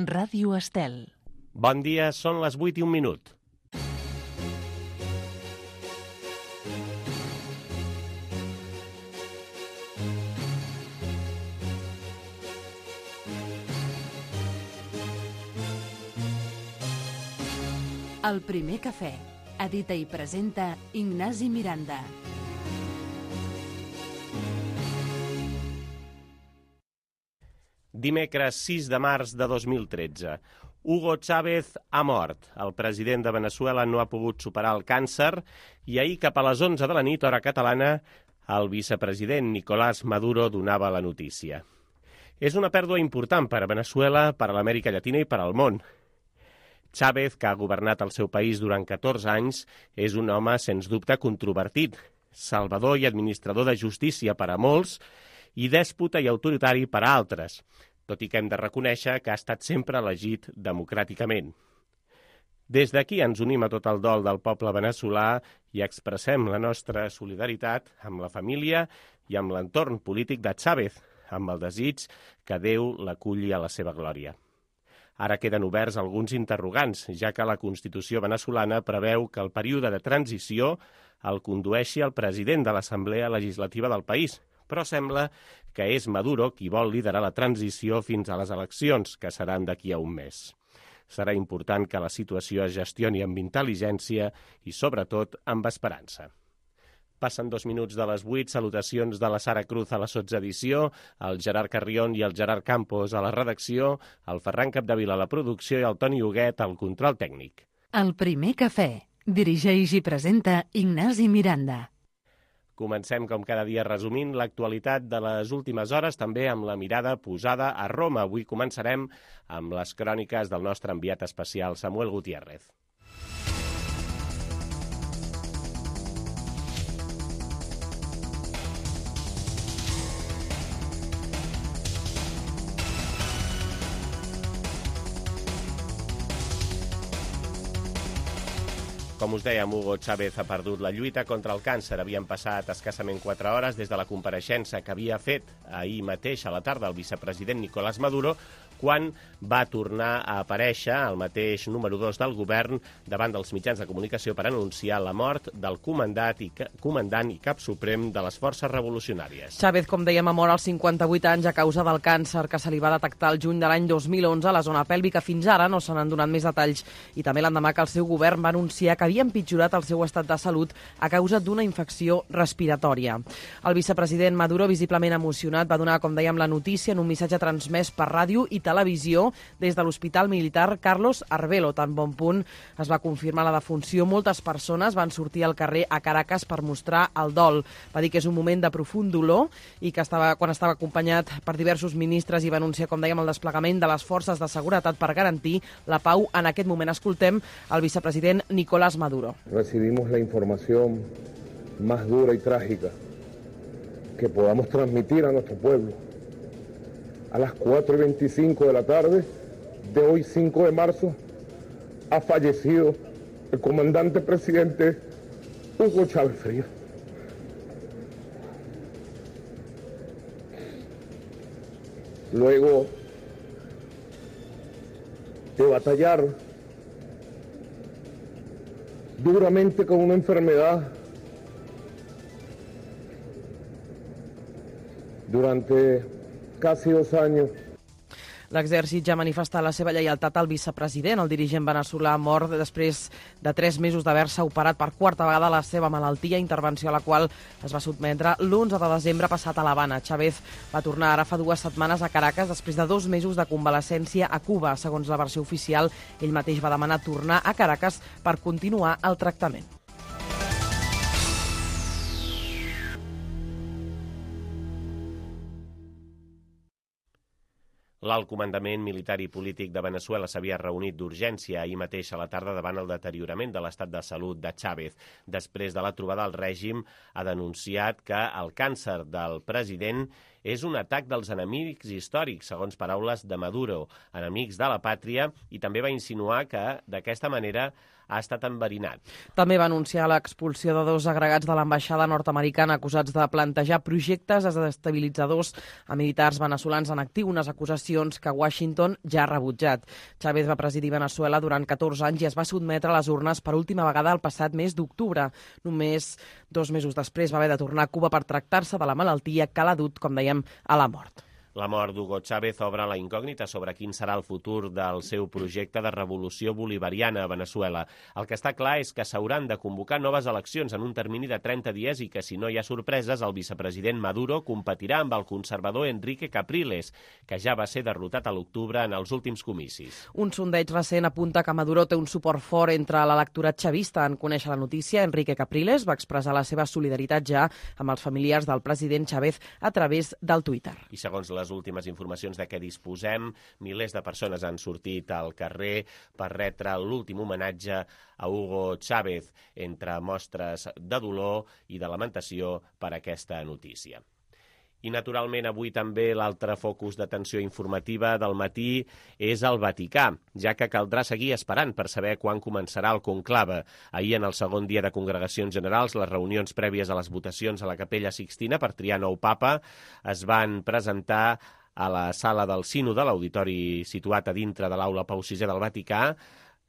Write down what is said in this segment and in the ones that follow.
Ràdio Estel. Bon dia, són les 8:01. El primer cafè. Edita i presenta Ignasi Miranda. Dimecres 6 de març de 2013. Hugo Chávez ha mort. El president de Veneçuela no ha pogut superar el càncer i ahir cap a les 11 de la nit, hora catalana, el vicepresident Nicolás Maduro donava la notícia. És una pèrdua important per a Veneçuela, per a l'Amèrica Llatina i per al món. Chávez, que ha governat el seu país durant 14 anys, és un home, sens dubte, controvertit, salvador i administrador de justícia per a molts i dèspota i autoritari per a altres, tot i que hem de reconèixer que ha estat sempre elegit democràticament. Des d'aquí ens unim a tot el dol del poble veneçolà i expressem la nostra solidaritat amb la família i amb l'entorn polític de Chávez, amb el desig que Déu l'aculli a la seva glòria. Ara queden oberts alguns interrogants, ja que la Constitució venezolana preveu que el període de transició el condueixi el president de l'Assemblea Legislativa del país, però sembla que és Maduro qui vol liderar la transició fins a les eleccions, que seran d'aquí a un mes. Serà important que la situació es gestioni amb intel·ligència i, sobretot, amb esperança. Passen 2 minuts de les 8, salutacions de la Sara Cruz a la sotsedició, el Gerard Carrion i el Gerard Campos a la redacció, el Ferran Capdevila a la producció i el Toni Huguet al control tècnic. El primer cafè. Dirigeix i presenta Ignasi Miranda. Comencem, com cada dia, resumint l'actualitat de les últimes hores, també amb la mirada posada a Roma. Avui començarem amb les cròniques del nostre enviat especial, Samuel Gutiérrez. Com us dèiem, Hugo Chávez ha perdut la lluita contra el càncer. Havien passat escassament 4 hores des de la compareixença que havia fet ahir mateix a la tarda el vicepresident Nicolás Maduro, quan va tornar a aparèixer el mateix número 2 del govern davant dels mitjans de comunicació per anunciar la mort del comandant i cap suprem de les forces revolucionàries. Chávez, com dèiem, ha mort als 58 anys a causa del càncer que se li va detectar el juny de l'any 2011 a la zona pèlvica. Fins ara no se n'han donat més detalls i també l'endemà que el seu govern va anunciar que havia empitjorat el seu estat de salut a causa d'una infecció respiratòria. El vicepresident Maduro, visiblement emocionat, va donar, com dèiem, la notícia en un missatge transmès per ràdio i televisió des de l'Hospital Militar Carlos Arbelo. Tan bon punt es va confirmar la defunció, moltes persones van sortir al carrer a Caracas per mostrar el dol. Va dir que és un moment de profund dolor i que quan estava acompanyat per diversos ministres i va anunciar, com dèiem, el desplegament de les forces de seguretat per garantir la pau. En aquest moment escoltem el vicepresident Nicolás Maduro. Recibimos la información más dura y trágica que podamos transmitir a nuestro pueblo. A las 4:25 de la tarde de hoy, 5 de marzo, ha fallecido el comandante presidente Hugo Chávez Frías. Luego de batallar duramente con una enfermedad durante casi 2 años. L'exèrcit ja ha manifestat la seva lleialtat al vicepresident. El dirigent veneçolà ha mort després de 3 mesos d'haver-se operat per 4a vegada la seva malaltia, intervenció a la qual es va sotmetre l'11 de desembre passat a l'Havana. Chávez va tornar ara fa 2 setmanes a Caracas després de 2 mesos de convalescència a Cuba. Segons la versió oficial, ell mateix va demanar tornar a Caracas per continuar el tractament. L'alt comandament militar i polític de Veneçuela s'havia reunit d'urgència ahir mateix a la tarda davant el deteriorament de l'estat de salut de Chávez. Després de la trobada, el règim ha denunciat que el càncer del president és un atac dels enemics històrics, segons paraules de Maduro, enemics de la pàtria, i també va insinuar que d'aquesta manera ha estat enverinat. També va anunciar l'expulsió de 2 agregats de l'ambaixada nord-americana acusats de plantejar projectes desestabilitzadors a militars veneçolans en actiu, unes acusacions que Washington ja ha rebutjat. Chávez va presidir Veneçuela durant 14 anys i es va sotmetre a les urnes per última vegada el passat mes d'octubre. Només 2 mesos després va haver de tornar a Cuba per tractar-se de la malaltia que l'ha dut, com dèiem, a la mort. La mort d'Hugo Chávez obre la incògnita sobre quin serà el futur del seu projecte de revolució bolivariana a Veneçuela. El que està clar és que s'hauran de convocar noves eleccions en un termini de 30 dies i que, si no hi ha sorpreses, el vicepresident Maduro competirà amb el conservador Enrique Capriles, que ja va ser derrotat a l'octubre en els últims comicis. Un sondeig recent apunta que Maduro té un suport fort entre l'electorat xavista. En conèixer la notícia, Enrique Capriles va expressar la seva solidaritat ja amb els familiars del president Chávez a través del Twitter. I segons les últimes informacions de què disposem, milers de persones han sortit al carrer per retre l'últim homenatge a Hugo Chávez, entre mostres de dolor i de lamentació per aquesta notícia. I, naturalment, avui també l'altre focus d'atenció informativa del matí és el Vaticà, ja que caldrà seguir esperant per saber quan començarà el conclave. Ahir, en el segon dia de congregacions generals, les reunions prèvies a les votacions a la Capella Sixtina per triar nou papa es van presentar a la sala del Sino de l'auditori situat a dintre de l'aula Pau VI del Vaticà,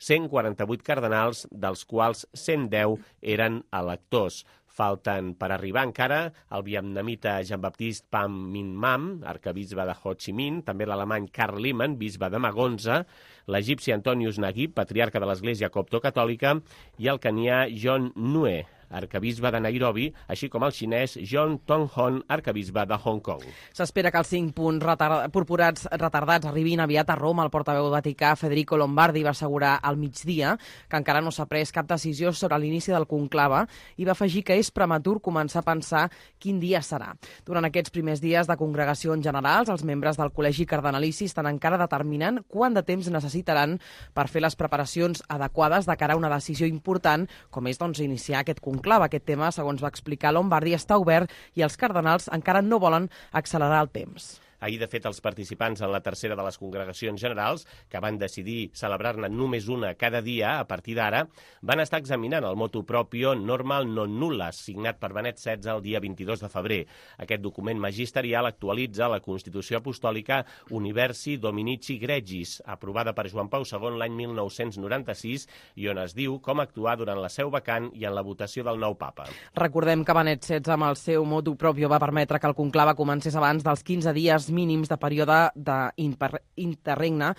148 cardenals, dels quals 110 eren electors. Falten per arribar encara el vietnamita Jean-Baptiste Pham Minh Mam, arcabisbe de Ho Chi Minh, també l'alemany Karl Lehmann, bisbe de Magonza, l'egipci Antonius Naguib, patriarca de l'Església Coptocatòlica, i el canià John Nue, arcabisbe de Nairobi, així com el xinès John Tonghon, arcabisbe de Hong Kong. S'espera que els 5 punts purpurats retardats arribin aviat a Roma. El portaveu vaticà Federico Lombardi va assegurar al migdia que encara no s'ha pres cap decisió sobre l'inici del conclave i va afegir que és prematur començar a pensar quin dia serà. Durant aquests primers dies de congregacions generals, els membres del Col·legi Cardenalici estan encara determinant quant de temps necessitaran per fer les preparacions adequades de cara a una decisió important, com és iniciar aquest conclave. Aquest tema, segons va explicar Lombardi, està obert i els cardenals encara no volen accelerar el temps. Ahir, de fet, els participants en la tercera de les congregacions generals, que van decidir celebrar-ne només una cada dia a partir d'ara, van estar examinant el motu proprio Normal non nullas, signat per Benet XVI el dia 22 de febrer. Aquest document magisterial actualitza la Constitució Apostòlica Universi Dominici Gregis, aprovada per Joan Pau II l'any 1996, i on es diu com actuar durant la seu vacant i en la votació del nou papa. Recordem que Benet XVI, amb el seu motu proprio, va permetre que el conclave comencés abans dels 15 dies mínims de període d'interregne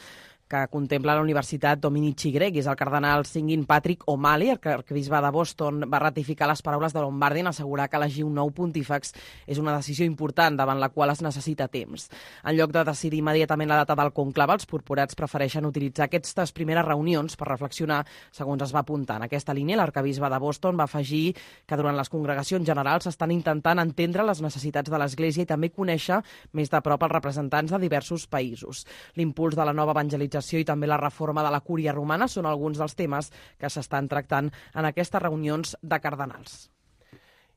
que contempla la Universitat Dominici Gregis. El cardenal Singin Patrick O'Malley, arquebisbe de Boston, va ratificar les paraules de Lombardi en assegurar que elegir un nou pontífex és una decisió important davant la qual es necessita temps. En lloc de decidir immediatament la data del conclave, els purpurats prefereixen utilitzar aquestes primeres reunions per reflexionar, segons es va apuntar. En aquesta línia, l'arquebisbe de Boston va afegir que durant les congregacions generals s'estan intentant entendre les necessitats de l'Església i també conèixer més de prop els representants de diversos països. L'impuls de la nova evangelització i també la reforma de la cúria romana són alguns dels temes que s'estan tractant en aquestes reunions de cardenals.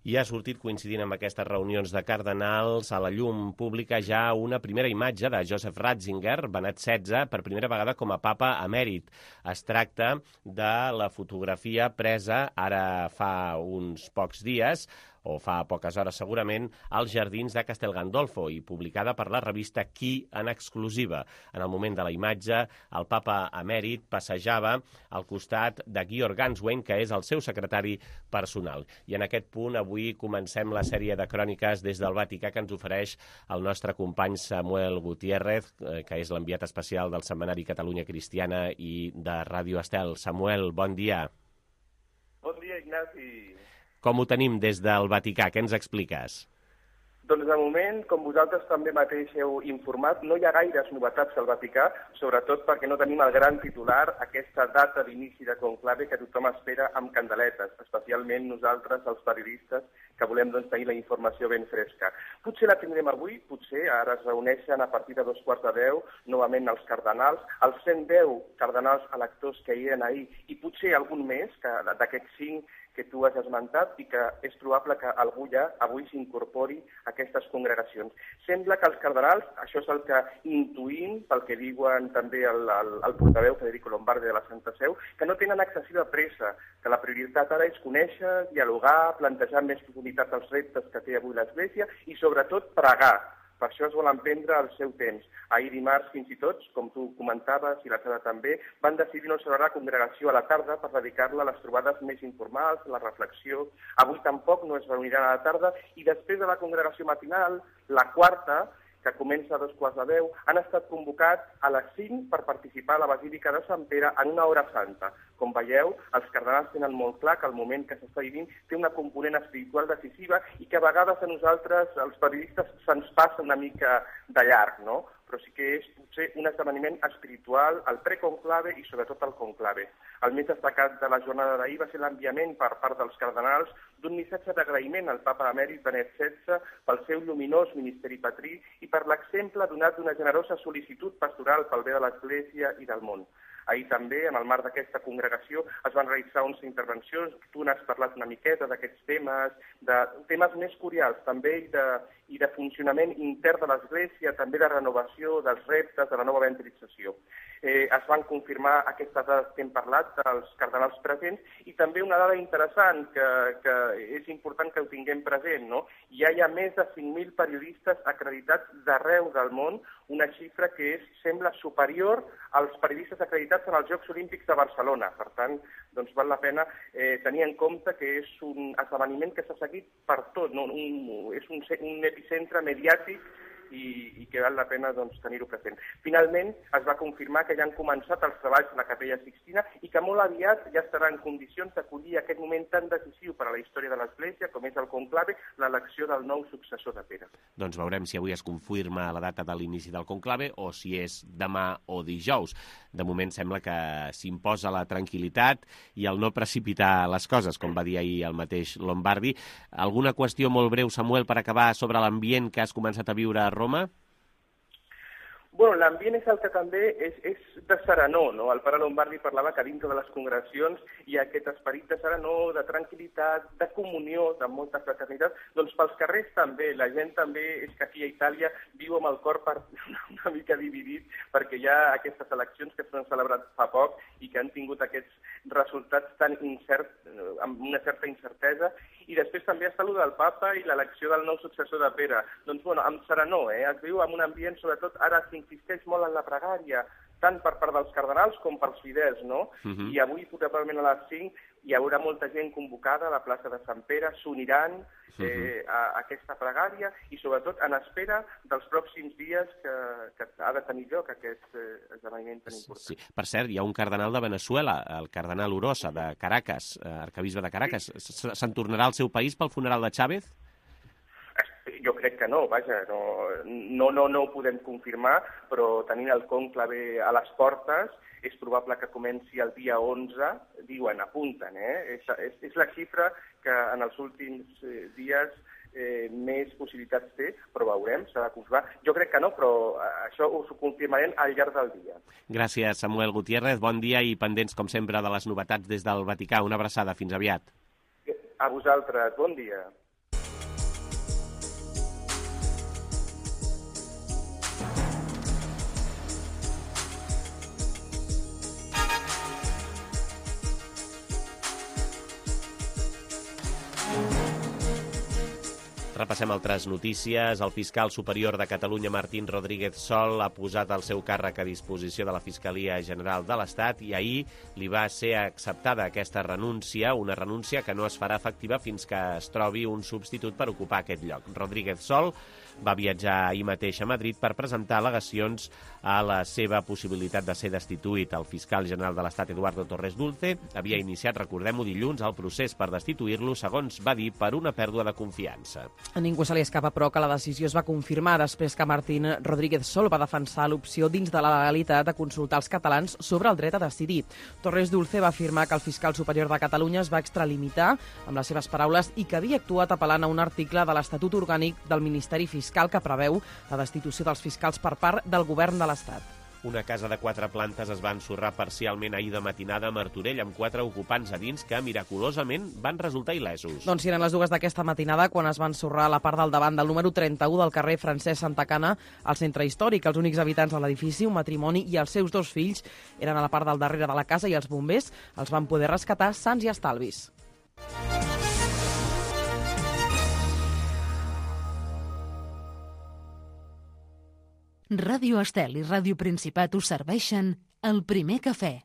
I ha sortit, coincidint amb aquestes reunions de cardenals, a la llum pública ja una primera imatge de Joseph Ratzinger, Benet XVI, per primera vegada com a papa emèrit. Es tracta de la fotografia presa ara fa uns pocs dies, o fa poques hores segurament, als jardins de Castel Gandolfo i publicada per la revista Qui en exclusiva. En el moment de la imatge, el papa emèrit passejava al costat de Georg Ganswein, que és el seu secretari personal. I en aquest punt avui comencem la sèrie de cròniques des del Vaticà que ens ofereix el nostre company Samuel Gutiérrez, que és l'enviat especial del setmanari Catalunya Cristiana i de Ràdio Estel. Samuel, bon dia. Bon dia, Ignasi. Com ho tenim des del Vaticà? Què ens expliques? Doncs de moment, com vosaltres també mateix heu informat, no hi ha gaires novetats al Vaticà, sobretot perquè no tenim el gran titular, aquesta data d'inici de conclave que tothom espera amb candeletes, especialment nosaltres, els periodistes, que volem tenir la informació ben fresca. Potser la tindrem avui, potser ara es reuneixen a partir de 9:45, novament els cardenals, els 110 cardenals electors que hi eren ahir, i potser algun més, que d'aquests 5 que tu has esmentat i que és probable que algú ja avui s'incorpori a aquestes congregacions. Sembla que els cardenals, això és el que intuïm pel que diuen també el portaveu Federico Lombardi de la Santa Seu, que no tenen excessiva pressa, que la prioritat ara és conèixer, dialogar, plantejar més profunditat els reptes que té avui l'Església i sobretot pregar. Per això es volen prendre el seu temps. Ahir dimarts, fins i tot, com tu comentaves, i la Sara també, van decidir no celebrar la congregació a la tarda per dedicar-la a les trobades més informals, a la reflexió. Avui tampoc no es reuniran a la tarda i després de la congregació matinal, la quarta, que comença a 2:15, han estat convocats a les 5 per participar a la Basílica de Sant Pere en una hora santa. Com veieu, els cardenals tenen molt clar que el moment que s'està vivint té una component espiritual decisiva i que a vegades a nosaltres, els periodistes, se'ns passa una mica de llarg, no? Però sí que és potser un esdeveniment espiritual, el preconclave i sobretot el conclave. El més destacat de la jornada d'ahir va ser l'enviament per part dels cardenals d'un missatge d'agraïment al papa emèrit Benet XVI pel seu lluminós ministeri patrí i per l'exemple donat d'una generosa sol·licitud pastoral pel bé de l'Església i del món. Ahir també, en el marc d'aquesta congregació, es van realitzar 11 intervencions. Tu n'has parlat una miqueta d'aquests temes, de temes més curials també i de funcionament intern de l'Església, també de renovació dels reptes, de la nova evangelització. Es van confirmar aquestes dades que hem parlat dels cardenals presents i també una dada interessant que és important que ho tinguem present, no? Hi ha més de 5.000 periodistes acreditats d'arreu del món, una xifra que sembla superior als periodistes acreditats en els Jocs Olímpics de Barcelona. Per tant, doncs val la pena tenir en compte que és un esdeveniment que s'ha seguit per tot, no? És un epicentre mediàtic i que val la pena tenir-ho present. Finalment, es va confirmar que ja han començat els treballs de la Capella Sixtina i que molt aviat ja estarà en condicions d'acollir aquest moment tan decisiu per a la història de l'Església com és el conclave, l'elecció del nou successor de Pere. Doncs veurem si avui es confirma la data de l'inici del conclave o si és demà o dijous. De moment sembla que s'imposa la tranquil·litat i el no precipitar les coses, com va dir ahir el mateix Lombardi. Alguna qüestió molt breu, Samuel, per acabar sobre l'ambient que has començat a viure a Roma? Bueno, l'ambient és el que també és de serenor, no? El pare Lombardi parlava que dintre de les congregacions hi ha aquest esperit de serenor, de tranquil·litat, de comunió, de molta fraternitat. Doncs pels carrers també, la gent també és que aquí a Itàlia viu amb el cor una mica dividit perquè hi ha aquestes eleccions que s'han celebrat fa poc i que han tingut aquests resultats tan incerts, amb una certa incertesa. I després també està allò del papa i l'elecció del nou successor de Pere. Doncs, bueno, amb serenor, es viu en un ambient, sobretot ara s'insisteix molt en la pregària, tant per part dels cardenals com pels fidels, no? I avui, probablement a les 5, hi haurà molta gent convocada a la plaça de Sant Pere, s'uniran a aquesta pregària i sobretot en espera dels pròxims dies que ha de tenir lloc aquest esdeveniment tan important. Sí. Per cert, hi ha un cardenal de Veneçuela, el cardenal Orosa, de Caracas, arquebisbe de Caracas. Se'n tornarà al seu país pel funeral de Chávez? Jo crec que no, vaja, no ho podem confirmar, però tenint el conclave a les portes, és probable que comenci el dia 11, diuen, apunten, És la xifra que en els últims dies més possibilitats té, però veurem, s'ha de confirmar. Jo crec que no, però això us ho confirmarem al llarg del dia. Gràcies, Samuel Gutiérrez. Bon dia i pendents, com sempre, de les novetats des del Vaticà. Una abraçada. Fins aviat. A vosaltres. Bon dia. Repassem altres notícies. El fiscal superior de Catalunya, Martín Rodríguez Sol, ha posat el seu càrrec a disposició de la Fiscalia General de l'Estat i ahir li va ser acceptada aquesta renúncia, una renúncia que no es farà efectiva fins que es trobi un substitut per ocupar aquest lloc. Rodríguez Sol va viatjar ahir mateix a Madrid per presentar al·legacions a la seva possibilitat de ser destituït. El fiscal general de l'Estat, Eduardo Torres Dulce, havia iniciat, recordem-ho, dilluns, el procés per destituir-lo, segons va dir, per una pèrdua de confiança. A ningú se li escapa, però, que la decisió es va confirmar després que Martín Rodríguez Sol va defensar l'opció dins de la legalitat de consultar els catalans sobre el dret a decidir. Torres Dulce va afirmar que el fiscal superior de Catalunya es va extralimitar, amb les seves paraules, i que havia actuat apel·lant a un article de l'Estatut Orgànic del Ministeri Fiscal que preveu la destitució dels fiscals per part del govern de l'Estat. Una casa de 4 plantes es va ensorrar parcialment ahir de matinada a Martorell amb 4 ocupants a dins que miraculosament van resultar il·lesos. Doncs eren les 2 d'aquesta matinada quan es va ensorrar a la part del davant del número 31 del carrer Francesc Santacana al centre històric. Els únics habitants de l'edifici, un matrimoni i els seus 2 fills, eren a la part del darrere de la casa i els bombers els van poder rescatar sans i estalvis. Ràdio Estel i Ràdio Principat us serveixen el primer cafè.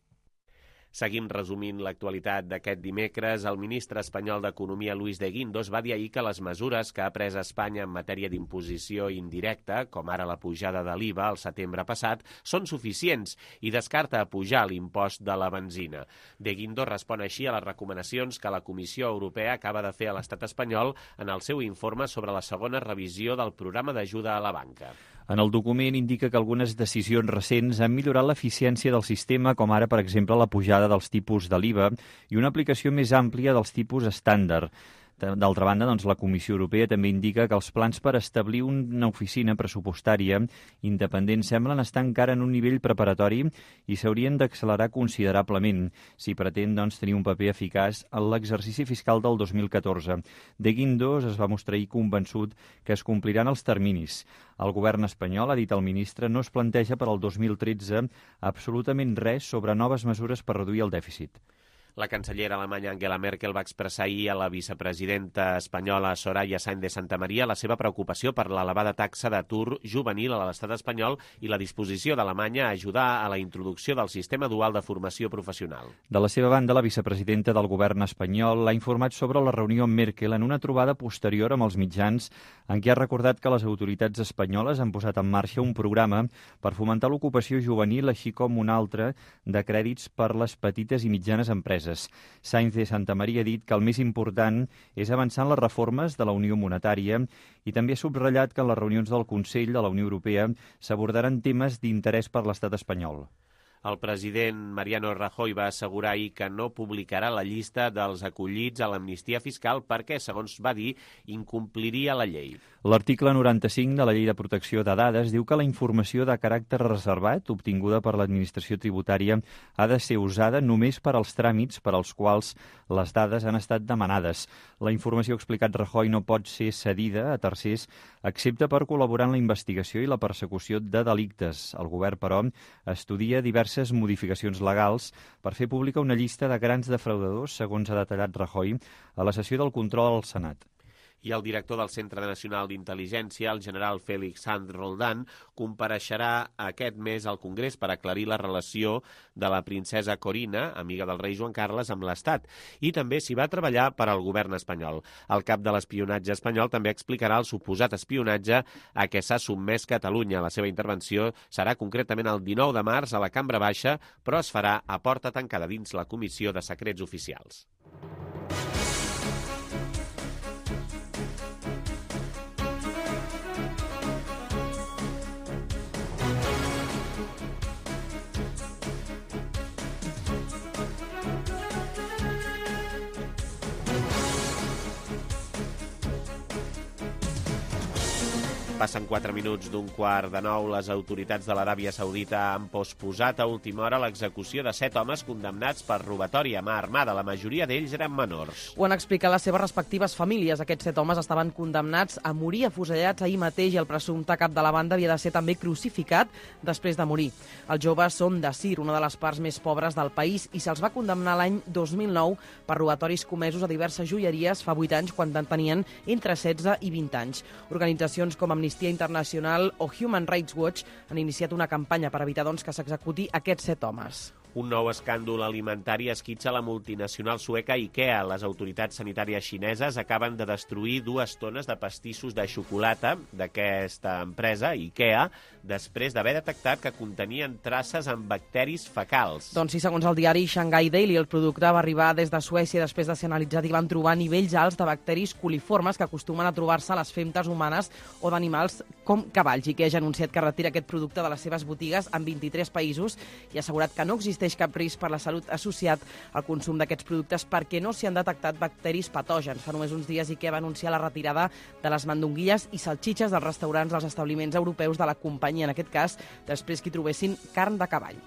Seguim resumint l'actualitat d'aquest dimecres. El ministre espanyol d'Economia, Luis de Guindos, va dir ahir que les mesures que ha pres Espanya en matèria d'imposició indirecta, com ara la pujada de l'IVA al setembre passat, són suficients i descarta pujar l'impost de la benzina. De Guindos respon així a les recomanacions que la Comissió Europea acaba de fer a l'estat espanyol en el seu informe sobre la segona revisió del programa d'ajuda a la banca. En el document indica que algunes decisions recents han millorat l'eficiència del sistema, com ara, per exemple, la pujada dels tipus de l'IVA i una aplicació més àmplia dels tipus estàndard. D'altra banda, doncs, la Comissió Europea també indica que els plans per establir una oficina pressupostària independent semblen estar encara en un nivell preparatori i s'haurien d'accelerar considerablement si pretén tenir un paper eficaç en l'exercici fiscal del 2014. De Guindos es va mostrar ahir convençut que es compliran els terminis. El govern espanyol, ha dit el ministre, no es planteja per al 2013 absolutament res sobre noves mesures per reduir el dèficit. La cancellera alemanya Angela Merkel va expressar ahir a la vicepresidenta espanyola Soraya Sáenz de Santamaría la seva preocupació per l'elevada taxa d'atur juvenil a l'estat espanyol i la disposició d'Alemanya a ajudar a la introducció del sistema dual de formació professional. De la seva banda, la vicepresidenta del govern espanyol l'ha informat sobre la reunió amb Merkel en una trobada posterior amb els mitjans en què ha recordat que les autoritats espanyoles han posat en marxa un programa per fomentar l'ocupació juvenil, així com un altre de crèdits per les petites i mitjanes empreses. Sáenz de Santamaría ha dit que el més important és avançar en les reformes de la Unió Monetària i també ha subratllat que en les reunions del Consell de la Unió Europea s'abordaran temes d'interès per l'estat espanyol. El president Mariano Rajoy va assegurar ahir que no publicarà la llista dels acollits a l'amnistia fiscal perquè, segons va dir, incompliria la llei. L'article 95 de la Llei de Protecció de Dades diu que la informació de caràcter reservat obtinguda per l'administració tributària ha de ser usada només per als tràmits per als quals les dades han estat demanades. La informació, ha explicat Rajoy, no pot ser cedida a tercers excepte per col·laborar en la investigació i la persecució de delictes. El govern, però, estudia diverses modificacions legals per fer pública una llista de grans defraudadors, segons ha detallat Rajoy a la sessió del control al Senat. I el director del Centre Nacional d'Intel·ligència, el general Félix Sanz Roldán, compareixerà aquest mes al Congrés per aclarir la relació de la princesa Corina, amiga del rei Joan Carles, amb l'Estat, i també s'hi va treballar per al govern espanyol. El cap de l'espionatge espanyol també explicarà el suposat espionatge a què s'ha sotmès Catalunya. La seva intervenció serà concretament el 19 de març a la Cambra Baixa, però es farà a porta tancada dins la Comissió de Secrets Oficials. Passen 4 minuts d'un quart de 9. Les autoritats de l'Aràbia Saudita han posposat a última hora l'execució de 7 homes condemnats per robatori a mà armada. La majoria d'ells eren menors. Ho han explicat les seves respectives famílies. Aquests 7 homes estaven condemnats a morir afusellats ahir mateix i el presumpte cap de la banda havia de ser també crucificat després de morir. Els joves són de Sir, una de les parts més pobres del país, i se'ls va condemnar l'any 2009 per robatoris comesos a diverses joieries fa 8 anys quan tenien entre 16 i 20 anys. Organitzacions com Amnistia Internacional o Human Rights Watch han iniciat una campanya per evitar que s'executi aquests 7 homes. Un nou escàndol alimentari esquitxa la multinacional sueca IKEA. Les autoritats sanitàries xineses acaben de destruir 2 tones de pastissos de xocolata d'aquesta empresa, IKEA, després d'haver detectat que contenien traces amb bacteris fecals. Doncs sí, segons el diari Shanghai Daily, el producte va arribar des de Suècia després de ser analitzat i van trobar nivells alts de bacteris coliformes que acostumen a trobar-se a les femtes humanes o d'animals com cavalls. IKEA ja ha anunciat que retira aquest producte de les seves botigues en 23 països i ha assegurat que no existeix existeix cap risc per la salut associat al consum d'aquests productes perquè no s'hi han detectat bacteris patògens. Fa només uns dies IKEA va anunciar la retirada de les mandonguilles i salxitxes dels restaurants dels establiments europeus de la companyia, en aquest cas, després que hi trobessin carn de cavall.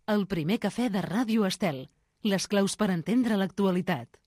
El primer cafè de Ràdio Estel. Les claus per entendre l'actualitat.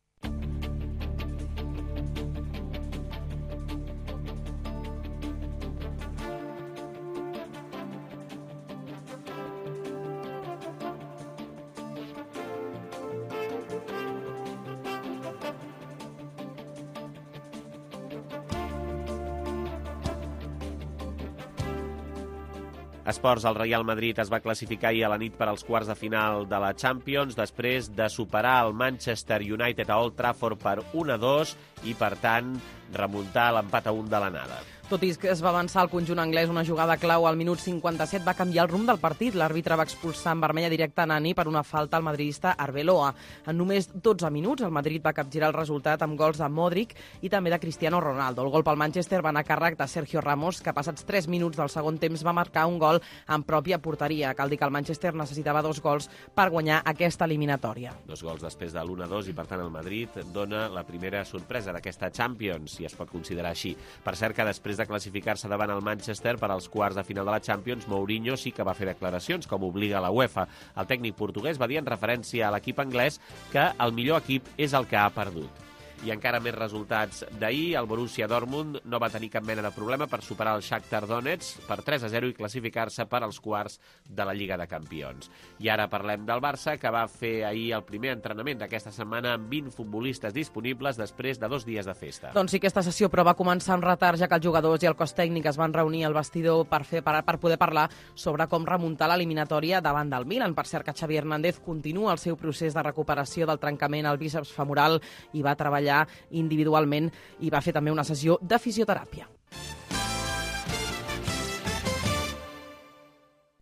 Esports, el Real Madrid es va classificar ahir a la nit per als quarts de final de la Champions després de superar el Manchester United a Old Trafford per 1-2 i, per tant, remuntar l'empat a 1 de l'anada. Tot i que es va avançar el conjunt anglès, una jugada clau al minut 57 va canviar el rumb del partit. L'àrbitre va expulsar en vermella directa a Nani per una falta al madridista Arbeloa. En només 12 minuts, el Madrid va capgirar el resultat amb gols de Modric i també de Cristiano Ronaldo. El gol pel Manchester va anar a càrrec de Sergio Ramos, que passats 3 minuts del segon temps va marcar un gol en pròpia porteria. Cal dir que el Manchester necessitava 2 gols per guanyar aquesta eliminatòria. 2 gols després de l'1-2 i, per tant, el Madrid dona la primera sorpresa d'aquesta Champions, si es pot considerar així. Per cert que després de classificar-se davant el Manchester per als quarts de final de la Champions, Mourinho sí que va fer declaracions, com obliga la UEFA. El tècnic portuguès va dir en referència a l'equip anglès que el millor equip és el que ha perdut. I encara més resultats d'ahir, el Borussia Dortmund no va tenir cap mena de problema per superar el Shakhtar Donetsk per 3-0 i classificar-se per als quarts de la Lliga de Campions. I ara parlem del Barça, que va fer ahir el primer entrenament d'aquesta setmana amb 20 futbolistes disponibles després de 2 dies de festa. Doncs sí que aquesta sessió, però va començar amb retard, ja que els jugadors i el cos tècnic es van reunir al vestidor per poder parlar sobre com remuntar l'eliminatòria davant del Milan. Per cert que Xavi Hernández continua el seu procés de recuperació del trencament al bíceps femoral i va treballar individualment i va fer també una sessió de fisioteràpia.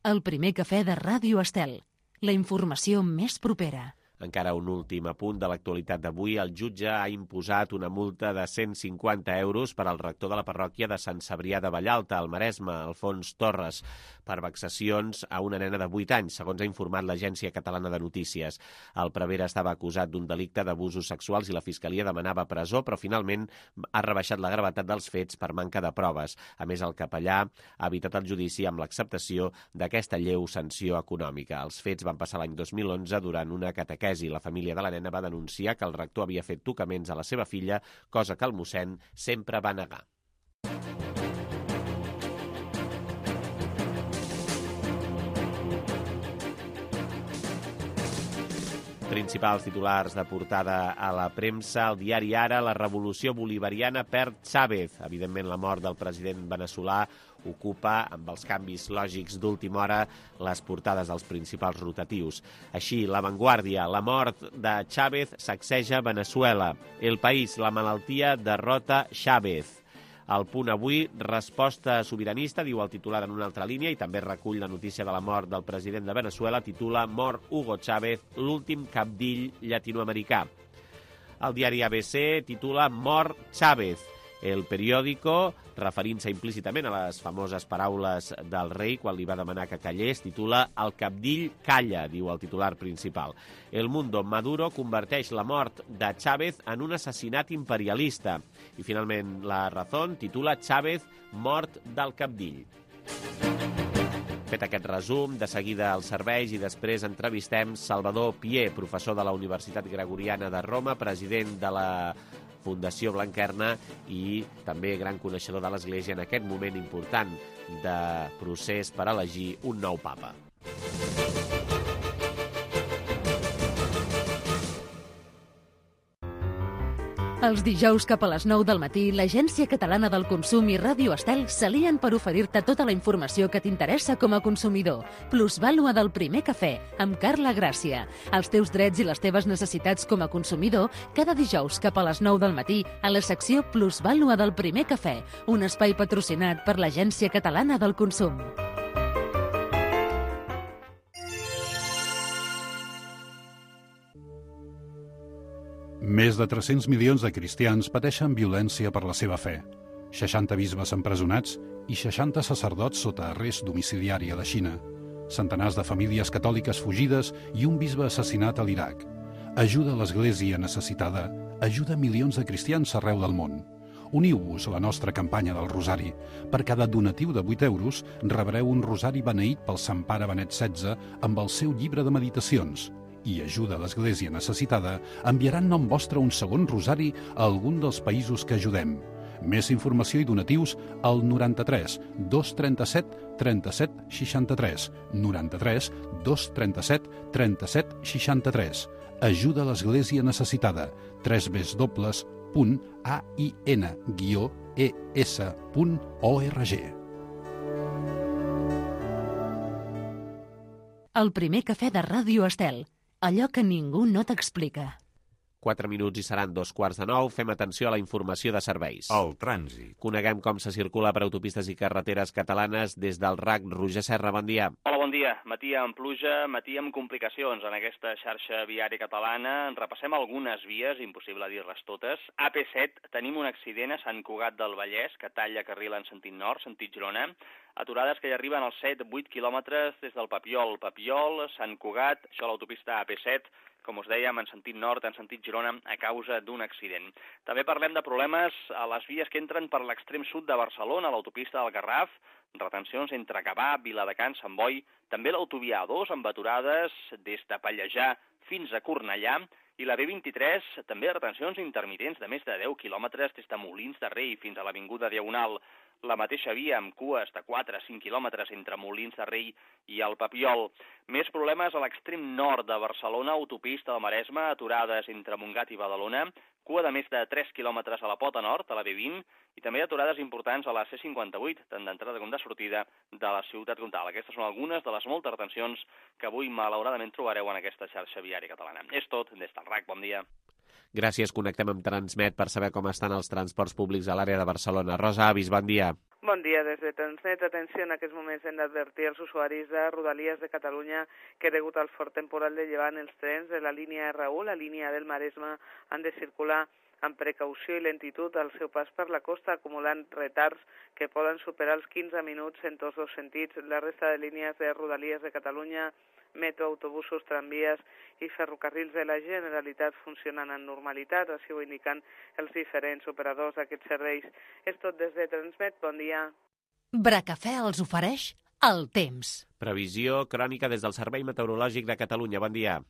El primer cafè de Ràdio Estel. La informació més propera. Encara un últim apunt de l'actualitat d'avui. El jutge ha imposat una multa de 150 euros per al rector de la parròquia de Sant Cebrià de Vallalta, al Maresme, Alfons Torres, per vexacions a una nena de 8 anys, segons ha informat l'Agència Catalana de Notícies. El prevere estava acusat d'un delicte d'abusos sexuals i la Fiscalia demanava presó, però finalment ha rebaixat la gravetat dels fets per manca de proves. A més, el capellà ha evitat el judici amb l'acceptació d'aquesta lleu sanció econòmica. Els fets van passar l'any 2011 durant una catequesi. La família de la nena va denunciar que el rector havia fet tocaments a la seva filla, cosa que el mossèn sempre va negar. Principals titulars de portada a la premsa. El diari Ara, la revolució bolivariana perd Chávez. Evidentment, la mort del president veneçolà ocupa, amb els canvis lògics d'última hora, les portades dels principals rotatius. Així, La Vanguardia, la mort de Chávez sacseja Veneçuela. El País, la malaltia derrota Chávez. El Punt Avui, resposta sobiranista, diu el titular en una altra línia, i també recull la notícia de la mort del president de Veneçuela, titula Mort Hugo Chávez, l'últim cabdill llatinoamericà. El diari ABC titula Mort Chávez. El Periódico, referint-se implícitament a les famoses paraules del rei quan li va demanar que callés, titula El cabdill calla, diu el titular principal. El Mundo, Maduro converteix la mort de Chávez en un assassinat imperialista. I finalment La Razón titula Chávez mort del cabdill. Fet aquest resum, de seguida als serveis i després entrevistem Salvador Pié, professor de la Universitat Gregoriana de Roma, president de la Fundació Blanquerna i també gran coneixedor de l'Església en aquest moment important de procés per elegir un nou papa. Els dijous cap a les 9 del matí, l'Agència Catalana del Consum i Ràdio Estel s'alien per oferir-te tota la informació que t'interessa com a consumidor. Plusvàlua del primer cafè, amb Carla Gràcia. Els teus drets i les teves necessitats com a consumidor, cada dijous cap a les 9 del matí, a la secció Plusvàlua del primer cafè, un espai patrocinat per l'Agència Catalana del Consum. Més de 300 milions de cristians pateixen violència per la seva fe. 60 bisbes empresonats i 60 sacerdots sota arrest domiciliari a la Xina, centenars de famílies catòliques fugides i un bisbe assassinat a l'Iraq. Ajuda a l'Església necessitada, ajuda milions de cristians arreu del món. Uniu-vos a la nostra campanya del Rosari. Per cada donatiu de 8 euros rebreu un rosari beneït pel Sant Pare Benet XVI amb el seu llibre de meditacions. I Ajuda a l'Església necessitada enviarà en nom vostre un segon rosari a algun dels països que ajudem. Més informació i donatius al 93 237 37 63, 93 237 37 63. Ajuda a l'Església necessitada, www.ain-es.org. El primer cafè de Ràdio Estel. Allò que ningú no t'explica. 4 minuts i seran 8:45. Fem atenció a la informació de serveis. El trànsit. Coneguem com se circula per autopistes i carreteres catalanes des del RAC. Roger Serra, bon dia. Hola, bon dia. Matí amb pluja, matí amb complicacions en aquesta xarxa viària catalana. Repassem algunes vies, impossible dir-les totes. AP7, tenim un accident a Sant Cugat del Vallès, que talla carril en sentit nord, sentit Girona. Aturades que hi arriben als 7-8 quilòmetres des del Papiol. Papiol, Sant Cugat, això a l'autopista AP7, com us dèiem, en sentit nord, en sentit Girona, a causa d'un accident. També parlem de problemes a les vies que entren per l'extrem sud de Barcelona, a l'autopista del Garraf, retencions entre Gavà, Viladecans, Sant Boi, també l'autovia A2 amb aturades des de Pallejà fins a Cornellà, i la B23 també retencions intermitents de més de 10 quilòmetres des de Molins de Rei fins a l'Avinguda Diagonal. La mateixa via amb cues de 4 a 5 quilòmetres entre Molins de Rei i el Papiol. Més problemes a l'extrem nord de Barcelona, autopista del Maresme, aturades entre Montgat i Badalona, cua de més de 3 quilòmetres a la Pota Nord, a la B20, i també aturades importants a la C58, tant d'entrada com de sortida de la ciutat comtal. Aquestes són algunes de les moltes retencions que avui malauradament trobareu en aquesta xarxa viària catalana. És tot des del RAC, bon dia. Gràcies, connectem amb Transmet per saber com estan els transports públics a l'àrea de Barcelona. Rosa Avis, bon dia. Bon dia, des de Transmet. Atenció, en aquests moments hem d'advertir als usuaris de Rodalies de Catalunya que degut al fort temporal de llevant els trens de la línia R1, la línia del Maresme, han de circular amb precaució i lentitud al seu pas per la costa, acumulant retards que poden superar els 15 minuts en tots dos sentits. La resta de línies de Rodalies de Catalunya, metro, autobusos, tramvies i ferrocarrils de la Generalitat funcionen en normalitat, així ho indiquen els diferents operadors d'aquests serveis. És tot des de Transmet, bon dia. Bracafè els ofereix el temps. Previsió crònica des del Servei Meteorològic de Catalunya, bon dia.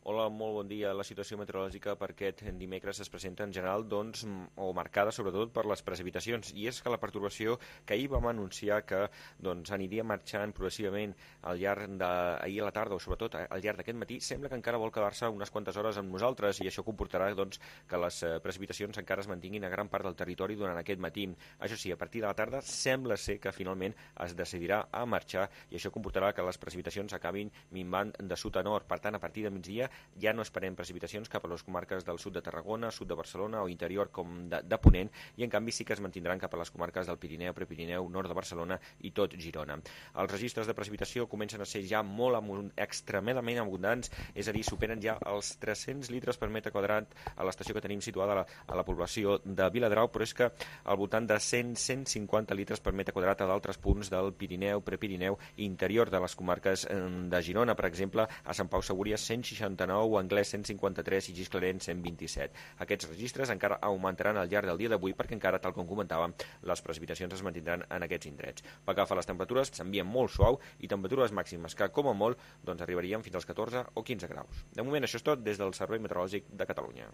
Hola, molt bon dia. La situació meteorològica per aquest dimecres es presenta en general, o marcada sobretot per les precipitacions, i és que la pertorbació que ahir vam anunciar que aniria marxant progressivament al llarg d'ahir a la tarda, o sobretot al llarg d'aquest matí, sembla que encara vol quedar-se unes quantes hores amb nosaltres, i això comportarà que les precipitacions encara es mantinguin a gran part del territori durant aquest matí. Això sí, a partir de la tarda sembla ser que finalment es decidirà a marxar, i això comportarà que les precipitacions acabin minvant de sud a nord. Per tant, a partir de migdia ja no esperem precipitacions cap a les comarques del sud de Tarragona, sud de Barcelona o interior com de Ponent, i en canvi sí que es mantindran cap a les comarques del Pirineu, Prepirineu, nord de Barcelona i tot Girona. Els registres de precipitació comencen a ser ja molt extremadament abundants, és a dir, superen ja els 300 litres per metre quadrat a l'estació que tenim situada a la població de Viladrau, però és que al voltant de 100-150 litres per metre quadrat a d'altres punts del Pirineu, Prepirineu i interior de les comarques de Girona, per exemple, a Sant Pau Segúries 169, Anglès 153 i Gisclareny 127. Aquests registres encara augmentaran al llarg del dia d'avui perquè encara, tal com comentàvem, les precipitacions es mantindran en aquests indrets. Pel que fa a les temperatures, s'envien molt suau i temperatures màximes que, com a molt, arribarien fins als 14 o 15 graus. De moment, això és tot des del Servei Meteorològic de Catalunya.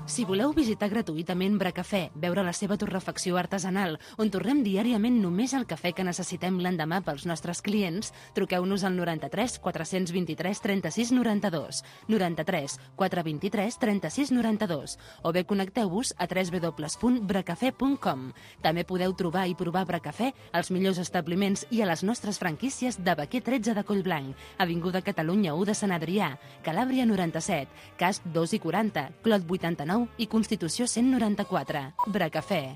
Si voleu visitar gratuïtament Bracafè, veure la seva torrefacció artesanal, on torrem diàriament només el cafè que necessitem l'endemà pels nostres clients, truqueu-nos al 93 423 36 92, 93 423 36 92, o bé connecteu-vos a www.bracafè.com. També podeu trobar i provar Bracafè als millors establiments i a les nostres franquícies de Baquer 13 de Collblanc, Avinguda Catalunya 1 de Sant Adrià, Calàbria 97, Casp 2 i 40, Clot 89 i Constitució 194. Bracafè.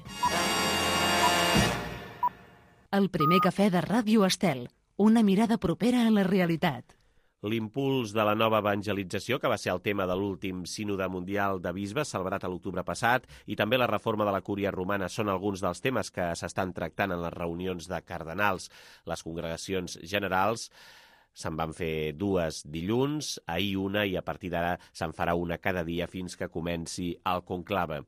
El primer cafè de Ràdio Estel. Una mirada propera a la realitat. l'impuls de la nova evangelització, que va ser el tema de l'últim sínode mundial de bisbes, celebrat a l'octubre passat, i també la reforma de la Cúria Romana són alguns dels temes que s'estan tractant en les reunions de cardenals. Les congregacions generals se'n van fer 2 dilluns, ahir una, i a partir d'ara se'n farà una cada dia fins que comenci el conclave.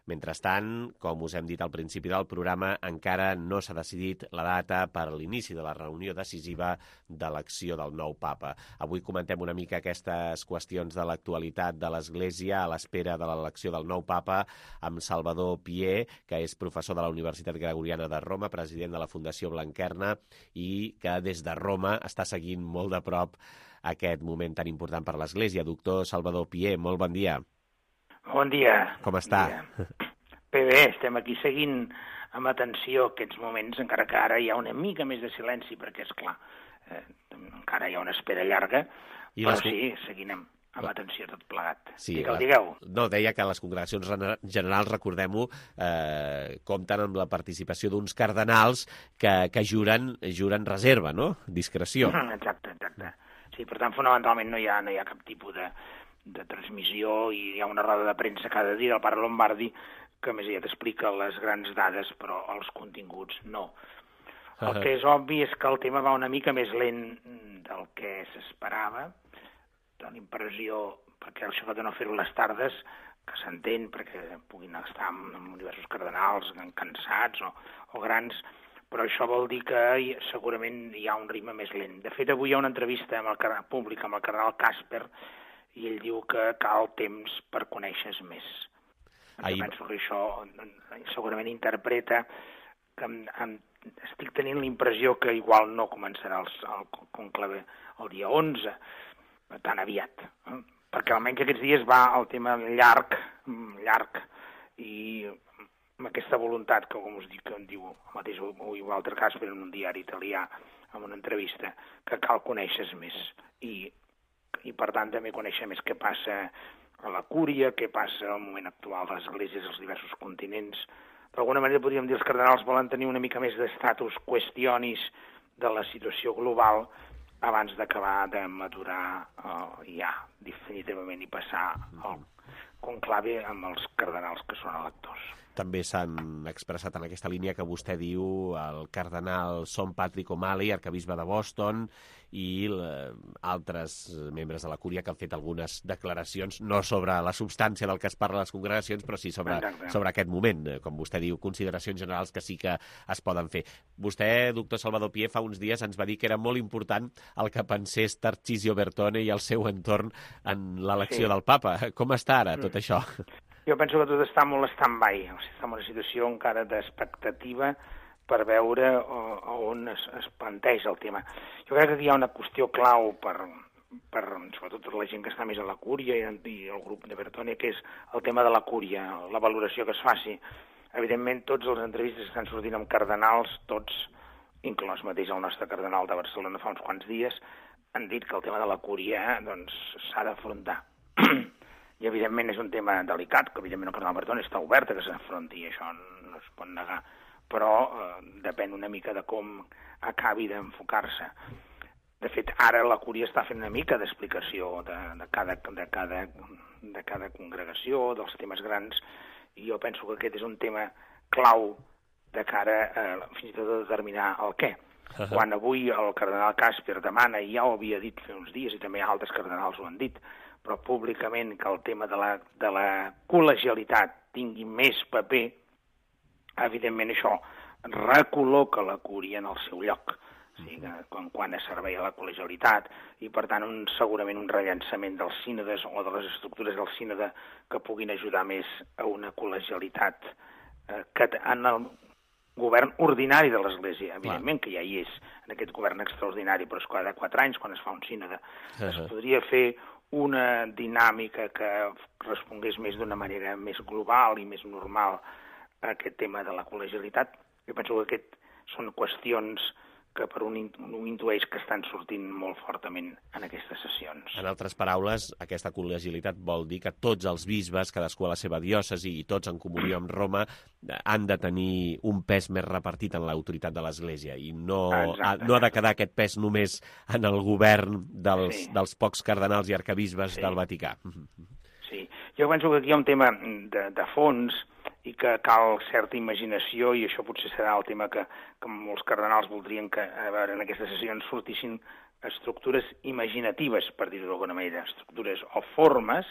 Mentrestant, com us hem dit al principi del programa, encara no s'ha decidit la data per a l'inici de la reunió decisiva d'elecció del nou papa. Avui comentem una mica aquestes qüestions de l'actualitat de l'Església a l'espera de l'elecció del nou papa amb Salvador Pié, que és professor de la Universitat Gregoriana de Roma, president de la Fundació Blanquerna i que des de Roma està seguint molt de prop aquest moment tan important per l'Església. Doctor Salvador Pié, molt bon dia. Bon dia. Com està? Bé, estem aquí seguint amb atenció aquests moments, encara que ara hi ha una mica més de silenci, perquè, esclar, encara hi ha una espera llarga, però sí, seguint amb atenció tot plegat. Sí, digueu. No, deia que les congregacions generals, recordem-ho, compten amb la participació d'uns cardenals que juren reserva, no? Discreció. Exacte. Sí, per tant, fonamentalment no hi ha cap tipus de transmissió, i hi ha una roda de premsa cada dia del pare Lombardi que més ja t'explica les grans dades, però els continguts no. El que és obvi és que el tema va una mica més lent del que s'esperava. Dóna l'impressió, perquè això de no fer-ho les tardes, que s'entén perquè puguin estar amb diversos cardenals cansats o grans, però això vol dir que segurament hi ha un ritme més lent. De fet, avui hi ha una entrevista pública amb el cardenal Casper, i ell diu que cal temps per conèixer més. Penso que això segurament interpreta que estic tenint l'impressió que igual no començarà el conclave el dia 11, tan aviat, perquè almenys aquests dies va el tema llarg, i amb aquesta voluntat que, com us dic, que em diu el mateix Walter Casper en un diari italià, en una entrevista, que cal conèixer més, i per tant també conèixer més què passa a la Cúria, què passa al moment actual de les esglésies als diversos continents. D'alguna manera podríem dir que els cardenals volen tenir una mica més d'estatus questionis de la situació global abans d'acabar de madurar ja definitivament i passar el conclave amb els cardenals que són electors. També s'han expressat en aquesta línia que vostè diu el cardenal Son Patrick O'Malley, arquebisbe de Boston, i altres membres de la Cúria que han fet algunes declaracions, no sobre la substància del que es parla a les congregacions, però sí sobre aquest moment, com vostè diu, consideracions generals que sí que es poden fer. Vostè, doctor Salvador Pié, fa uns dies ens va dir que era molt important el que pensés Tarcisio Bertone i el seu entorn en l'elecció del papa. Com està ara tot això? Jo penso que tot està molt stand-by, està en una situació encara d'expectativa per veure on es planteja el tema. Jo crec que aquí hi ha una qüestió clau per sobretot la gent que està més a la Cúria i el grup de Bertone, que és el tema de la Cúria, la valoració que es faci. Evidentment, tots els entrevistes que estan sortint amb cardenals, tots, inclòs mateix el nostre cardenal de Barcelona fa uns quants dies, han dit que el tema de la Cúria s'ha d'afrontar. I, evidentment, és un tema delicat, que, evidentment, el cardenal Bertone està obert a que s'afronti, i això no es pot negar, però depèn una mica de com acabi d'enfocar-se. De fet, ara la Cúria està fent una mica d'explicació de cada congregació, dels temes grans, i jo penso que aquest és un tema clau de cara fins i tot a determinar el què. Quan avui el cardenal Casper demana, i ja ho havia dit fa uns dies, i també altres cardenals ho han dit, però públicament, que el tema de la col·legialitat tingui més paper, evidentment això recol·loca la Cúria en el seu lloc, o sigui, quan es servei a la col·legialitat, i per tant segurament un rellançament dels sínodes o de les estructures del sínode que puguin ajudar més a una col·legialitat en el govern ordinari de l'Església, evidentment que ja hi és en aquest govern extraordinari, però és cada 4 anys quan es fa un sínode. Es podria fer una dinàmica que respongués més d'una manera més global i més normal a aquest tema de la col·legialitat. Jo penso que són qüestions que per un intueix que estan sortint molt fortament en aquestes sessions. En altres paraules, aquesta col·legialitat vol dir que tots els bisbes, cadascú a la seva diòcesi i tots en comunió amb Roma, han de tenir un pes més repartit en l'autoritat de l'Església i no ha de quedar aquest pes només en el govern dels pocs cardenals i arcabisbes del Vaticà. Sí, jo penso que aquí hi ha un tema de fons i que cal certa imaginació, i això potser serà el tema que molts cardenals voldrien que en aquestes sessions sortissin estructures imaginatives, per dir-ho d'alguna manera, estructures o formes,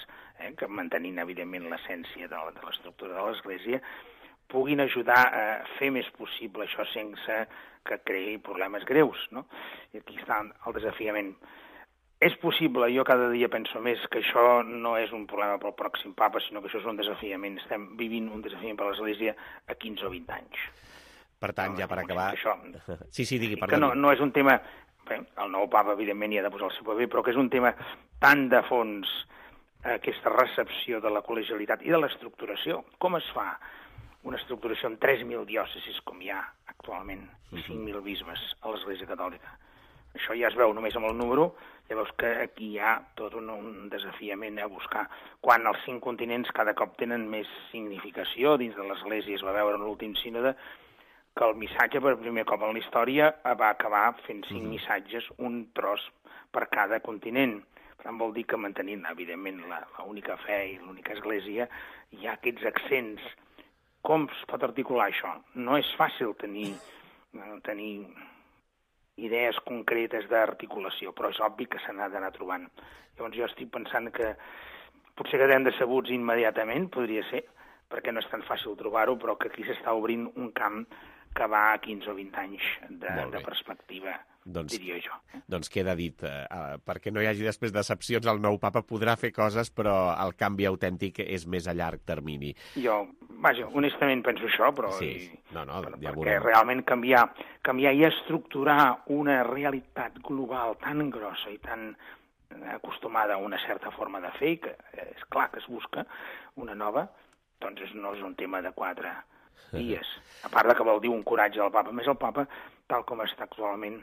que mantenint evidentment l'essència de l'estructura de l'Església, puguin ajudar a fer més possible això sense que creï problemes greus, no? I aquí està el desafiament. És possible, jo cada dia penso més, que això no és un problema pel pròxim papa, sinó que això és un desafiament. Estem vivint un desafiament per l'Església a 15 o 20 anys. Per tant, ja per acabar... Sí, digui, perdó. Que no és un tema... Bé, el nou papa, evidentment, hi ha de posar el seu paper, però que és un tema tan de fons, aquesta recepció de la col·legialitat i de l'estructuració. Com es fa una estructuració amb 3.000 diòcesis, com hi ha actualment, i 5.000 bisbes a l'Església Catòlica? Això ja es veu només amb el número, llavors que aquí hi ha tot un desafiament a buscar. Quan els 5 continents cada cop tenen més significació dins de l'Església, es va veure en l'últim sínode que el missatge per primer cop en la història va acabar fent 5 missatges, un tros per cada continent. Per tant, vol dir que mantenint, evidentment, l'única fe i l'única Església, hi ha aquests accents. Com es pot articular això? No és fàcil tenir idees concretes d'articulació, però és obvi que se n'ha d'anar trobant. Llavors jo estic pensant que potser quedem decebuts immediatament, podria ser, perquè no és tan fàcil trobar-ho, però que aquí s'està obrint un camp que va a 15 o 20 anys de perspectiva, diria jo. Doncs queda dit, perquè no hi hagi després decepcions, el nou papa podrà fer coses, però el canvi autèntic és més a llarg termini. Jo, honestament penso això, però... Sí, perquè realment canviar i estructurar una realitat global tan grossa i tan acostumada a una certa forma de fer, que és clar que es busca una nova, doncs no és un tema de 4 dies. A part de que vol dir un coratge del papa. A més, el papa, tal com està actualment,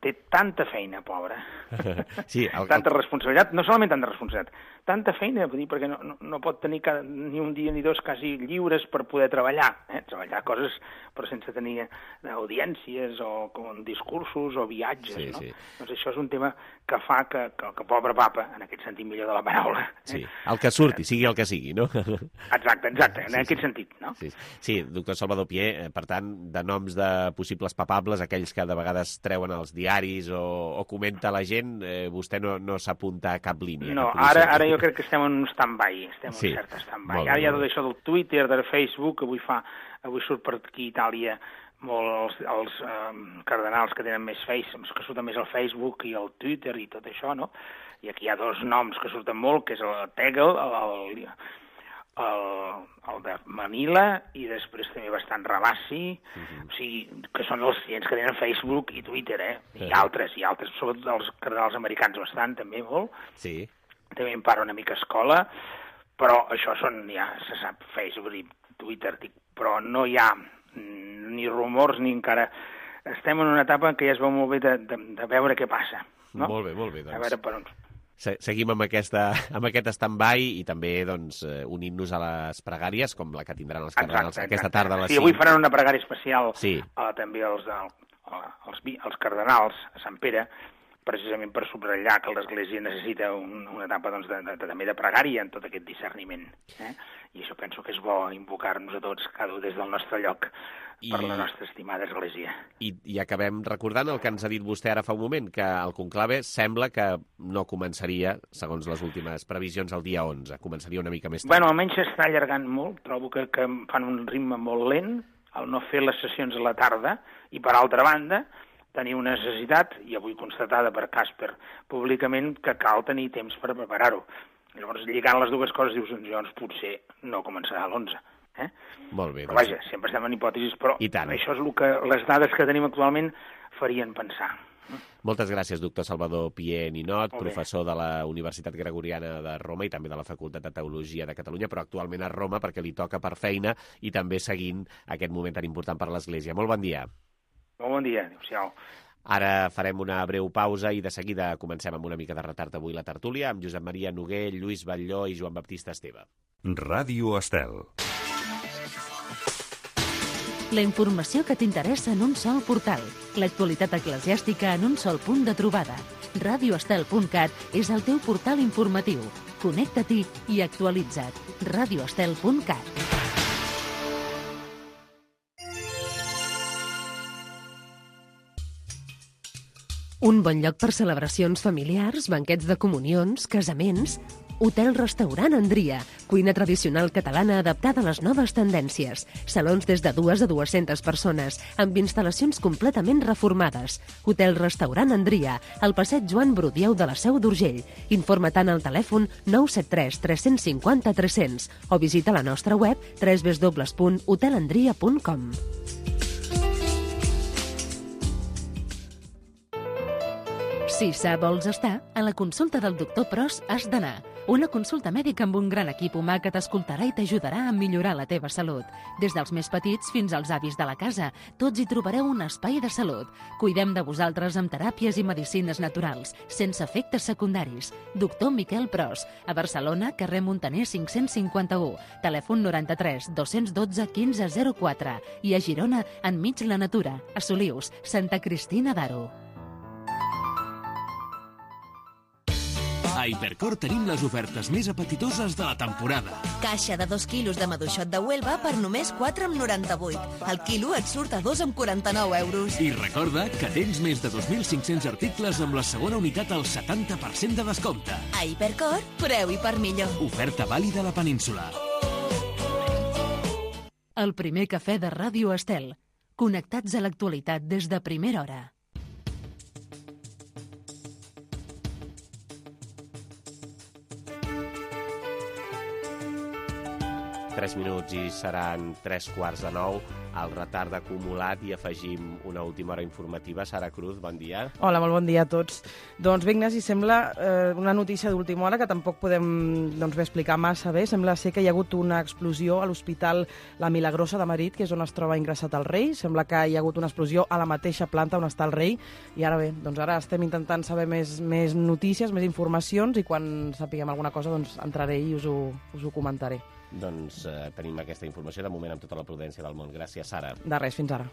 té tanta feina, pobra, tanta responsabilitat, no solament tanta responsabilitat, tanta feina, perquè no pot tenir ni un dia ni 2 quasi lliures per poder treballar, treballar coses però sense tenir audiències o discursos o viatges, no? Doncs això és un tema que fa que pobre papa, en aquest sentit millor de la paraula... Sí, el que surti, sigui el que sigui, no? Exacte, en aquest sentit, no? Sí, doctor Salvador Pié, per tant, de noms de possibles papables, aquells que de vegades treuen els diaris o comenta la gent, vostè no s'apunta a cap línia. No, ara jo crec que estem en un stand-by, estem en un cert stand-by. Ara hi ha tot això del Twitter, del Facebook, avui surt per aquí a Itàlia molt els cardenals que tenen més que surten més al Facebook i al Twitter i tot això, no? I aquí hi ha 2 noms que surten molt, que és el Tegel, el de Manila, i després també bastant Rabassi, o sigui, que són els clients que tenen Facebook i Twitter, i altres, sobretot els cardenals americans bastant, també molt. Sí. També en part una mica escola, però això són, ja se sap, Facebook i Twitter, però no hi ha ni rumors ni encara... Estem en una etapa en què ja es veu molt bé de veure què passa, no? Molt bé, doncs. A veure per on... Seguim amb aquest stand-by i també unint-nos a les pregàries, com la que tindran els cardenals aquesta tarda a les 5. Sí, avui faran una pregària especial també els cardenals a Sant Pere, precisament per subratllar que l'Església necessita una etapa també de pregària en tot aquest discerniment. I això penso que és bo invocar-nos a tots, cada un des del nostre lloc, per la nostra estimada Església. I acabem recordant el que ens ha dit vostè ara fa un moment, que el conclave sembla que no començaria, segons les últimes previsions, el dia 11. Començaria una mica més tard. Bueno, almenys s'està allargant molt. Trobo que fan un ritme molt lent, al no fer les sessions a la tarda, i per altra banda tenir una necessitat, i avui constatada per Casper públicament, que cal tenir temps per preparar-ho. Llavors, lligant les dues coses, dius, doncs potser no començarà a l'11. Molt bé. Però vaja, sempre estem en hipòtesis, però això és el que les dades que tenim actualment farien pensar. Moltes gràcies, doctor Salvador Pié Ninot, professor de la Universitat Gregoriana de Roma i també de la Facultat de Teologia de Catalunya, però actualment a Roma perquè li toca per feina i també seguint aquest moment tan important per l'Església. Molt bon dia. Molt bon dia, adéu-siau. Ara farem una breu pausa i de seguida comencem amb una mica de retard avui la tertúlia amb Josep Maria Noguer, Lluís Batlló i Joan Baptista Esteve. Ràdio Estel. La informació que t'interessa en un sol portal. L'actualitat eclesiàstica en un sol punt de trobada. radioestel.cat és el teu portal informatiu. Connecta-t'hi i actualitza't. radioestel.cat. Un bon lloc per celebracions familiars, banquets de comunions, casaments... Hotel-restaurant Andria, cuina tradicional catalana adaptada a les noves tendències. Salons des de 2 a 200 persones, amb instal·lacions completament reformades. Hotel-restaurant Andria, al passeig Joan Brudieu de la Seu d'Urgell. Informa-te'n al telèfon 973 350 300 o visita la nostra web www.hotelandria.com. Si sa vols estar, a la consulta del doctor Pros has d'anar. Una consulta mèdica amb un gran equip humà que t'escoltarà i t'ajudarà a millorar la teva salut. Des dels més petits fins als avis de la casa, tots hi trobareu un espai de salut. Cuidem de vosaltres amb teràpies i medicines naturals, sense efectes secundaris. Doctor Miquel Pros, a Barcelona, carrer Montaner 551, telèfon 93 212 1504 i a Girona, enmig la natura, a Solius, Santa Cristina d'Aro. A Hipercor tenim les ofertes més apetitoses de la temporada. Caixa de 2 quilos de maduixot de Huelva per només 4,98. El quilo et surt a 2,49 euros. I recorda que tens més de 2.500 articles amb la segona unitat al 70% de descompte. A Hipercor, preu i per millor. Oferta vàlida a la península. El primer cafè de Ràdio Estel. Connectats a l'actualitat des de primera hora. Tres minuts i seran 3:15. El retard acumulat i afegim una última hora informativa. Sara Cruz, bon dia. Hola, molt bon dia a tots. Doncs bé, Ignasi, sembla una notícia d'última hora que tampoc podem bé explicar massa bé. Sembla ser que hi ha hagut una explosió a l'Hospital La Milagrosa de Madrid, que és on es troba ingressat el rei. Sembla que hi ha hagut una explosió a la mateixa planta on està el rei. I ara bé, ara estem intentant saber més notícies, més informacions, i quan sapiguem alguna cosa entraré i us ho comentaré. Doncs tenim aquesta informació de moment amb tota la prudència del món. Gràcies, Sara. De res, fins ara.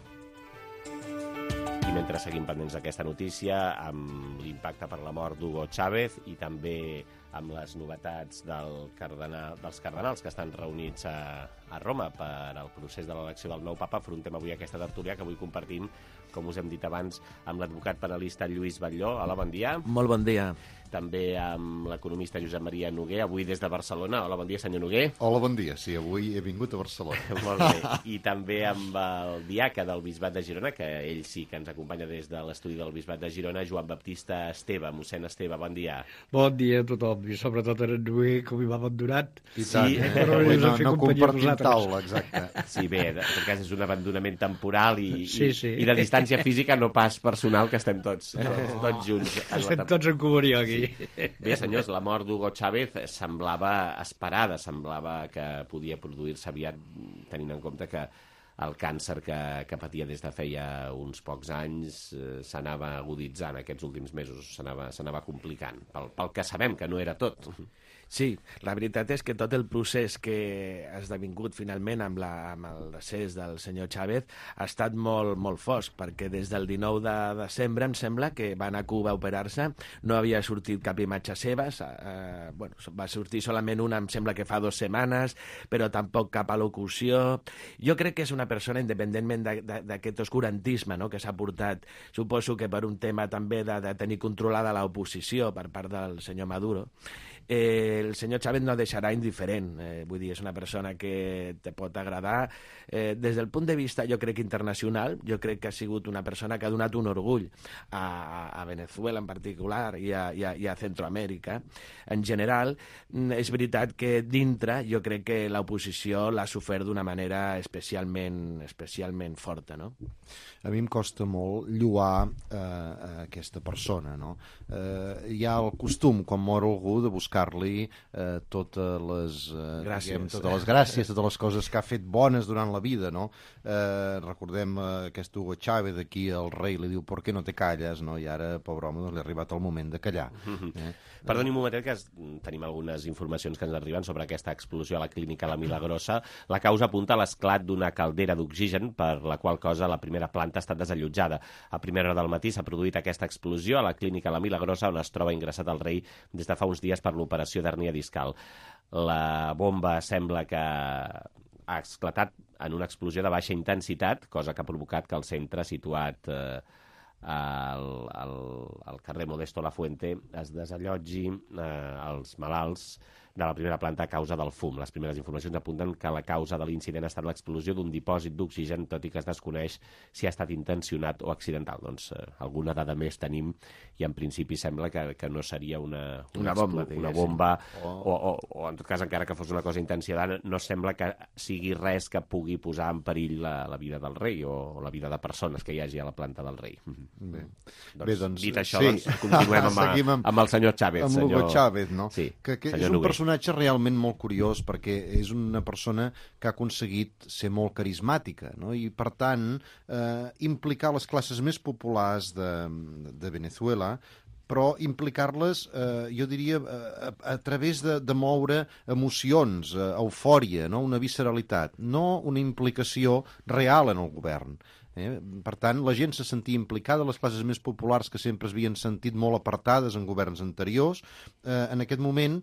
I mentre seguim pendents d'aquesta notícia, amb l'impacte per la mort d'Hugo Chávez i també amb les novetats dels cardenals que estan reunits a Roma per al procés de l'elecció del nou papa, afrontem avui aquesta tertúlia que avui compartim, com us hem dit abans, amb l'advocat penalista Lluís Batlló. Hola, bon dia. Molt bon dia. També amb l'economista Josep Maria Noguer, avui des de Barcelona. Hola, bon dia, senyor Noguer. Hola, bon dia. Sí, avui he vingut a Barcelona. Molt bé. I també amb el diaca del Bisbat de Girona, que ell sí que ens acompanya des de l'estudi del Bisbat de Girona, Joan Baptista Esteve. Mossèn Esteve, bon dia. Bon dia a tothom, i sobretot a en Noguer, que m'hi va abandonat. I tant, però no compartim taula, exacte. Sí, bé, en tot cas és un abandonament temporal i de distància física, no pas personal, que estem tots junts. Estem tots en comunió aquí. Bé, senyors, la mort d'Hugo Chávez semblava esperada, semblava que podia produir-se aviat, tenint en compte que el càncer que patia des de feia uns pocs anys s'anava aguditzant aquests últims mesos, s'anava complicant, pel que sabem que no era tot. Sí, la veritat és que tot el procés que ha esdevingut finalment amb el decés del senyor Chávez ha estat molt, molt fosc, perquè des del 19 de desembre em sembla que va anar a Cuba a operar-se, no havia sortit cap imatge seva, va sortir solament una, em sembla que fa 2 setmanes, però tampoc cap al·locució. Jo crec que és una persona, independentment d'aquest oscurantisme que s'ha portat, suposo que per un tema també de tenir controlada l'oposició per part del senyor Maduro, el senyor Chávez no deixarà indiferent, vull dir, és una persona que te pot agradar. Des del punt de vista, jo crec, internacional, jo crec que ha sigut una persona que ha donat un orgull a Venezuela en particular i a Centroamèrica. En general, és veritat que dintre jo crec que l'oposició l'ha sofert d'una manera especialment forta, no? A mi em costa molt lloar aquesta persona, no? Hi ha el costum, quan mor algú, de buscar-li totes les gràcies, totes les coses que ha fet bones durant la vida, no? Recordem aquest Hugo Chávez aquí, el rei li diu ¿por qué no te calles? No? I ara, pobre home, doncs, li ha arribat el moment de callar. Perdoni un momentet, que tenim algunes informacions que ens arriben sobre aquesta explosió a la clínica La Milagrosa. La causa apunta a l'esclat d'una caldera d'oxigen, per la qual cosa la primera planta ha estat desallotjada. A primera hora del matí s'ha produït aquesta explosió a la clínica La Milagrosa, on es troba ingressat el rei des de fa uns dies per l'operació d'hèrnia discal. La bomba sembla que ha esclatat en una explosió de baixa intensitat, cosa que ha provocat que el centre situat al carrer Modesto Lafuente es desallotgi els malalts de la primera planta a causa del fum. Les primeres informacions apunten que la causa de l'incident ha estat l'explosió d'un dipòsit d'oxigen, tot i que es desconeix si ha estat intencionat o accidental. Doncs alguna dada més tenim i en principi sembla que no seria una bomba o en tot cas, encara que fos una cosa intencionada, no sembla que sigui res que pugui posar en perill la vida del rei o la vida de persones que hi hagi a la planta del rei. Doncs, dit això, doncs, continuem amb el senyor Chávez. Amb Hugo Chávez, no? Sí, que és un personatge realment molt curiós, perquè és una persona que ha aconseguit ser molt carismàtica, no? I per tant implicar les classes més populars de Venezuela, però implicar-les, jo diria, a través de moure emocions, eufòria, no? Una visceralitat, no una implicació real en el govern. Per tant, la gent se sentia implicada, les classes més populars que sempre es havien sentit molt apartades en governs anteriors, en aquest moment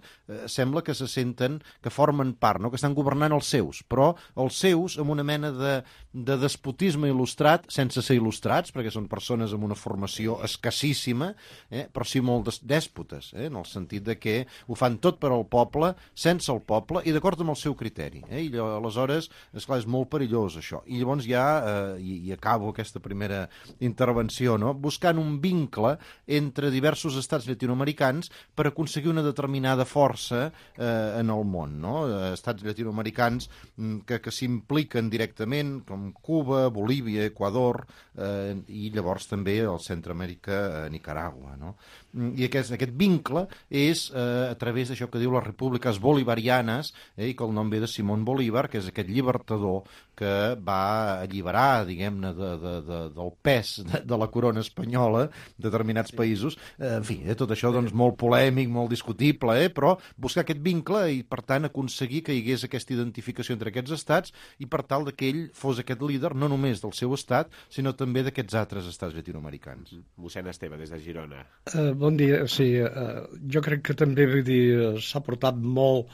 sembla que se senten que formen part, no? Que estan governant els seus, però els seus amb una mena de despotisme il·lustrat, sense ser il·lustrats, perquè són persones amb una formació escassíssima, però sí molt dèspotes, en el sentit de que ho fan tot per al poble, sense el poble i d'acord amb el seu criteri. I aleshores, esclar, és molt perillós això. I llavors ja acabo aquesta primera intervenció, no? Buscant un vincle entre diversos estats llatinoamericans per aconseguir una determinada força en el món, no? Estats llatinoamericans que s'impliquen directament, com Cuba, Bolívia, Equador, i llavors també el Centroamèrica, Nicaragua, no? I aquest vincle és a través d'això que diu les repúbliques bolivarianes, i que el nom ve de Simón Bolívar, que és aquest llibertador que va alliberar, diguem-ne, del pes de la corona espanyola, determinats països. En fi, tot això doncs molt polèmic, molt discutible, però buscar aquest vincle i, per tant, aconseguir que hi hagués aquesta identificació entre aquests estats i per tal que ell fos aquest líder, no només del seu estat, sinó també d'aquests altres estats llatinoamericans. Mossèn Esteve, des de Girona. Bon dia, sí. Jo crec que també, vull dir, s'ha portat molt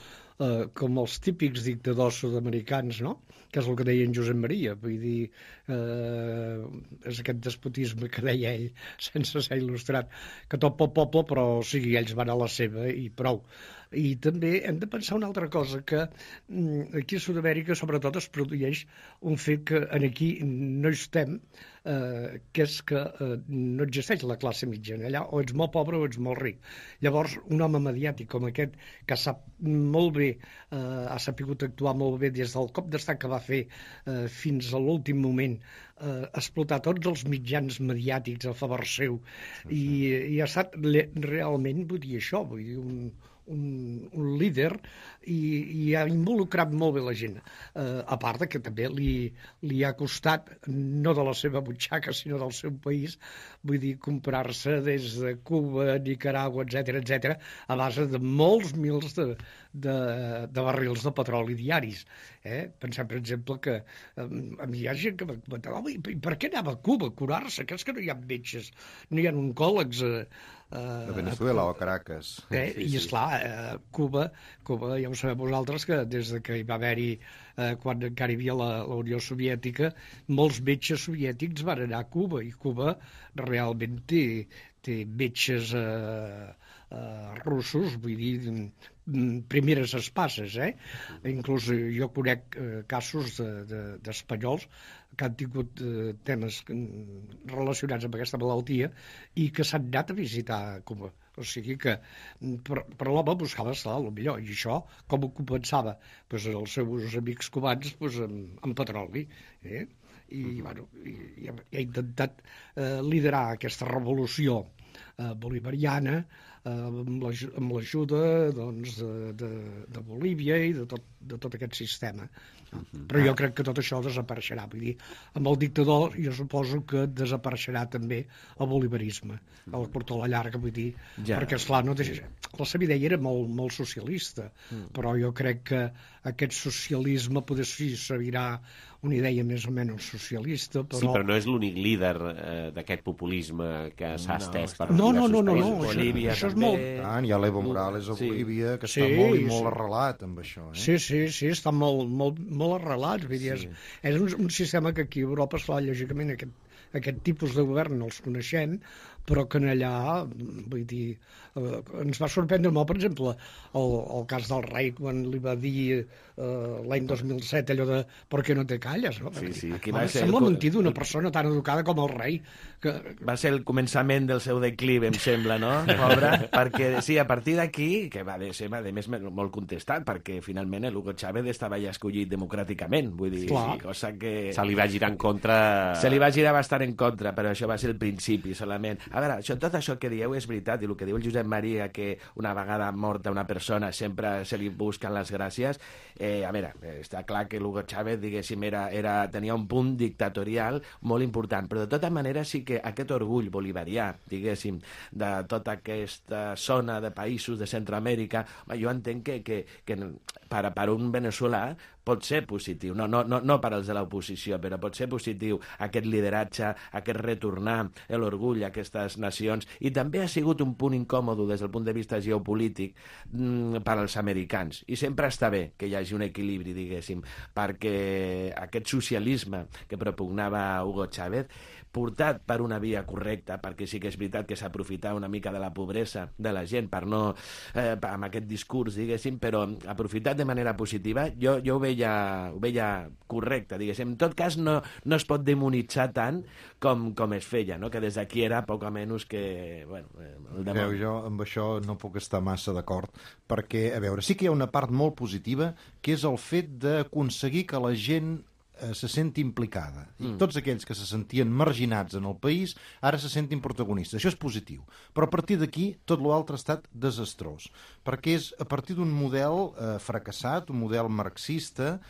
com els típics dictadors sud-americans, no? Que és el que deia en Josep Maria, vull dir, és aquest despotisme que deia ell, sense ser il·lustrat, que tot pel poble, però o sigui, ells van a la seva i prou. I també hem de pensar una altra cosa, que aquí a Sud-amèrica sobretot es produeix un fet que aquí no hi estem, que és que no existeix la classe mitjana. Allà o ets molt pobre o ets molt ric. Llavors, un home mediàtic com aquest, que sap molt bé, ha sapigut actuar molt bé des del cop d'estat que va fer fins a l'últim moment, explotar tots els mitjans mediàtics a favor seu, i ha estat realment, vull dir això, vull dir, un líder, i ha involucrat molt bé la gent, a part que també li ha costat, no de la seva butxaca sinó del seu país, vull dir, comprar-se des de Cuba, Nicaragua, etc, a base de molts mils de barrils de petroli diaris. Pensem, per exemple, que a mi hi ha gent que m'ha comentat, home, i per què anava a Cuba a curar-se? Que és que no hi ha metges, no hi ha oncòlegs a Venezuela o a Caracas. I esclar, Cuba, ja ho sabem vosaltres, que des que hi va haver-hi, quan encara hi havia la Unió Soviètica, molts metges soviètics van anar a Cuba, i Cuba realment té metges russos, vull dir, primeres espasses, Inclús jo conec casos d'espanyols que han tingut temes relacionats amb aquesta malaltia i que s'han anat a visitar Cuba. O sigui que per l'home buscava estar el millor, i això com ho compensava? Els seus amics cubans amb petroli, i bueno, ha intentat liderar aquesta revolució bolivariana, amb l'ajuda doncs, de Bolívia i de tot aquest sistema. Però jo crec que tot això desapareixerà. Vull dir, amb el dictador jo suposo que desapareixerà també el bolivarisme, a la curta o la llarga, vull dir, perquè, esclar, la seva idea era molt socialista, però jo crec que aquest socialisme potser sí servirà una idea més o menys socialista, però... Sí, però no és l'únic líder d'aquest populisme que s'ha estès per no, diversos països. Bolívia, això és molt... Hi ha l'Evo Morales a Bolívia, que està molt i molt arrelat amb això. Sí, està molt arrelat. Vull dir, és un sistema que aquí a Europa, lògicament, aquest tipus de govern no els coneixem, però que allà, vull dir, ens va sorprendre molt, per exemple, el cas del rei, quan li va dir l'any 2007 allò de «per què no te calles?». No? Sí. Sembla mentir d'una persona tan educada com el rei. Va ser el començament del seu declive, em sembla, no? Pobre, perquè, sí, a partir d'aquí, que va ser, a més, molt contestat, perquè finalment l'Hugo Chávez estava ja escollit democràticament, vull dir, cosa que... Se li va girar en contra... Se li va girar bastant en contra, però això va ser el principi, solament. A veure, tot això que dieu és veritat, i el que diu el Josep Maria, que una vegada morta una persona sempre se li busquen les gràcies, a veure, està clar que l'Hugo Chávez, diguéssim, tenia un punt dictatorial molt important, però de tota manera sí que aquest orgull bolivarià, diguéssim, de tota aquesta zona de països de Centroamèrica, jo entenc que per un veneçolà pot ser positiu, no per als de l'oposició, però pot ser positiu aquest lideratge, aquest retornar l'orgull a aquestes nacions, i també ha sigut un punt incòmode des del punt de vista geopolític per als americans, i sempre està bé que hi hagi un equilibri, diguéssim, perquè aquest socialisme que propugnava Hugo Chávez, portat per una via correcta, perquè sí que és veritat que s'aprofità una mica de la pobresa de la gent per no, amb aquest discurs, diguéssim, però aprofitat de manera positiva, jo ho veia correcte, diguéssim. En tot cas, no es pot demonitzar tant com es feia, no? Que des d'aquí era poc o menys que... Bueno, jo amb això no puc estar massa d'acord, perquè, a veure, sí que hi ha una part molt positiva, que és el fet d'aconseguir que la gent se senti implicada. I tots aquells que se sentien marginats en el país ara se sentin protagonistes. Això és positiu. Però a partir d'aquí tot l'altre ha estat desastrós. Perquè és a partir d'un model fracassat, un model marxista,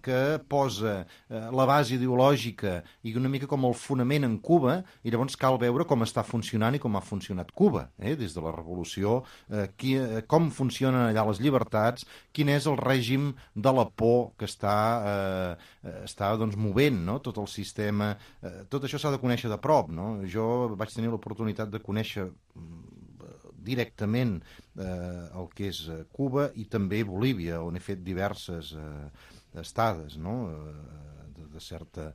que posa la base ideològica i una mica com el fonament en Cuba, i llavors cal veure com està funcionant i com ha funcionat Cuba, des de la revolució, com funcionen allà les llibertats, quin és el règim de la por que està doncs, movent, no? Tot el sistema. Tot això s'ha de conèixer de prop, no? Jo vaig tenir l'oportunitat de conèixer directament el que és Cuba i també Bolívia, on he fet diverses estades, no? De certa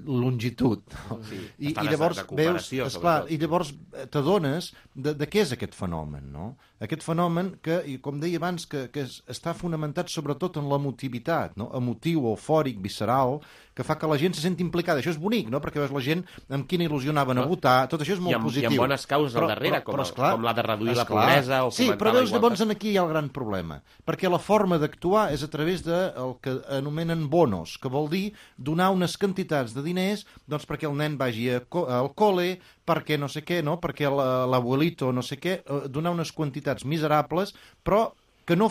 longitud. No? Sí, I llavors veus, esclar, i llavors t'adones de què és aquest fenomen, no? Aquest fenomen que, com deia abans, que està fonamentat sobretot en l'emotivitat, no? Emotiu, eufòric, visceral, que fa que la gent se senti implicada. Això és bonic, no? Perquè veus la gent amb quina il·lusió anaven a votar, tot això és molt positiu. I amb bones causes al darrere, com la de reduir la pobresa o sí, però veus, llavors aquí hi ha el gran problema, perquè la forma d'actuar és a través del que anomenen bonos, que vol dir donar unes quantitats de diners doncs perquè el nen vagi al col·le, perquè no sé què, no? Perquè l'abuelito no sé què, donar unes quantitats miserables, però que no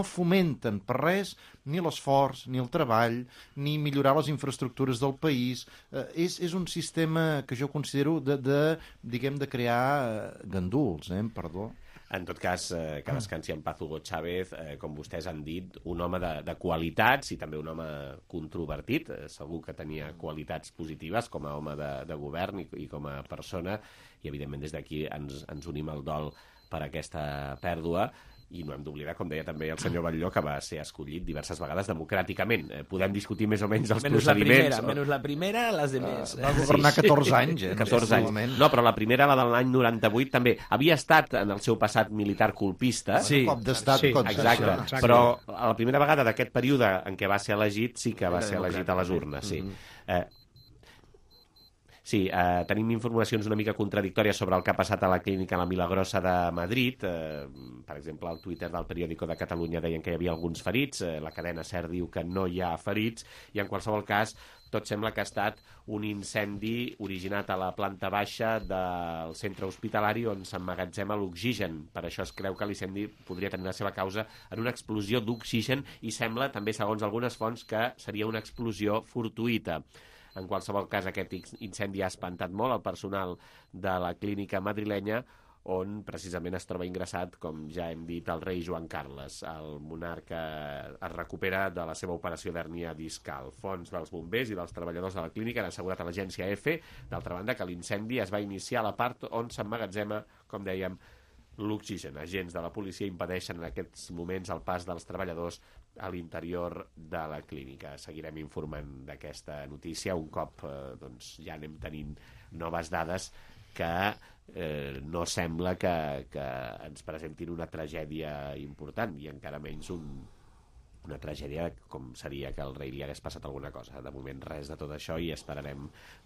fomenten per res ni l'esforç, ni el treball, ni millorar les infraestructures del país. És un sistema que jo considero de crear ganduls, perdó. En tot cas, que descansi en paz Hugo Chávez, com vostès han dit, un home de qualitats i també un home controvertit. Segur que tenia qualitats positives com a home de govern i com a persona, i evidentment des d'aquí ens unim al dol per aquesta pèrdua. I no hem d'oblidar, com deia també el senyor Batlló, que va ser escollit diverses vegades democràticament. Podem discutir més o menys els procediments. Menys la primera, les demés. Va governar 14 anys. 14 anys. No, però la primera, la de l'any 98, també havia estat en el seu passat militar colpista. Sí, cop d'estat. Exacte. Però la primera vegada d'aquest període en què va ser elegit, sí que va ser elegit a les urnes, sí. Sí, tenim informacions una mica contradictòries sobre el que ha passat a la clínica La Milagrosa de Madrid. Per exemple, al Twitter del Periódico de Catalunya deien que hi havia alguns ferits, la cadena SER diu que no hi ha ferits, i en qualsevol cas tot sembla que ha estat un incendi originat a la planta baixa del centre hospitalari on s'emmagatzema l'oxigen. Per això es creu que l'incendi podria tenir la seva causa en una explosió d'oxigen i sembla, també segons algunes fonts, que seria una explosió fortuïta. En qualsevol cas, aquest incendi ha espantat molt el personal de la clínica madrilenya, on precisament es troba ingressat, com ja hem dit, el rei Joan Carles. El monarca es recupera de la seva operació d'hèrnia discal. Fonts dels bombers i dels treballadors de la clínica han assegurat a l'agència EFE, d'altra banda, que l'incendi es va iniciar a la part on s'emmagatzema, com dèiem, l'oxigen. Agents de la policia impedeixen en aquests moments el pas dels treballadors a l'interior de la clínica. Seguirem informant d'aquesta notícia un cop ja anem tenint noves dades que no sembla que ens presentin una tragèdia important i encara menys una tragèdia com seria que al rei li hagués passat alguna cosa. De moment res de tot això i esperarem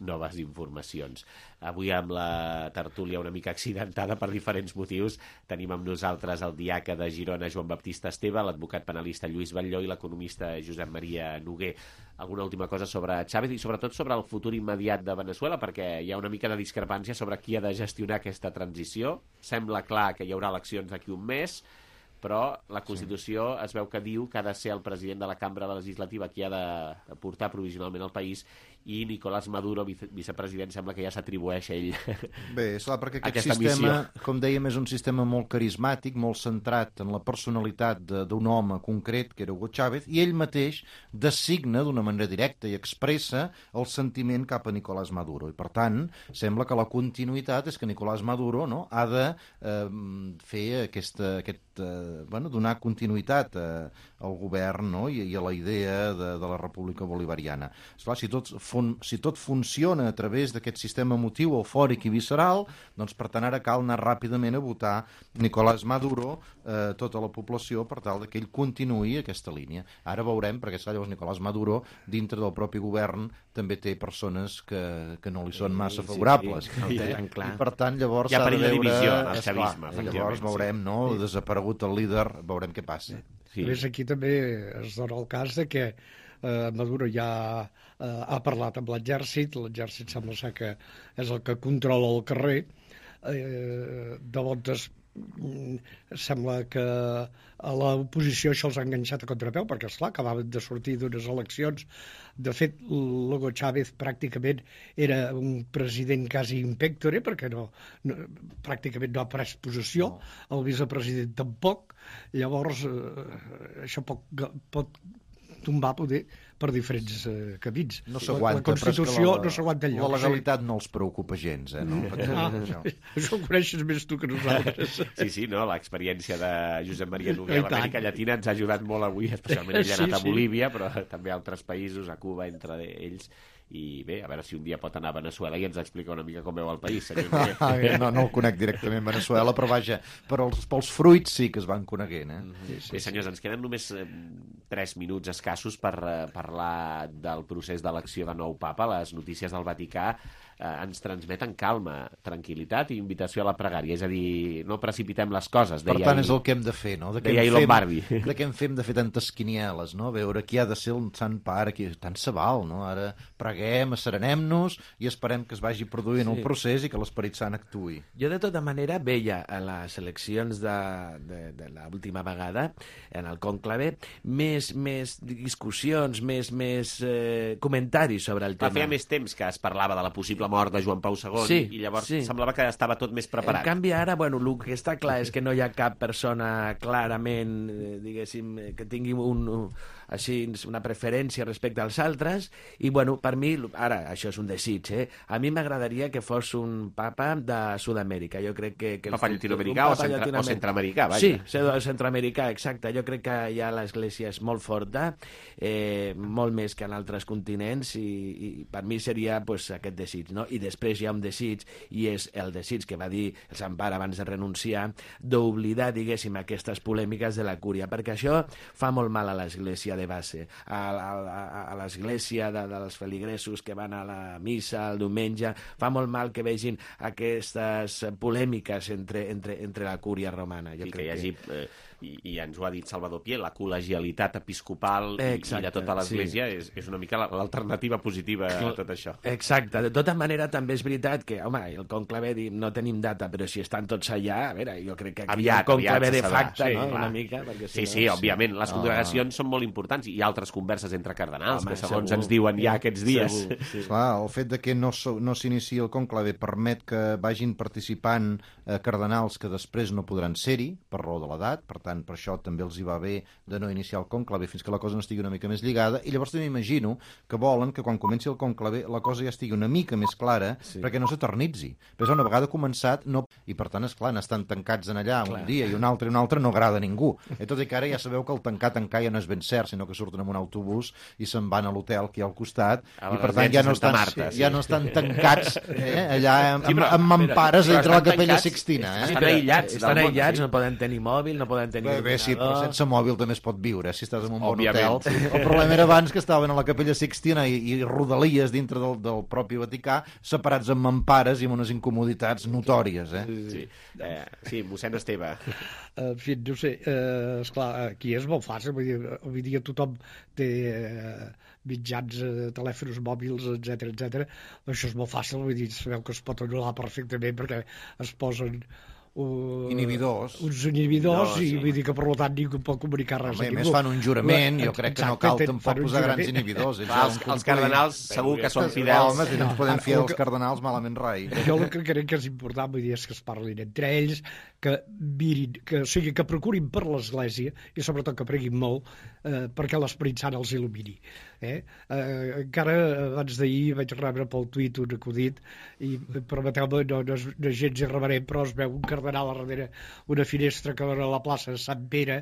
noves informacions. Avui amb la tertúlia una mica accidentada per diferents motius tenim amb nosaltres el diaca de Girona Joan Baptista Esteve, l'advocat penalista Lluís Batlló i l'economista Josep Maria Noguer. Alguna última cosa sobre Chávez i sobretot sobre el futur immediat de Veneçuela, perquè hi ha una mica de discrepància sobre qui ha de gestionar aquesta transició. Sembla clar que hi haurà eleccions d'aquí un mes, però la Constitució es veu que diu que ha de ser el president de la cambra legislativa qui ha de portar provisionalment el país i Nicolás Maduro, vicepresident, sembla que ja s'atribueix a ell. Bé, és clar, perquè aquest sistema, com dèiem, és un sistema molt carismàtic, molt centrat en la personalitat d'un home concret, que era Hugo Chávez, i ell mateix designa d'una manera directa i expressa el sentiment cap a Nicolás Maduro. I, per tant, sembla que la continuïtat és que Nicolás Maduro ha de fer donar continuïtat al govern i a la idea de la República Bolivariana. Esclar, si tot funciona a través d'aquest sistema emotiu, eufòric i visceral, doncs per tant ara cal anar ràpidament a votar Nicolás Maduro, tota la població, per tal que ell continuï aquesta línia. Ara veurem, perquè llavors Nicolás Maduro, dintre del propi govern, també té persones que no li són massa favorables. I per tant, llavors s'ha de veure... divisió en el chavisme, llavors veurem, desaparegut el líder, veurem què passa. A més, aquí també es dona el cas de que Maduro ja ha parlat amb l'exèrcit sembla ser que és el que controla el carrer, de voltes sembla que a l'oposició això els ha enganxat a contrapeu, perquè esclar, acabaven de sortir d'unes eleccions. De fet, Hugo Chávez pràcticament era un president quasi impectore, perquè pràcticament no ha pres possessió, el vicepresident tampoc. Llavors, això pot tombar poder per diferents camins. No s'aguanta, la Constitució no s'aguanta enlloc. La legalitat no els preocupa gens, no? Això ho coneixes més tu que nosaltres. Sí, l'experiència de Josep Maria Noguer a l'Amèrica Llatina ens ha ajudat molt avui, especialment ell ha anat a Bolívia, però també a altres països, a Cuba, entre ells. I bé, a veure si un dia pot anar a Veneçuela i ens explica una mica com veu el país. No el conec directament Veneçuela, però vaja, pels fruits sí que es van coneguent. Bé, senyors, ens queden només 3 minuts escassos per parlar del procés d'elecció de nou papa. Les notícies del Vaticà ens transmeten calma, tranquil·litat i invitació a la pregària. És a dir, no precipitem les coses. Per tant, és el que hem de fer, no? Deia Lombardi. De què en fem de fer tantes quinieles, no? Veure qui ha de ser el sant pare, tant se val, no? Ara preguem, asserenem-nos i esperem que es vagi produint el procés i que l'Esperit Sant actuï. Jo, de tota manera, veia a les eleccions de l'última vegada, en el conclave, més discussions, més comentaris sobre el tema. Feia més temps que es parlava de la possible mort de Joan Pau II i llavors semblava que estava tot més preparat. En canvi, ara, el que està clar és que no hi ha cap persona clarament, diguéssim, que tingui una preferència respecte als altres i, per mi, ara, això és un desig, a mi m'agradaria que fos un papa de Sud-amèrica. Jo crec que papa llatinoamericà o centroamericà, vaja. Sí, centroamericà, exacte. Jo crec que ja l'Església és molt forta, molt més que en altres continents i per mi seria aquest desig, no? I després hi ha un desig, i és el desig que va dir el Sant Pare abans de renunciar, d'oblidar, diguéssim, aquestes polèmiques de la cúria, perquè això fa molt mal a l'Església de base, a l'Església dels feligresos que van a la missa el diumenge, fa molt mal que vegin aquestes polèmiques entre la cúria romana. Que hi hagi i ens ho ha dit Salvador Pié, la col·legialitat episcopal i de tota l'Església és una mica l'alternativa positiva a tot això. Exacte. De tota manera, també és veritat que, home, el conclave no tenim data, però si estan tots allà, a veure, jo crec que aquí aviat, el conclave de facto, sí, no? Una mica, perquè sí, òbviament, les congregacions són molt importants i altres converses entre cardenals, que segons ens diuen ja aquests dies. Clar, el fet de que no s'iniciï el conclave permet que vagin participant cardenals que després no podran ser-hi per raó de l'edat, per tant, per això també els hi va bé de no iniciar el conclave fins que la cosa no estigui una mica més lligada, i llavors també imagino que volen que quan comenci el conclave la cosa ja estigui una mica més clara perquè no s'eternitzi. Però una vegada començat, no... I per tant, esclar, estan tancats en allà un dia i un altre no agrada a ningú. Tot i que ara ja sabeu que el tancar ja no és ben cert, sinó que surten amb un autobús i se'n van a l'hotel aquí al costat, i per tant ja no estan tancats allà amb mampares entre la Capella Sixtina. Estan aïllats, no poden tenir mòbil, no poden tenir... Bé, sí, però sense mòbil també es pot viure, si estàs en un bon hotel. El problema era abans que estaven a la Capella Sixtina i rodalies dintre del propi Vaticà, separats amb mampares i amb unes incomoditats notòries. Sí, mossèn Esteve. En fi, no sé, esclar, aquí és molt fàcil, avui dia tothom té mitjans, telèfons mòbils, etc. Això és molt fàcil, vull dir, sabeu que es pot anul·lar perfectament perquè es posen inhibidors i vull dir que per tant ningú pot comunicar res a ningú. A més fan un jurament, jo crec que no cal tampoc posar grans inhibidors. Els cardenals segur que són fidels. Si no ens podem fiar dels cardenals, malament rai. Jo el que crec que és important, vull dir, és que es parlin entre ells, que mirin, que procurin per l'Església i sobretot que preguin molt perquè l'Esperit Sant els il·lumini. Encara abans d'ahir vaig rebre pel tuit un acudit i permeteu-me, no és gens irreverent, però es veu un cardenal a darrere una finestra que dona a la plaça de Sant Pere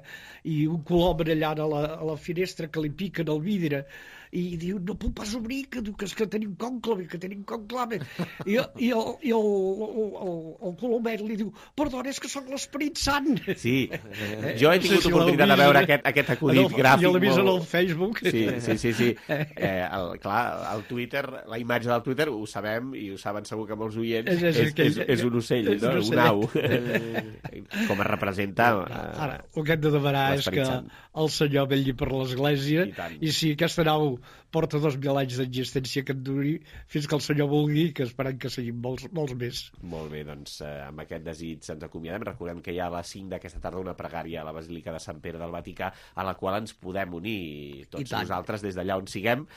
i un colom allà a la finestra que li piquen el vidre i diu, no puc pas obrir, que és que tenim conclave. I el colomet li diu, perdona, és que sóc l'Esperit Sant. Sí, jo he tingut oportunitat de veure aquest acudit gràfic. Jo l'he vist en el Facebook. Sí. Clar, el Twitter, la imatge del Twitter, ho sabem i ho saben segur que molts oients, és un ocell, no? Un au. Com es representa... Ara, el que hem de demanar és que el Senyor vetlli per l'Església i si aquesta nau porta 2.000 anys d'existència que et duri fins que el Senyor vulgui, que esperem que siguin molts més. Molt bé, doncs amb aquest desig ens acomiadem. Recordem que hi ha a les 5 d'aquesta tarda una pregària a la Basílica de Sant Pere del Vaticà a la qual ens podem unir tots nosaltres des d'allà on siguem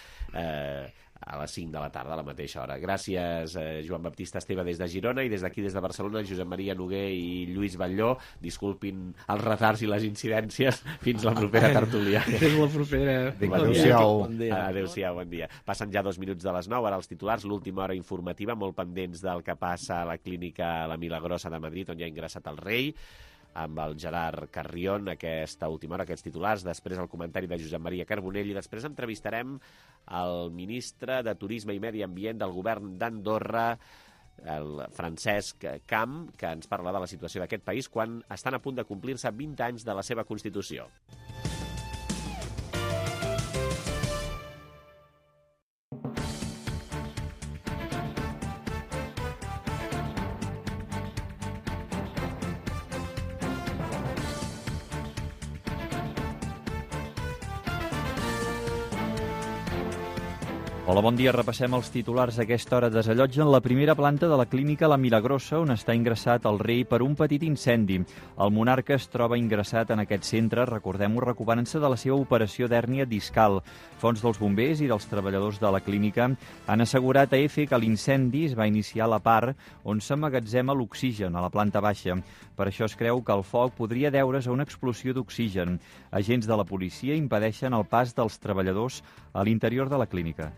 a les 5 de la tarda, a la mateixa hora. Gràcies, Joan Baptista Esteve, des de Girona, i des d'aquí, des de Barcelona, Josep Maria Noguer i Lluís Batlló. Disculpin els retards i les incidències. Fins la propera tertúlia. Fins la propera. Adéu-siau. Adéu-siau, bon dia. Passen ja 2 minuts de les 9, ara els titulars, l'última hora informativa, molt pendents del que passa a la clínica La Milagrosa de Madrid, on ja ha ingressat el rei, amb el Gerard Carrion, aquesta última hora, aquests titulars, després el comentari de Josep Maria Carbonell i després entrevistarem el ministre de Turisme i Medi Ambient del govern d'Andorra, el Francesc Camp, que ens parla de la situació d'aquest país quan estan a punt de complir-se 20 anys de la seva Constitució. Hola, bon dia. Repassem els titulars a aquesta hora. Desallotgen la primera planta de la clínica La Milagrosa, on està ingressat el rei per un petit incendi. El monarca es troba ingressat en aquest centre, recordem-ho, recuperant-se de la seva operació d'hèrnia discal. Fonts dels bombers i dels treballadors de la clínica han assegurat a EFE que l'incendi es va iniciar a la part on s'emmagatzema l'oxigen, a la planta baixa. Per això es creu que el foc podria deure's a una explosió d'oxigen. Agents de la policia impedeixen el pas dels treballadors a l'interior de la clínica.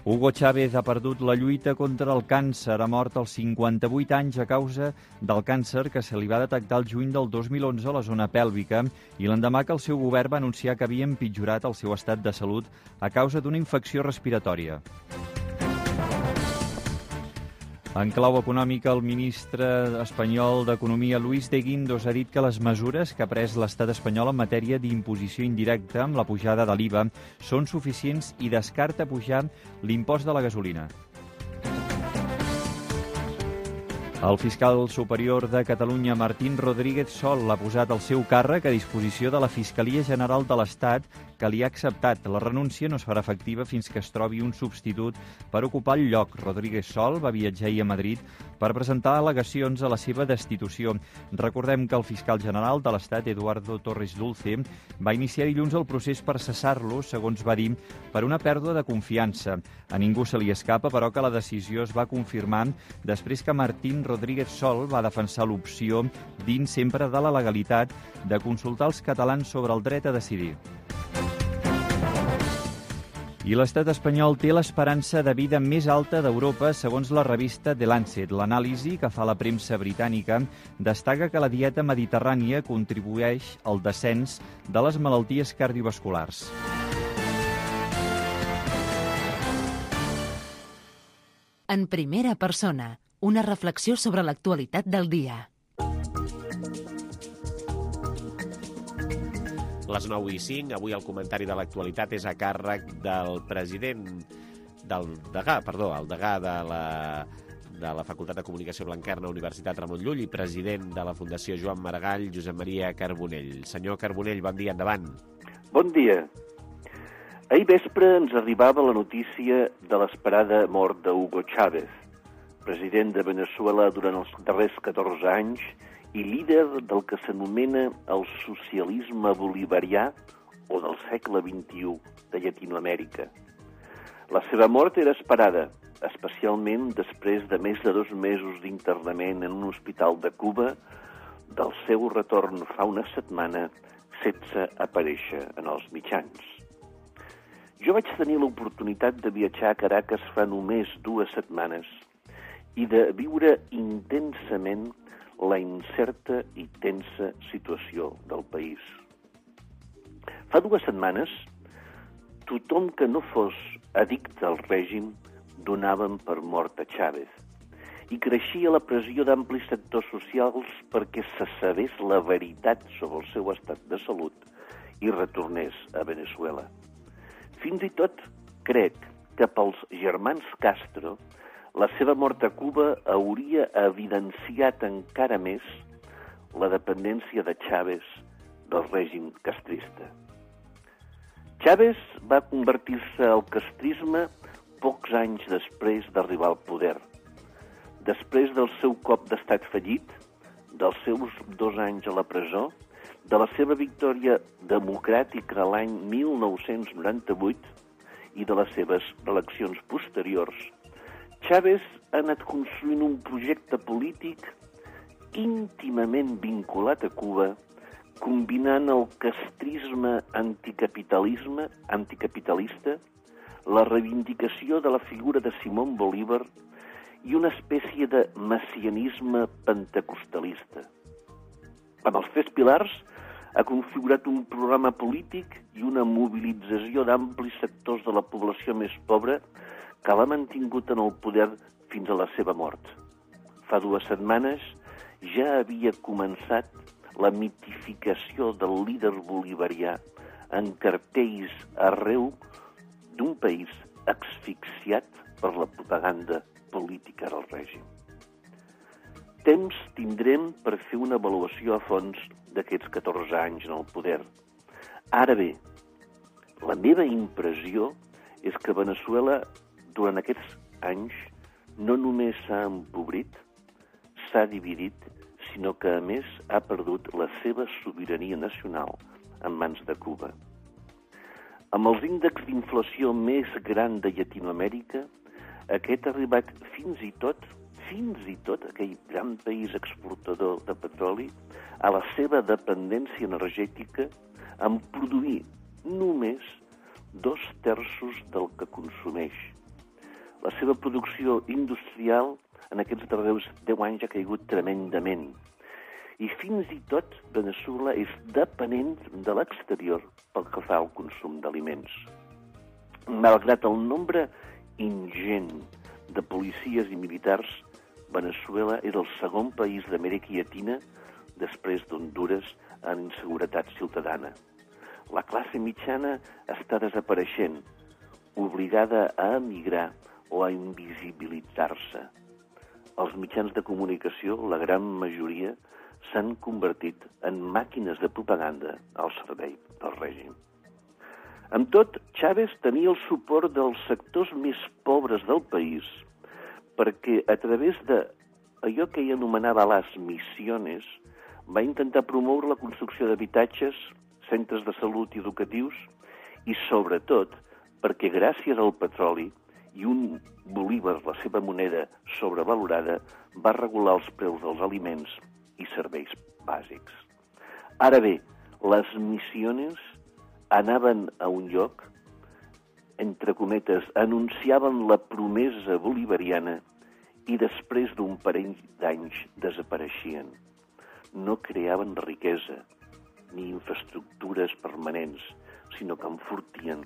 Hugo Chávez ha perdut la lluita contra el càncer. Ha mort als 58 anys a causa del càncer que se li va detectar el juny del 2011 a la zona pèlvica i l'endemà que el seu govern va anunciar que havia empitjorat el seu estat de salut a causa d'una infecció respiratòria. En clau econòmica, el ministre espanyol d'Economia, Luis de Guindos, ha dit que les mesures que ha pres l'estat espanyol en matèria d'imposició indirecta amb la pujada de l'IVA són suficients i descarta pujar l'impost de la gasolina. El fiscal superior de Catalunya, Martín Rodríguez Sol, ha posat el seu càrrec a disposició de la Fiscalia General de l'Estat, que li ha acceptat. La renúncia no es farà efectiva fins que es trobi un substitut per ocupar el lloc. Rodríguez Sol va viatjar ahir a Madrid per presentar al·legacions a la seva destitució. Recordem que el fiscal general de l'Estat, Eduardo Torres Dulce, va iniciar dilluns el procés per cessar-lo, segons va dir, per una pèrdua de confiança. A ningú se li escapa, però, que la decisió es va confirmar després que Martín Rodríguez Sol va defensar l'opció, dins sempre de la legalitat, de consultar els catalans sobre el dret a decidir. I l'estat espanyol té l'esperança de vida més alta d'Europa, segons la revista The Lancet. L'anàlisi que fa la premsa britànica destaca que la dieta mediterrània contribueix al descens de les malalties cardiovasculars. En primera persona, una reflexió sobre l'actualitat del dia. Les 9:05, avui el comentari de l'actualitat és a càrrec del el degà de la Facultat de Comunicació Blanquerna, Universitat Ramon Llull, i president de la Fundació Joan Maragall, Josep Maria Carbonell. Senyor Carbonell, bon dia, endavant. Bon dia. Ahir vespre ens arribava la notícia de l'esperada mort d'Hugo Chávez, president de Veneçuela durant els darrers 14 anys i líder del que s'anomena el socialisme bolivarià o del segle XXI de Llatinoamèrica. La seva mort era esperada, especialment després de més de 2 mesos d'internament en un hospital de Cuba, del seu retorn fa una setmana sense aparèixer en els mitjans. Jo vaig tenir l'oportunitat de viatjar a Caracas fa només 2 setmanes i de viure intensament la incerta i tensa situació del país. Fa 2 setmanes, tothom que no fos addicte al règim donaven per mort a Chávez i creixia la pressió d'amplis sectors socials perquè se sabés la veritat sobre el seu estat de salut i retornés a Veneçuela. Fins i tot crec que pels germans Castro la seva mort a Cuba hauria evidenciat encara més la dependència de Chávez del règim castrista. Chávez va convertir-se al castrisme pocs anys després d'arribar al poder. Després del seu cop d'estat fallit, dels seus 2 anys a la presó, de la seva victòria democràtica de l'any 1998 i de les seves eleccions posteriors, Chávez ha anat construint un projecte polític íntimament vinculat a Cuba, combinant el castrisme anticapitalista, la reivindicació de la figura de Simón Bolívar i una espècie de messianisme pentecostalista. Amb els 3 pilars ha configurat un programa polític i una mobilització d'amplis sectors de la població més pobra que l'ha mantingut en el poder fins a la seva mort. Fa 2 setmanes ja havia començat la mitificació del líder bolivarià en cartells arreu d'un país asfixiat per la propaganda política del règim. Temps tindrem per fer una avaluació a fons d'aquests 14 anys en el poder. Ara bé, la meva impressió és que Veneçuela durant aquests anys no només s'ha empobrit, s'ha dividit, sinó que, a més, ha perdut la seva sobirania nacional en mans de Cuba. Amb els índexs d'inflació més gran de Llatinoamèrica, aquest ha arribat fins i tot aquell gran país exportador de petroli, a la seva dependència energètica en produir només 2/3 del que consumeix. La seva producció industrial en aquests darrers 10 anys ha caigut tremendament. I fins i tot Veneçuela és dependent de l'exterior pel que fa al consum d'aliments. Malgrat el nombre ingent de policies i militars, Veneçuela és el segon país d'Amèrica Llatina després d'Hondures en inseguretat ciutadana. La classe mitjana està desapareixent, obligada a emigrar o a invisibilitzar-se. els mitjans de comunicació, la gran majoria, s'han convertit en màquines de propaganda al servei del règim. Amb tot, Chávez tenia el suport dels sectors més pobres del país perquè a través d'allò que ell anomenava les misiones va intentar promoure la construcció d'habitatges, centres de salut i educatius i, sobretot, perquè gràcies al petroli i un bolívar, la seva moneda sobrevalorada, va regular els preus dels aliments i serveis bàsics. Ara bé, les missiones anaven a un lloc, entre cometes, anunciaven la promesa bolivariana i després d'un parell d'anys desapareixien. No creaven riquesa ni infraestructures permanents, sinó que enfortien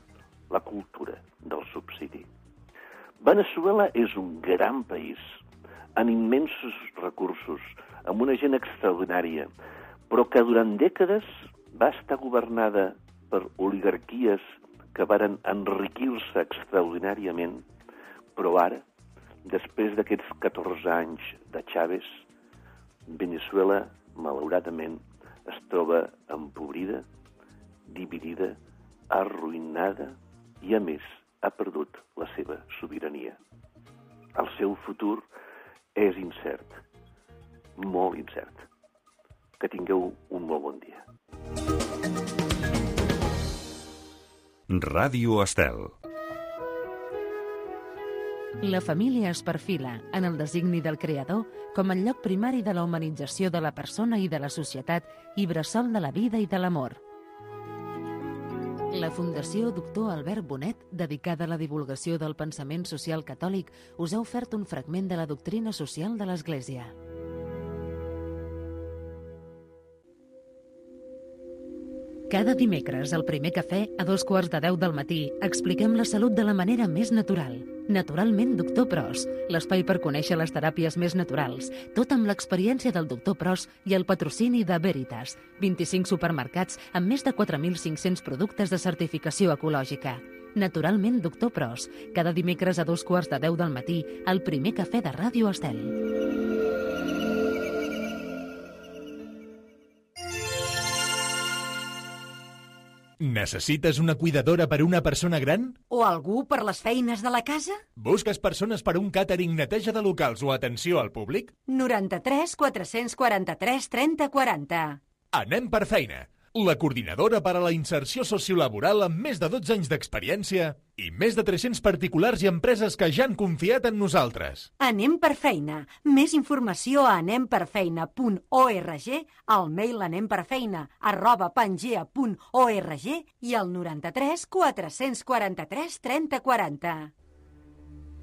la cultura del subsidi. Veneçuela és un gran país, amb immensos recursos, amb una gent extraordinària, però que durant dècades va estar governada per oligarquies que varen enriquir-se extraordinàriament, però ara, després d'aquests 14 anys de Chávez, Veneçuela, malauradament, es troba empobrida, dividida, arruïnada i, a més, ha perdut la seva sobirania. El seu futur és incert, molt incert. Que tingueu un molt bon dia. Ràdio Estel. La família es perfila, en el designi del creador, com el lloc primari de la humanització de la persona i de la societat i bressol de la vida i de l'amor. La Fundació Doctor Albert Bonet, dedicada a la divulgació del pensament social catòlic, us ha ofert un fragment de la doctrina social de l'Església. Cada dimecres, al primer cafè, a 2:15 del matí, expliquem la salut de la manera més natural. Naturalment, Doctor Pros, l'espai per conèixer les teràpies més naturals, tot amb l'experiència del Doctor Pros i el patrocini de Veritas, 25 supermercats amb més de 4.500 productes de certificació ecològica. Naturalment, Doctor Pros, cada dimecres a 2:15 del matí, al primer cafè de Ràdio Estel. Necessites una cuidadora per a una persona gran? O algú per les feines de la casa? Busques persones per a un càtering, neteja de locals o atenció al públic? 93 443 30 40. Anem per feina. La coordinadora per a la inserció sociolaboral amb més de 12 anys d'experiència i més de 300 particulars i empreses que ja han confiat en nosaltres. Anem per feina. Més informació a anemperfeina.org, al mail anemperfeina@pangea.org i al 93 443 30 40.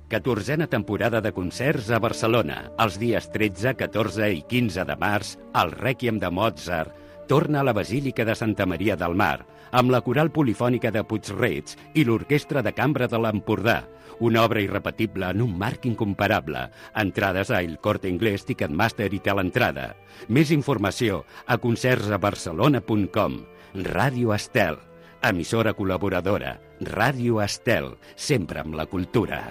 14a temporada de concerts a Barcelona. Els dies 13, 14 i 15 de març, el Rèquiem de Mozart torna a la Basílica de Santa Maria del Mar, amb la Coral Polifònica de Puig-reig i l'Orquestra de Cambra de l'Empordà. Una obra irrepetible en un marc incomparable. Entrades a El Corte Inglés, Ticketmaster i Teleentrada. Més informació a concertsabarcelona.com. Ràdio Estel, emissora col·laboradora. Ràdio Estel, sempre amb la cultura.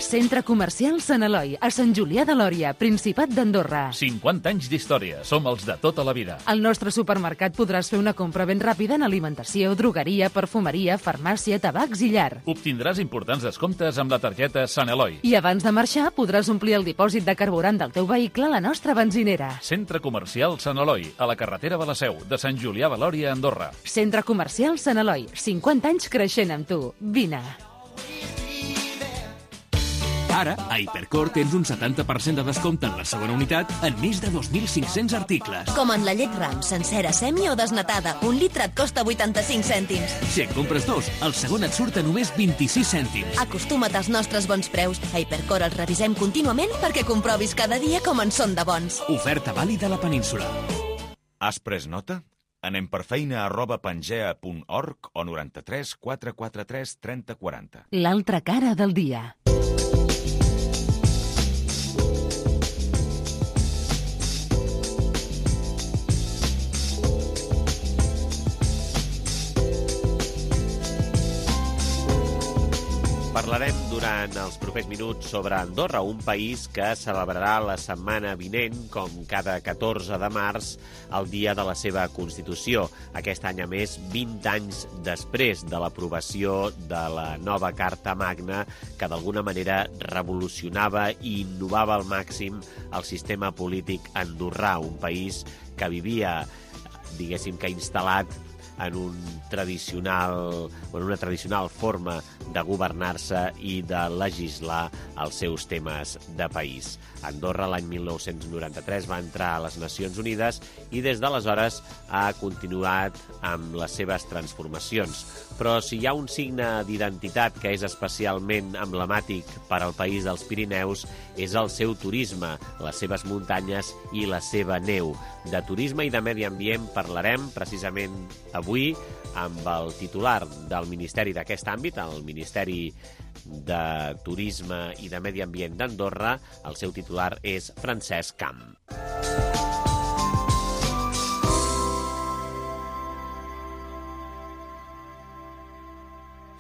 Centre Comercial Sant Eloi, a Sant Julià de Lòria, Principat d'Andorra. 50 anys d'història, som els de tota la vida. Al nostre supermercat podràs fer una compra ben ràpida en alimentació, drogueria, perfumeria, farmàcia, tabacs i llar. Obtindràs importants descomptes amb la targeta Sant Eloi. I abans de marxar podràs omplir el dipòsit de carburant del teu vehicle a la nostra benzinera. Centre Comercial Sant Eloi, a la carretera de la Seu, de Sant Julià de Lòria, Andorra. Centre Comercial Sant Eloi, 50 anys creixent amb tu. Vine. Ara, a Hipercor tens un 70% de descompte en la segona unitat en més de 2.500 articles. Com en la llet Ram, sencera, semi o desnatada. Un litre et costa 85 cèntims. Si en compres dos, el segon et surt a només 26 cèntims. Acostuma't als nostres bons preus. A Hipercor els revisem contínuament perquè comprovis cada dia com en són de bons. Oferta vàlida a la península. Has pres nota? Anem per feina@pangea.org o 93 443 30 40. L'altra cara del dia. Parlarem durant els propers minuts sobre Andorra, un país que celebrarà la setmana vinent, com cada 14 de març, el dia de la seva Constitució. Aquest any, a més, 20 anys després de l'aprovació de la nova Carta Magna, que d'alguna manera revolucionava i innovava al màxim el sistema polític andorrà, un país que vivia, diguéssim que instal·lat en una tradicional forma de governar-se i de legislar els seus temes de país. Andorra l'any 1993 va entrar a les Nacions Unides i des d'aleshores ha continuat amb les seves transformacions. Però si hi ha un signe d'identitat que és especialment emblemàtic per al país dels Pirineus és el seu turisme, les seves muntanyes i la seva neu. De turisme i de medi ambient parlarem precisament avui amb el titular del Ministeri d'aquest àmbit, el Ministeri de Turisme i de Medi Ambient d'Andorra. El seu titular és Francesc Camp.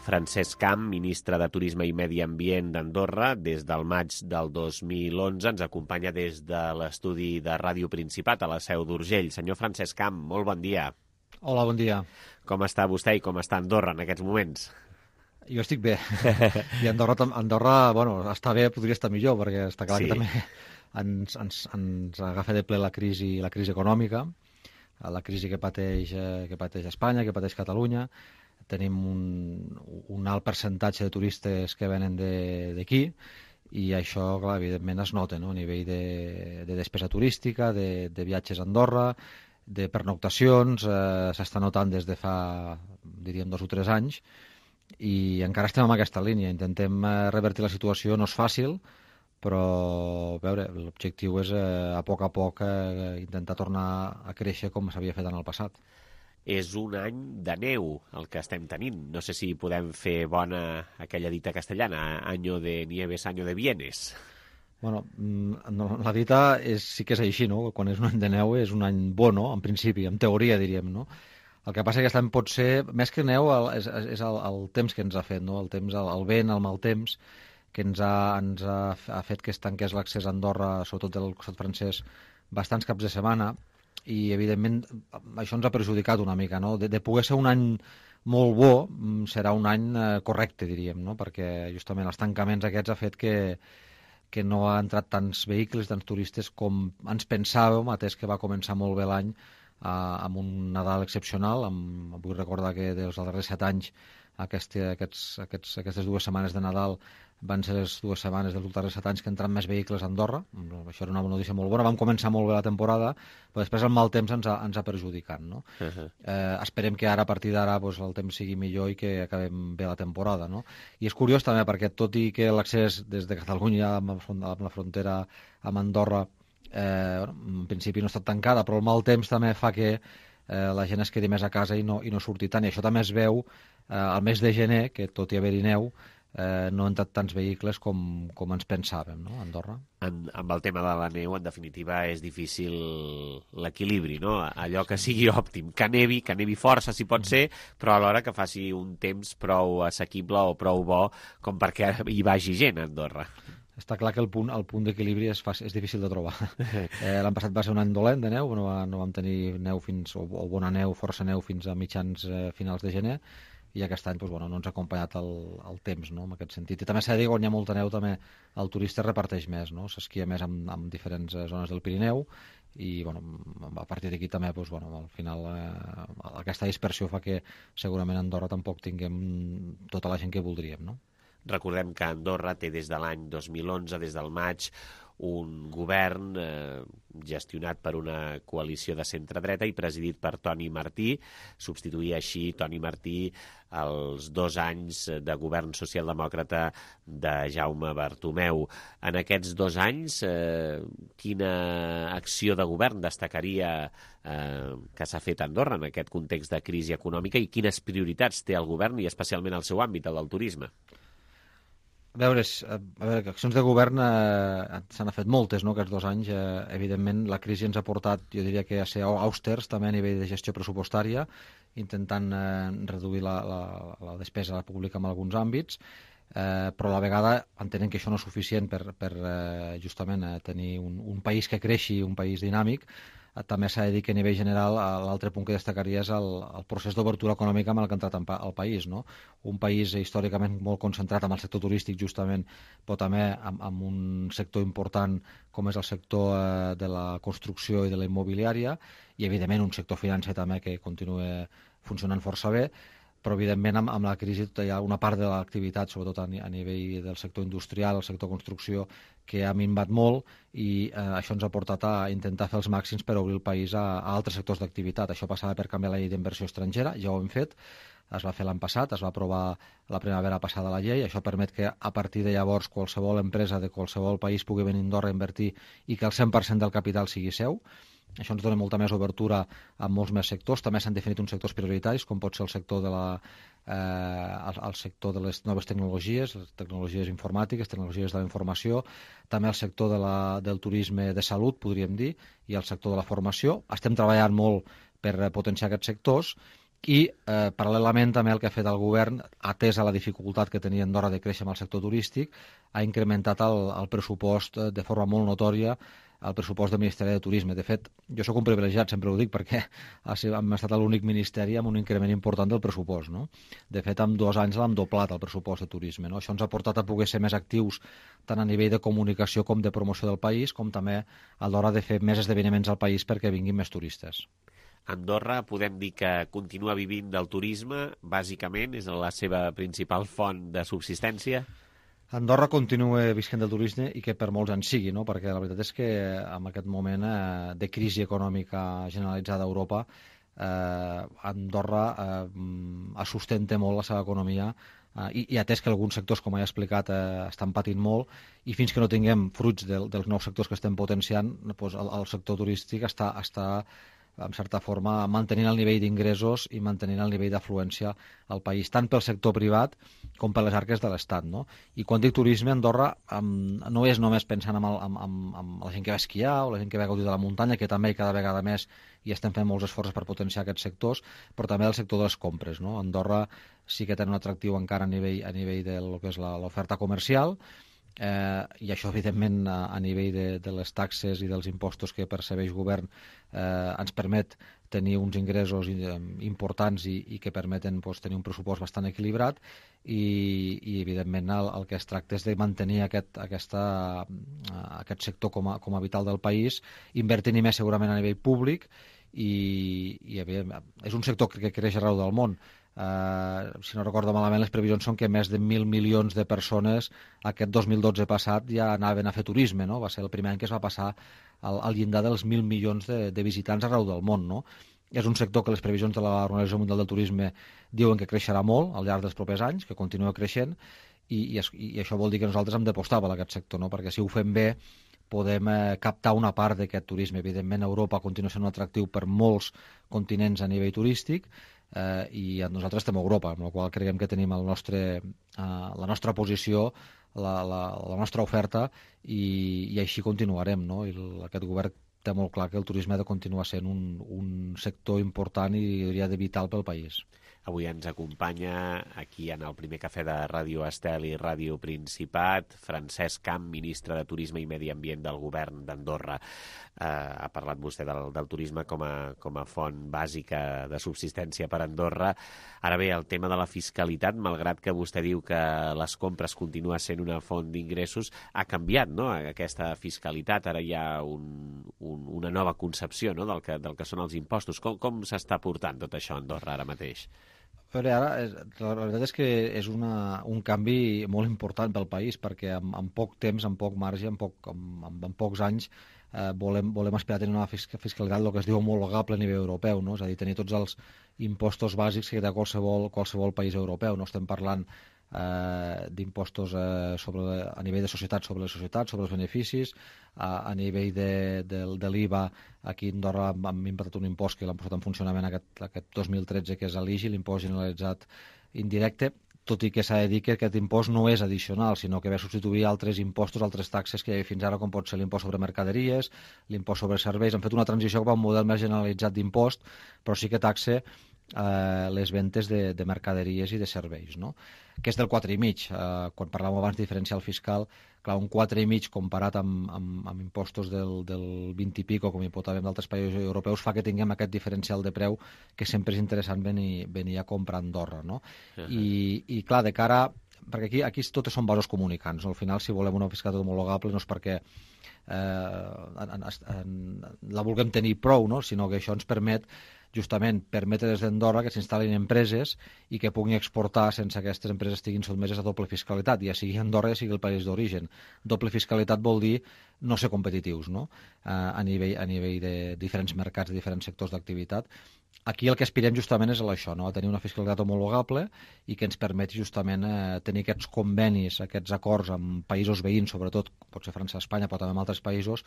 Francesc Camp, ministre de Turisme i Medi Ambient d'Andorra, des del maig del 2011, ens acompanya des de l'estudi de Ràdio Principat a la Seu d'Urgell. Senyor Francesc Camp, molt bon dia. Hola, bon dia. Com està vostè i com està Andorra en aquests moments? Jo estic bé. I Andorra, bueno, està bé, podria estar millor, perquè està clar que també ens agafa de ple la crisi econòmica, la crisi que pateix Espanya, que pateix Catalunya. Tenim un alt percentatge de turistes que venen d'aquí i això, clar, evidentment es nota, no? A nivell de despesa turística, de viatges a Andorra, de pernoctacions, s'està notant des de fa, diríem, 2 o 3 anys, i encara estem en aquesta línia. Intentem revertir la situació, no és fàcil, però a veure, l'objectiu és a poc intentar tornar a créixer com s'havia fet en el passat. És un any de neu el que estem tenint. No sé si podem fer bona aquella dita castellana, año de nieves, año de bienes. Bueno, la dita sí que és així, no? Quan és un any de neu és un any bo, no? En principi, en teoria, diríem, no? El que passa que aquest any pot ser, més que neu, és el temps que ens ha fet, no? El temps, el vent, el mal temps, que ens ha fet que es tanqués l'accés a Andorra, sobretot del costat francès, bastants caps de setmana, i evidentment això ens ha perjudicat una mica, no? De poder ser un any molt bo, serà un any correcte, diríem, no? Perquè justament els tancaments aquests ha fet que no ha entrat tants vehicles, tants turistes com ens pensàvem, atès que va començar molt bé l'any amb un Nadal excepcional. Vull recordar que dels darrers 7 anys aquestes 2 setmanes de Nadal van ser les 2 setmanes dels darrers 7 anys que entran més vehicles a Andorra. Això era una notícia molt bona. Vam començar molt bé la temporada, però després el mal temps ens ha perjudicat, no? Esperem que ara, a partir d'ara, el temps sigui millor i que acabem bé la temporada, no? I és curiós també perquè, tot i que l'accés des de Catalunya amb la frontera amb Andorra en principi no ha estat tancada, però el mal temps també fa que la gent es quedi més a casa i no surti tant. I això també es veu al mes de gener, que tot i haver-hi neu, no han entrat tants vehicles com ens pensàvem, no, a Andorra. Amb el tema de la neu, en definitiva, és difícil l'equilibri, no? Allò que sigui òptim, que nevi força, si pot ser, però alhora que faci un temps prou assequible o prou bo com perquè hi vagi gent a Andorra. Està clar que el punt d'equilibri és difícil de trobar. L'any passat va ser un any dolent de neu, no vam tenir neu o bona neu, força neu fins a finals de gener, i aquest any no ens ha acompanyat el temps, no, en aquest sentit. I també s'ha de dir que quan hi ha molta neu també el turista reparteix més, no? S'esquia més en diferents zones del Pirineu i a partir d'aquí també al final aquesta dispersió fa que segurament a Andorra tampoc tinguem tota la gent que voldríem, no? Recordem que Andorra té des de l'any 2011, des del maig, un govern gestionat per una coalició de centre-dreta i presidit per Toni Martí. Substituïa així Toni Martí els 2 anys de govern socialdemòcrata de Jaume Bartomeu. En aquests 2 anys, quina acció de govern destacaria que s'ha fet a Andorra en aquest context de crisi econòmica i quines prioritats té el govern i especialment el seu àmbit, el del turisme? A veure, accions de govern s'han fet moltes, no?, aquests 2 anys. Evidentment, la crisi ens ha portat, jo diria que a ser austers també a nivell de gestió pressupostària, intentant reduir la despesa pública en alguns àmbits. però a la vegada entenem que això no és suficient per justament tenir un país que creixi, un país dinàmic. També s'ha de dir que a nivell general l'altre punt que destacaria és el procés d'obertura econòmica amb el que ha entrat al país, no? Un país històricament molt concentrat amb el sector turístic justament, però també amb un sector important com és el sector de la construcció i de la immobiliària, i evidentment un sector financer també que continua funcionant força bé, però evidentment amb la crisi hi ha una part de l'activitat, sobretot a nivell del sector industrial, el sector construcció, que ha minvat molt, i això ens ha portat a intentar fer els màxims per obrir el país a altres sectors d'activitat. Això passava per canviar la llei d'inversió estrangera, ja ho hem fet, es va fer l'any passat, es va aprovar la primavera passada la llei, això permet que a partir de llavors qualsevol empresa de qualsevol país pugui venir a Andorra a invertir i que el 100% del capital sigui seu. Això ens dona molta més obertura a molts més sectors. També s'han definit uns sectors prioritaris, com pot ser el sector el sector de les noves tecnologies, les tecnologies informàtiques, tecnologies de la informació, també el sector del turisme de salut, podríem dir, i el sector de la formació. Estem treballant molt per potenciar aquests sectors i, paral·lelament, també el que ha fet el govern, atès a la dificultat que tenia Andorra de créixer amb el sector turístic, ha incrementat el pressupost de forma molt notòria, el pressupost del Ministeri de Turisme. De fet, jo sóc un privilegiat, sempre ho dic, perquè hem estat l'únic ministeri amb un increment important del pressupost, no? De fet, en 2 anys l'hem doblat, el pressupost de turisme, no? Això ens ha portat a poder ser més actius tant a nivell de comunicació com de promoció del país, com també a l'hora de fer més esdeveniments al país perquè vinguin més turistes. Andorra podem dir que continua vivint del turisme, bàsicament, és la seva principal font de subsistència? Andorra continua visquent del turisme i que per molts anys sigui, no? Perquè la veritat és que en aquest moment de crisi econòmica generalitzada a Europa, Andorra sustenta molt la seva economia i atès que alguns sectors, com he explicat, estan patint molt, i fins que no tinguem fruits dels nous sectors que estem potenciant, doncs el sector turístic està en certa forma, mantenint el nivell d'ingressos i mantenint el nivell d'afluència al país, tant pel sector privat com per les arques de l'Estat, no? I quan dic turisme, Andorra no és només pensant en la gent que va esquiar o la gent que va gaudir de la muntanya, que també cada vegada més i estem fent molts esforços per potenciar aquests sectors, però també el sector de les compres, no? Andorra sí que té un atractiu encara a nivell de lo que és l'oferta comercial, i això evidentment a nivell de les taxes i dels impostos que percebeix govern ens permet tenir uns ingressos importants i que permeten tenir un pressupost bastant equilibrat i evidentment el que es tracta és de mantenir aquest sector com a vital del país, invertint-hi més segurament a nivell públic i és un sector que creix arreu del món. Si no recordo malament, les previsions són que més de 1.000 milions de persones aquest 2012 passat ja anaven a fer turisme, no? Va ser el primer any que es va passar al llindar dels 1.000 milions de visitants arreu del món, no? És un sector que les previsions de l'Organització Mundial del Turisme diuen que creixerà molt al llarg dels propers anys, que continua creixent, i això vol dir que nosaltres hem d'apostar per aquest sector, no? Perquè si ho fem bé podem captar una part d'aquest turisme. Evidentment, Europa continua sent un atractiu per molts continents a nivell turístic, i nosaltres estem a Europa, amb la qual creiem que tenim la nostra posició, la nostra oferta, i així continuarem, no? I aquest govern té molt clar que el turisme ha de continuar sent un sector important i diria de vital pel país. Avui ens acompanya aquí en el primer cafè de Ràdio Estel i Ràdio Principat Francesc Camp, ministre de Turisme i Medi Ambient del govern d'Andorra. Ha parlat vostè del turisme com a font bàsica de subsistència per Andorra. Ara bé, el tema de la fiscalitat, malgrat que vostè diu que les compres continua sent una font d'ingressos, ha canviat, no?, aquesta fiscalitat. Ara hi ha una nova concepció, no?, del que són els impostos. Com s'està portant tot això a Andorra ara mateix? Però ara, la veritat és que és un canvi molt important pel país, perquè en poc temps, en poc marge, en pocs anys, volem aspirar a tenir una fiscalitat, el que es diu homologable a nivell europeu, no? És a dir, tenir tots els impostos bàsics que té qualsevol país europeu. No estem parlant d'impostos a nivell de societats sobre les societats, sobre els beneficis, a nivell de l'IVA. Aquí a Andorra hem implantat un impost que l'hem posat en funcionament aquest 2013, que és l'IGI, l'impost generalitzat indirecte, tot i que s'ha de dir que aquest impost no és addicional, sinó que ve a substituir altres impostos, altres taxes que hi havia fins ara, com pot ser l'impost sobre mercaderies, l'impost sobre serveis. Hem fet una transició cap a un model més generalitzat d'impost, però sí que taxa les ventes de mercaderies i de serveis, no? Que és del 4,5. Quan parlàvem abans de diferencial fiscal, clar, un 4,5 comparat amb impostos del 20 i pico, com hi pot haver en d'altres països europeus, fa que tinguem aquest diferencial de preu que sempre és interessant venir a comprar a Andorra, no? I clar, de cara... Perquè aquí totes són vasos comunicants, no? Al final, si volem una fiscalitat homologable no és perquè la vulguem tenir prou, no? Sinó que això ens permet justament permetre des d'Andorra que s'instal·lin empreses i que puguin exportar sense que aquestes empreses estiguin sotmeses a doble fiscalitat, ja sigui Andorra ja sigui el país d'origen. Doble fiscalitat vol dir no ser competitius, no? A nivell de diferents mercats, de diferents sectors d'activitat. Aquí el que aspirem justament és a això, no? A tenir una fiscalitat homologable i que ens permeti justament tenir aquests convenis, aquests acords amb països veïns, sobretot, pot ser França, Espanya, però també en altres països,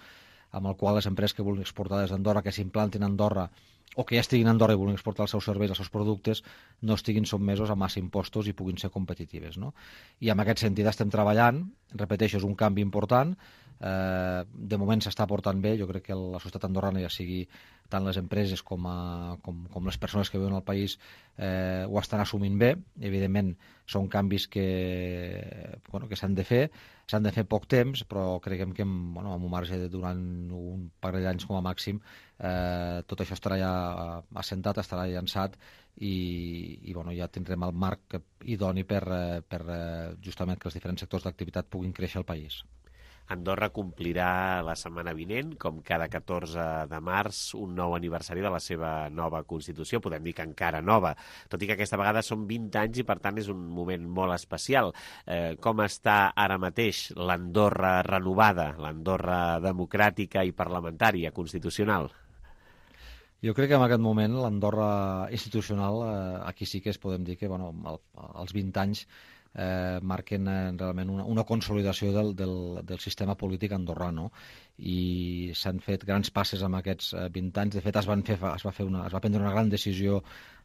amb el qual les empreses que vulguin exportar des d'Andorra, que s'implantin a Andorra o que ja estiguin a Andorra i vulguin exportar els seus serveis, els seus productes, no estiguin sotmesos a massa impostos i puguin ser competitives, no? I en aquest sentit estem treballant, repeteixo, és un canvi important, de moment s'està portant bé, jo crec que la societat andorrana, ja sigui tant les empreses com les persones que viuen al país, ho estan assumint bé. Evidentment són canvis que s'han de fer poc temps, però creiem que amb un marge de durant un parell d'anys com a màxim tot això estarà ja assentat, estarà llançat i ja tindrem el marc idoni per justament que els diferents sectors d'activitat puguin créixer al país. Andorra complirà la setmana vinent, com cada 14 de març, un nou aniversari de la seva nova Constitució. Podem dir que encara nova, tot i que aquesta vegada són 20 anys i, per tant, és un moment molt especial. Com està ara mateix l'Andorra renovada, l'Andorra democràtica i parlamentària, constitucional? Jo crec que en aquest moment l'Andorra institucional, aquí sí que podem dir que els 20 anys marquen realment una consolidació del sistema polític andorrà, no? I s'han fet grans passes en aquests 20 anys. De fet, es va prendre una gran decisió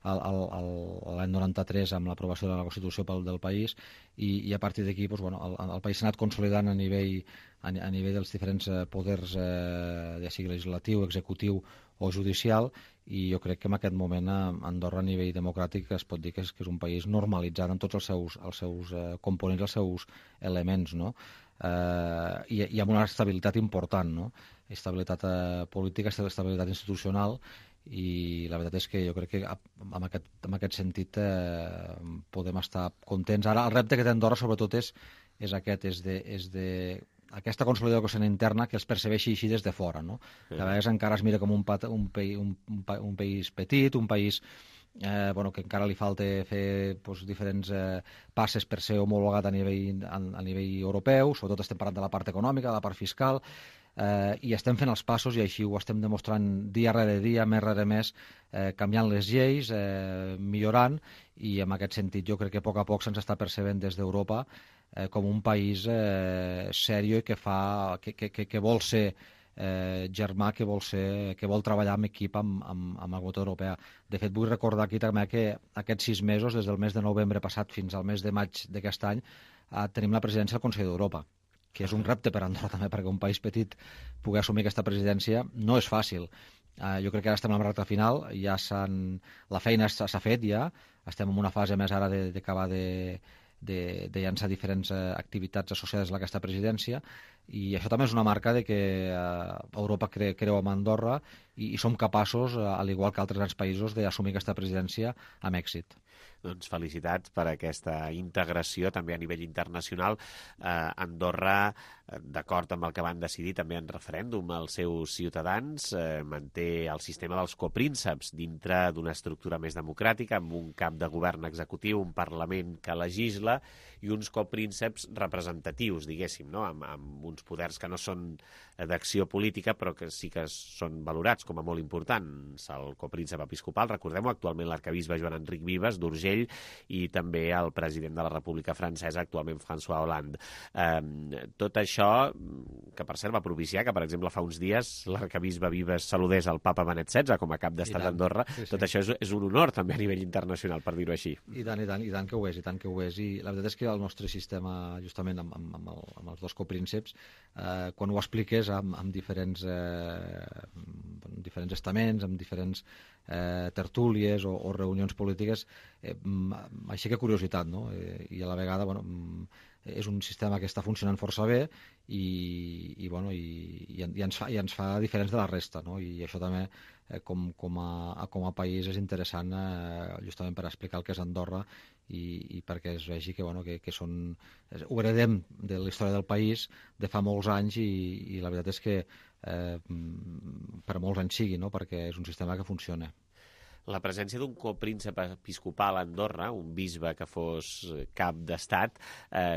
l'any 93 amb l'aprovació de la Constitució del país i a partir d'aquí el país s'ha anat consolidant a nivell dels diferents poders, ja sigui legislatiu, executiu o judicial, i jo crec que en aquest moment Andorra a nivell democràtic es pot dir que és un país normalitzat en tots els seus components, els seus elements, no? I amb una estabilitat important, no? Estabilitat política, estabilitat institucional, i la veritat és que jo crec que en aquest sentit podem estar contents. Ara el repte que té Andorra sobretot és aquesta consolidació interna que els percebeixi així des de fora, no? Que a vegades encara es mira com un país petit, un país que encara li falta fer diferents passes per ser homologat a nivell europeu, sobretot estem parlant de la part econòmica, de la part fiscal, i estem fent els passos i així ho estem demostrant dia rere dia, més rere més, canviant les lleis, millorant, i en aquest sentit jo crec que a poc se'ns està percebent des d'Europa com un país sèrio i que vol ser germà, que vol treballar en equip amb la Comunitat Europea. De fet, vull recordar aquí també que aquests 6 mesos, des del mes de novembre passat fins al mes de maig d'aquest any, tenim la presidència del Consell d'Europa, que és un repte per Andorra també, perquè un país petit pugui assumir aquesta presidència no és fàcil. Jo crec que ara estem en la recta final, la feina s'ha fet ja, estem en una fase més ara d'acabar de llançar diferents activitats associades a aquesta presidència, i això també és una marca de que Europa creu en Andorra i som capaços, al igual que altres grans països, d'assumir aquesta presidència amb èxit. Doncs felicitats per aquesta integració també a nivell internacional. Andorra, d'acord amb el que van decidir també en referèndum els seus ciutadans, manté el sistema dels coprínceps dintre d'una estructura més democràtica, amb un cap de govern executiu, un Parlament que legisla i uns coprínceps representatius, diguéssim, no? Amb uns poders que no són d'acció política, però que sí que són valorats com a molt importants. El copríncep episcopal, recordem-ho, actualment l'arquebisbe Joan Enric Vives, d'Urgell, Urgell, i també el president de la República Francesa, actualment François Hollande. Tot això, que per cert va propiciar que, per exemple, fa uns dies l'arcabisbe Vives saludés el papa Benet XVI com a cap d'estat d'Andorra. Tot això és un honor també a nivell internacional, per dir-ho així. I tant que ho és, I la veritat és que el nostre sistema, justament amb els dos coprínceps, quan ho expliques amb diferents estaments, amb diferents tertúlies o reunions polítiques, aixeca curiositat, no? I a la vegada, és un sistema que està funcionant força bé i ens fa diferents de la resta, no? I això també com a país és interessant justament per explicar el que és Andorra i perquè es vegi que ho heredem de la història del país de fa molts anys i la veritat és que per molts anys sigui, no? Perquè és un sistema que funciona. La presència d'un copríncep episcopal a Andorra, un bisbe que fos cap d'estat,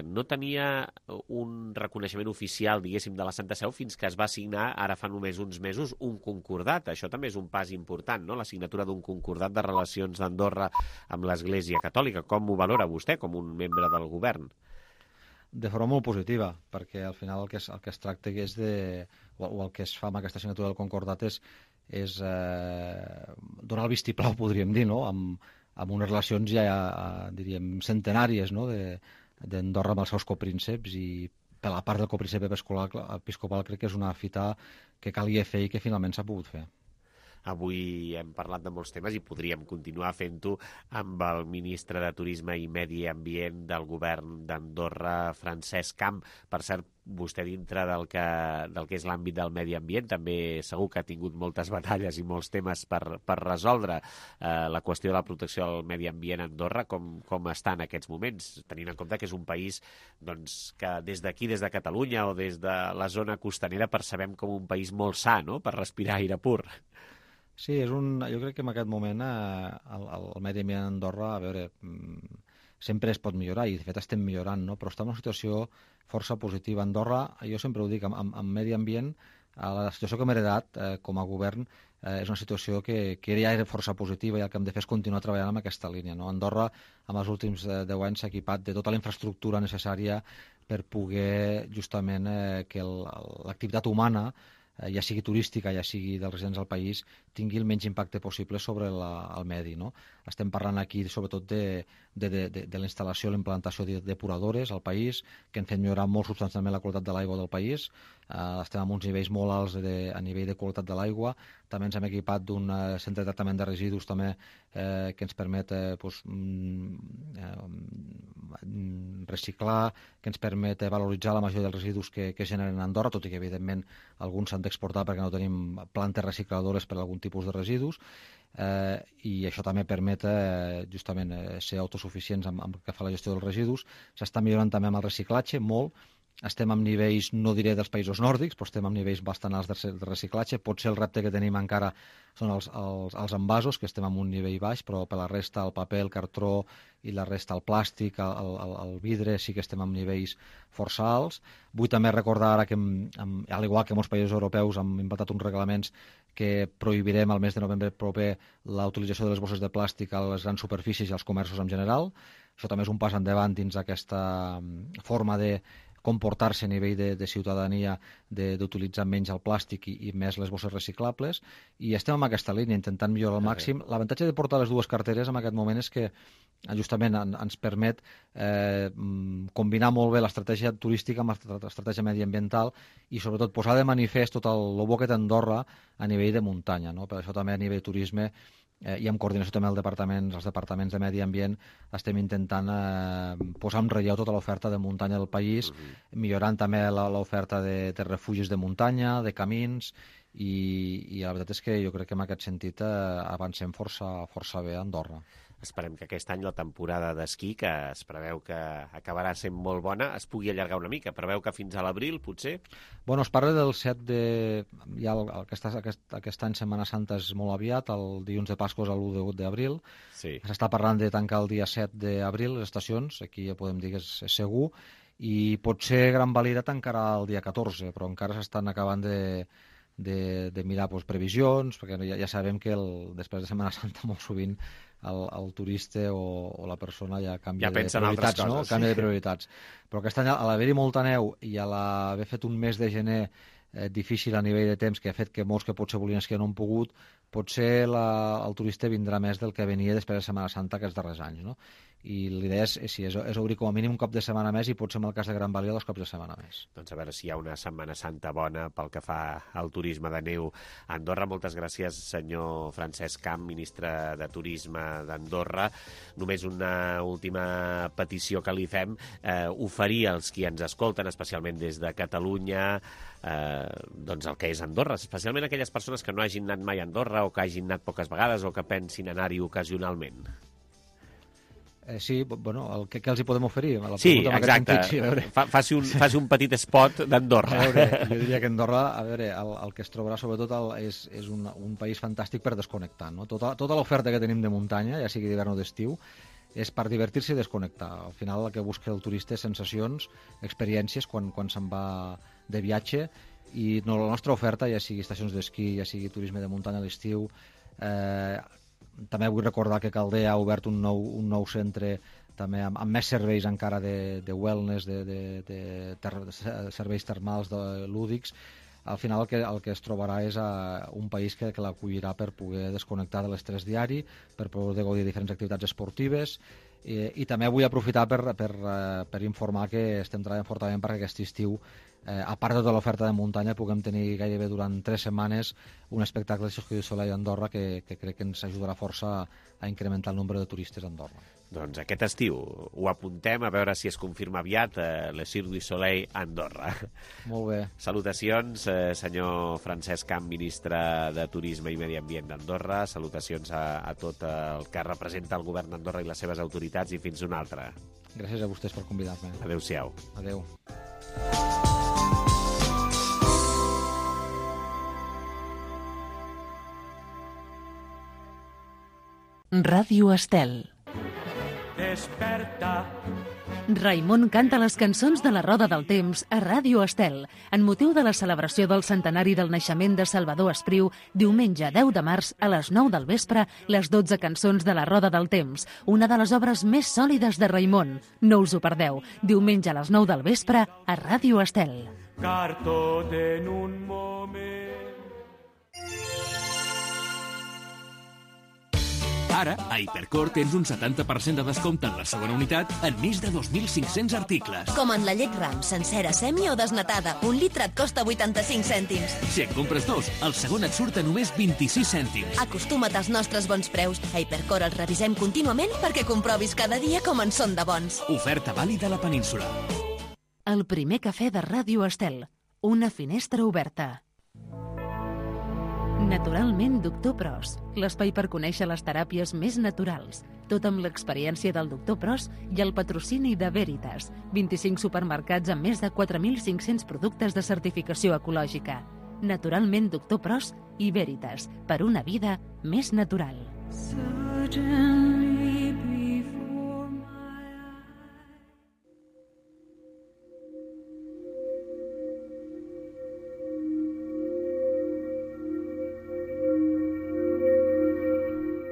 no tenia un reconeixement oficial, diguéssim, de la Santa Seu fins que es va signar, ara fa només uns mesos, un concordat. Això també és un pas important, no?, la signatura d'un concordat de relacions d'Andorra amb l'Església Catòlica. Com ho valora vostè com un membre del govern? De forma molt positiva, perquè al final el que es tracta és o el que es fa amb aquesta signatura del concordat és donar el vistiplau, podríem dir, no?, amb unes relacions ja, diríem, centenàries, no?, d'Andorra amb els seus coprínceps, i per la part del copríncep episcopal crec que és una fita que calia fer i que finalment s'ha pogut fer. Avui hem parlat de molts temes i podríem continuar fent-ho amb el ministre de Turisme i Medi Ambient del govern d'Andorra, Francesc Camp. Per cert, vostè dintre del que és l'àmbit del medi ambient també segur que ha tingut moltes batalles i molts temes per resoldre. La qüestió de la protecció del medi ambient a Andorra, com està en aquests moments, tenint en compte que és un país que des d'aquí, des de Catalunya o des de la zona costanera, percebem com un país molt sa, no?, per respirar aire pur. Sí, jo crec que en aquest moment el medi ambient a Andorra, a veure, sempre es pot millorar, i de fet estem millorant, no? Però està en una situació força positiva. Andorra, jo sempre ho dic, amb medi ambient, la situació que hem heredat com a govern és una situació que ja era força positiva, i el que hem de fer és continuar treballant en aquesta línia, no? Andorra, en els últims 10 anys, s'ha equipat de tota la infraestructura necessària per poder, justament, que l'activitat humana, ja sigui turística, ja sigui dels residents del país, tingui el menys impacte possible sobre el medi, no? Estem parlant aquí sobretot de la instal·lació, l'implantació de depuradores al país, que han fet millorar molt substancialment la qualitat de l'aigua del país. Estem amb uns nivells molt alts a nivell de qualitat de l'aigua. També ens hem equipat d'un centre de tractament de residus també que ens permet reciclar, que ens permet valoritzar la majoria dels residus que generen a Andorra, tot i que evidentment alguns s'han d'exportar perquè no tenim plantes recicladores per a algun tipus de residus, i això també permet justament ser autosuficients amb el que fa la gestió dels residus. S'està millorant també amb el reciclatge, molt. Estem amb nivells, no diré dels països nòrdics, però estem amb nivells bastant alts de reciclatge. Potser el repte que tenim encara són els envasos, que estem amb un nivell baix, però per la resta, el paper, el cartró i la resta, el plàstic, el vidre, sí que estem amb nivells força alts. Vull també recordar ara que, al igual que molts països europeus, hem implantat uns reglaments que prohibirem al mes de novembre proper la utilització de les bosses de plàstic a les grans superfícies i als comerços en general. Això també és un pas endavant dins aquesta forma de comportar-se a nivell de ciutadania, d'utilitzar menys el plàstic i més les bosses reciclables, i estem en aquesta línia intentant millorar al màxim. L'avantatge de portar les dues carteres en aquest moment és que justament ens permet combinar molt bé l'estratègia turística amb l'estratègia mediambiental i sobretot posar de manifest tot el bo que té Andorra a nivell de muntanya, no? Per això també a nivell turisme i en coordinació també els departaments de medi ambient estem intentant posar en relleu tota l'oferta de muntanya del país, millorant també l'oferta de refugis de muntanya, de camins, i la veritat és que jo crec que en aquest sentit avancem força bé a Andorra. Esperem que aquest any la temporada d'esquí, que es preveu que acabarà sent molt bona, es pugui allargar una mica. Preveu que fins a l'abril, potser? Bueno, es parla del 7 de... Ja aquest any Setmana Santa és molt aviat, el dilluns de Pasqua és l'1 d'abril. Sí. S'està parlant de tancar el dia 7 d'abril les estacions, aquí ja podem dir que és segur, i potser Gran Valira tancarà el dia 14, però encara s'estan acabant de mirar previsions, perquè ja sabem que després de Setmana Santa molt sovint el turista o la persona ja canvia de prioritats, no? Canvia de prioritats. Però aquest any, a l'haver-hi molta neu i a l'haver fet un mes de gener difícil a nivell de temps, que ha fet que molts que potser volien esquiar no han pogut, potser el turista vindrà més del que venia després de Setmana Santa aquests darrers anys, no? I l'idea és obrir com a mínim un cop de setmana més i potser en el cas de Gran Valira 2 cops de setmana més. Doncs a veure si hi ha una Setmana Santa bona pel que fa al turisme de neu a Andorra. Moltes gràcies, senyor Francesc Camp, ministre de Turisme d'Andorra. Només una última petició que li fem, oferir als qui ens escolten, especialment des de Catalunya, doncs el que és Andorra, especialment aquelles persones que no hagin anat mai a Andorra o que hagin anat poques vegades o que pensin anar-hi ocasionalment. Sí, bueno, què els hi podem oferir? Sí, exacte. Faci un petit spot d'Andorra. Jo diria que Andorra, el que es trobarà sobretot és un país fantàstic per desconnectar, no? Tota l'oferta que tenim de muntanya, ja sigui d'hivern o d'estiu, és per divertir-se i desconnectar. Al final el que busca el turista és sensacions, experiències quan se'n va de viatge, i la nostra oferta, ja sigui estacions d'esquí, ja sigui turisme de muntanya a l'estiu, també vull recordar que Caldea ha obert un nou centre també amb més serveis encara de wellness, de serveis termals, de lúdics. Al final el que es trobarà és un país que l'acollirà per poder desconnectar de l'estrès diari, per poder gaudir de diferents activitats esportives, i també vull aprofitar per informar que estem treballant fortament perquè aquest estiu, a part de tota l'oferta de muntanya, puguem tenir gairebé durant 3 setmanes un espectacle de Circuit du Soleil a Andorra que crec que ens ajudarà força a incrementar el nombre de turistes a Andorra. Doncs aquest estiu ho apuntem, a veure si es confirma aviat le Cirque du Soleil a Andorra. Molt bé. Salutacions, senyor Francesc Camp, ministre de Turisme i Medi Ambient d'Andorra. Salutacions a tot el que representa el govern d'Andorra i les seves autoritats, i fins una altra. Gràcies a vostès per convidar-me. Adéu-siau. Adéu. Ràdio Estel. Desperta. Raimon canta les cançons de la Roda del Temps a Ràdio Estel, en motiu de la celebració del centenari del naixement de Salvador Espriu, diumenge 10 de març a les 9 del vespre, les 12 cançons de la Roda del Temps, una de les obres més sòlides de Raimon. No us ho perdeu, diumenge a les 9 del vespre a Ràdio Estel. Car tot en un moment. Ara, a Hipercor tens un 70% de descompte en la segona unitat en més de 2.500 articles. Com en la llet Ram, sencera, semi o desnatada. Un litre et costa 85 cèntims. Si en compres 2, el segon et surt a només 26 cèntims. Acostuma't als nostres bons preus. A Hipercor els revisem contínuament perquè comprovis cada dia com en són de bons. Oferta vàlida a la península. El primer cafè de Ràdio Estel. Una finestra oberta. Naturalment Doctor Pros, l'espai per conèixer les teràpies més naturals, tot amb l'experiència del Doctor Pros i el patrocini de Veritas, 25 supermercats amb més de 4.500 productes de certificació ecològica. Naturalment Doctor Pros i Veritas, per una vida més natural.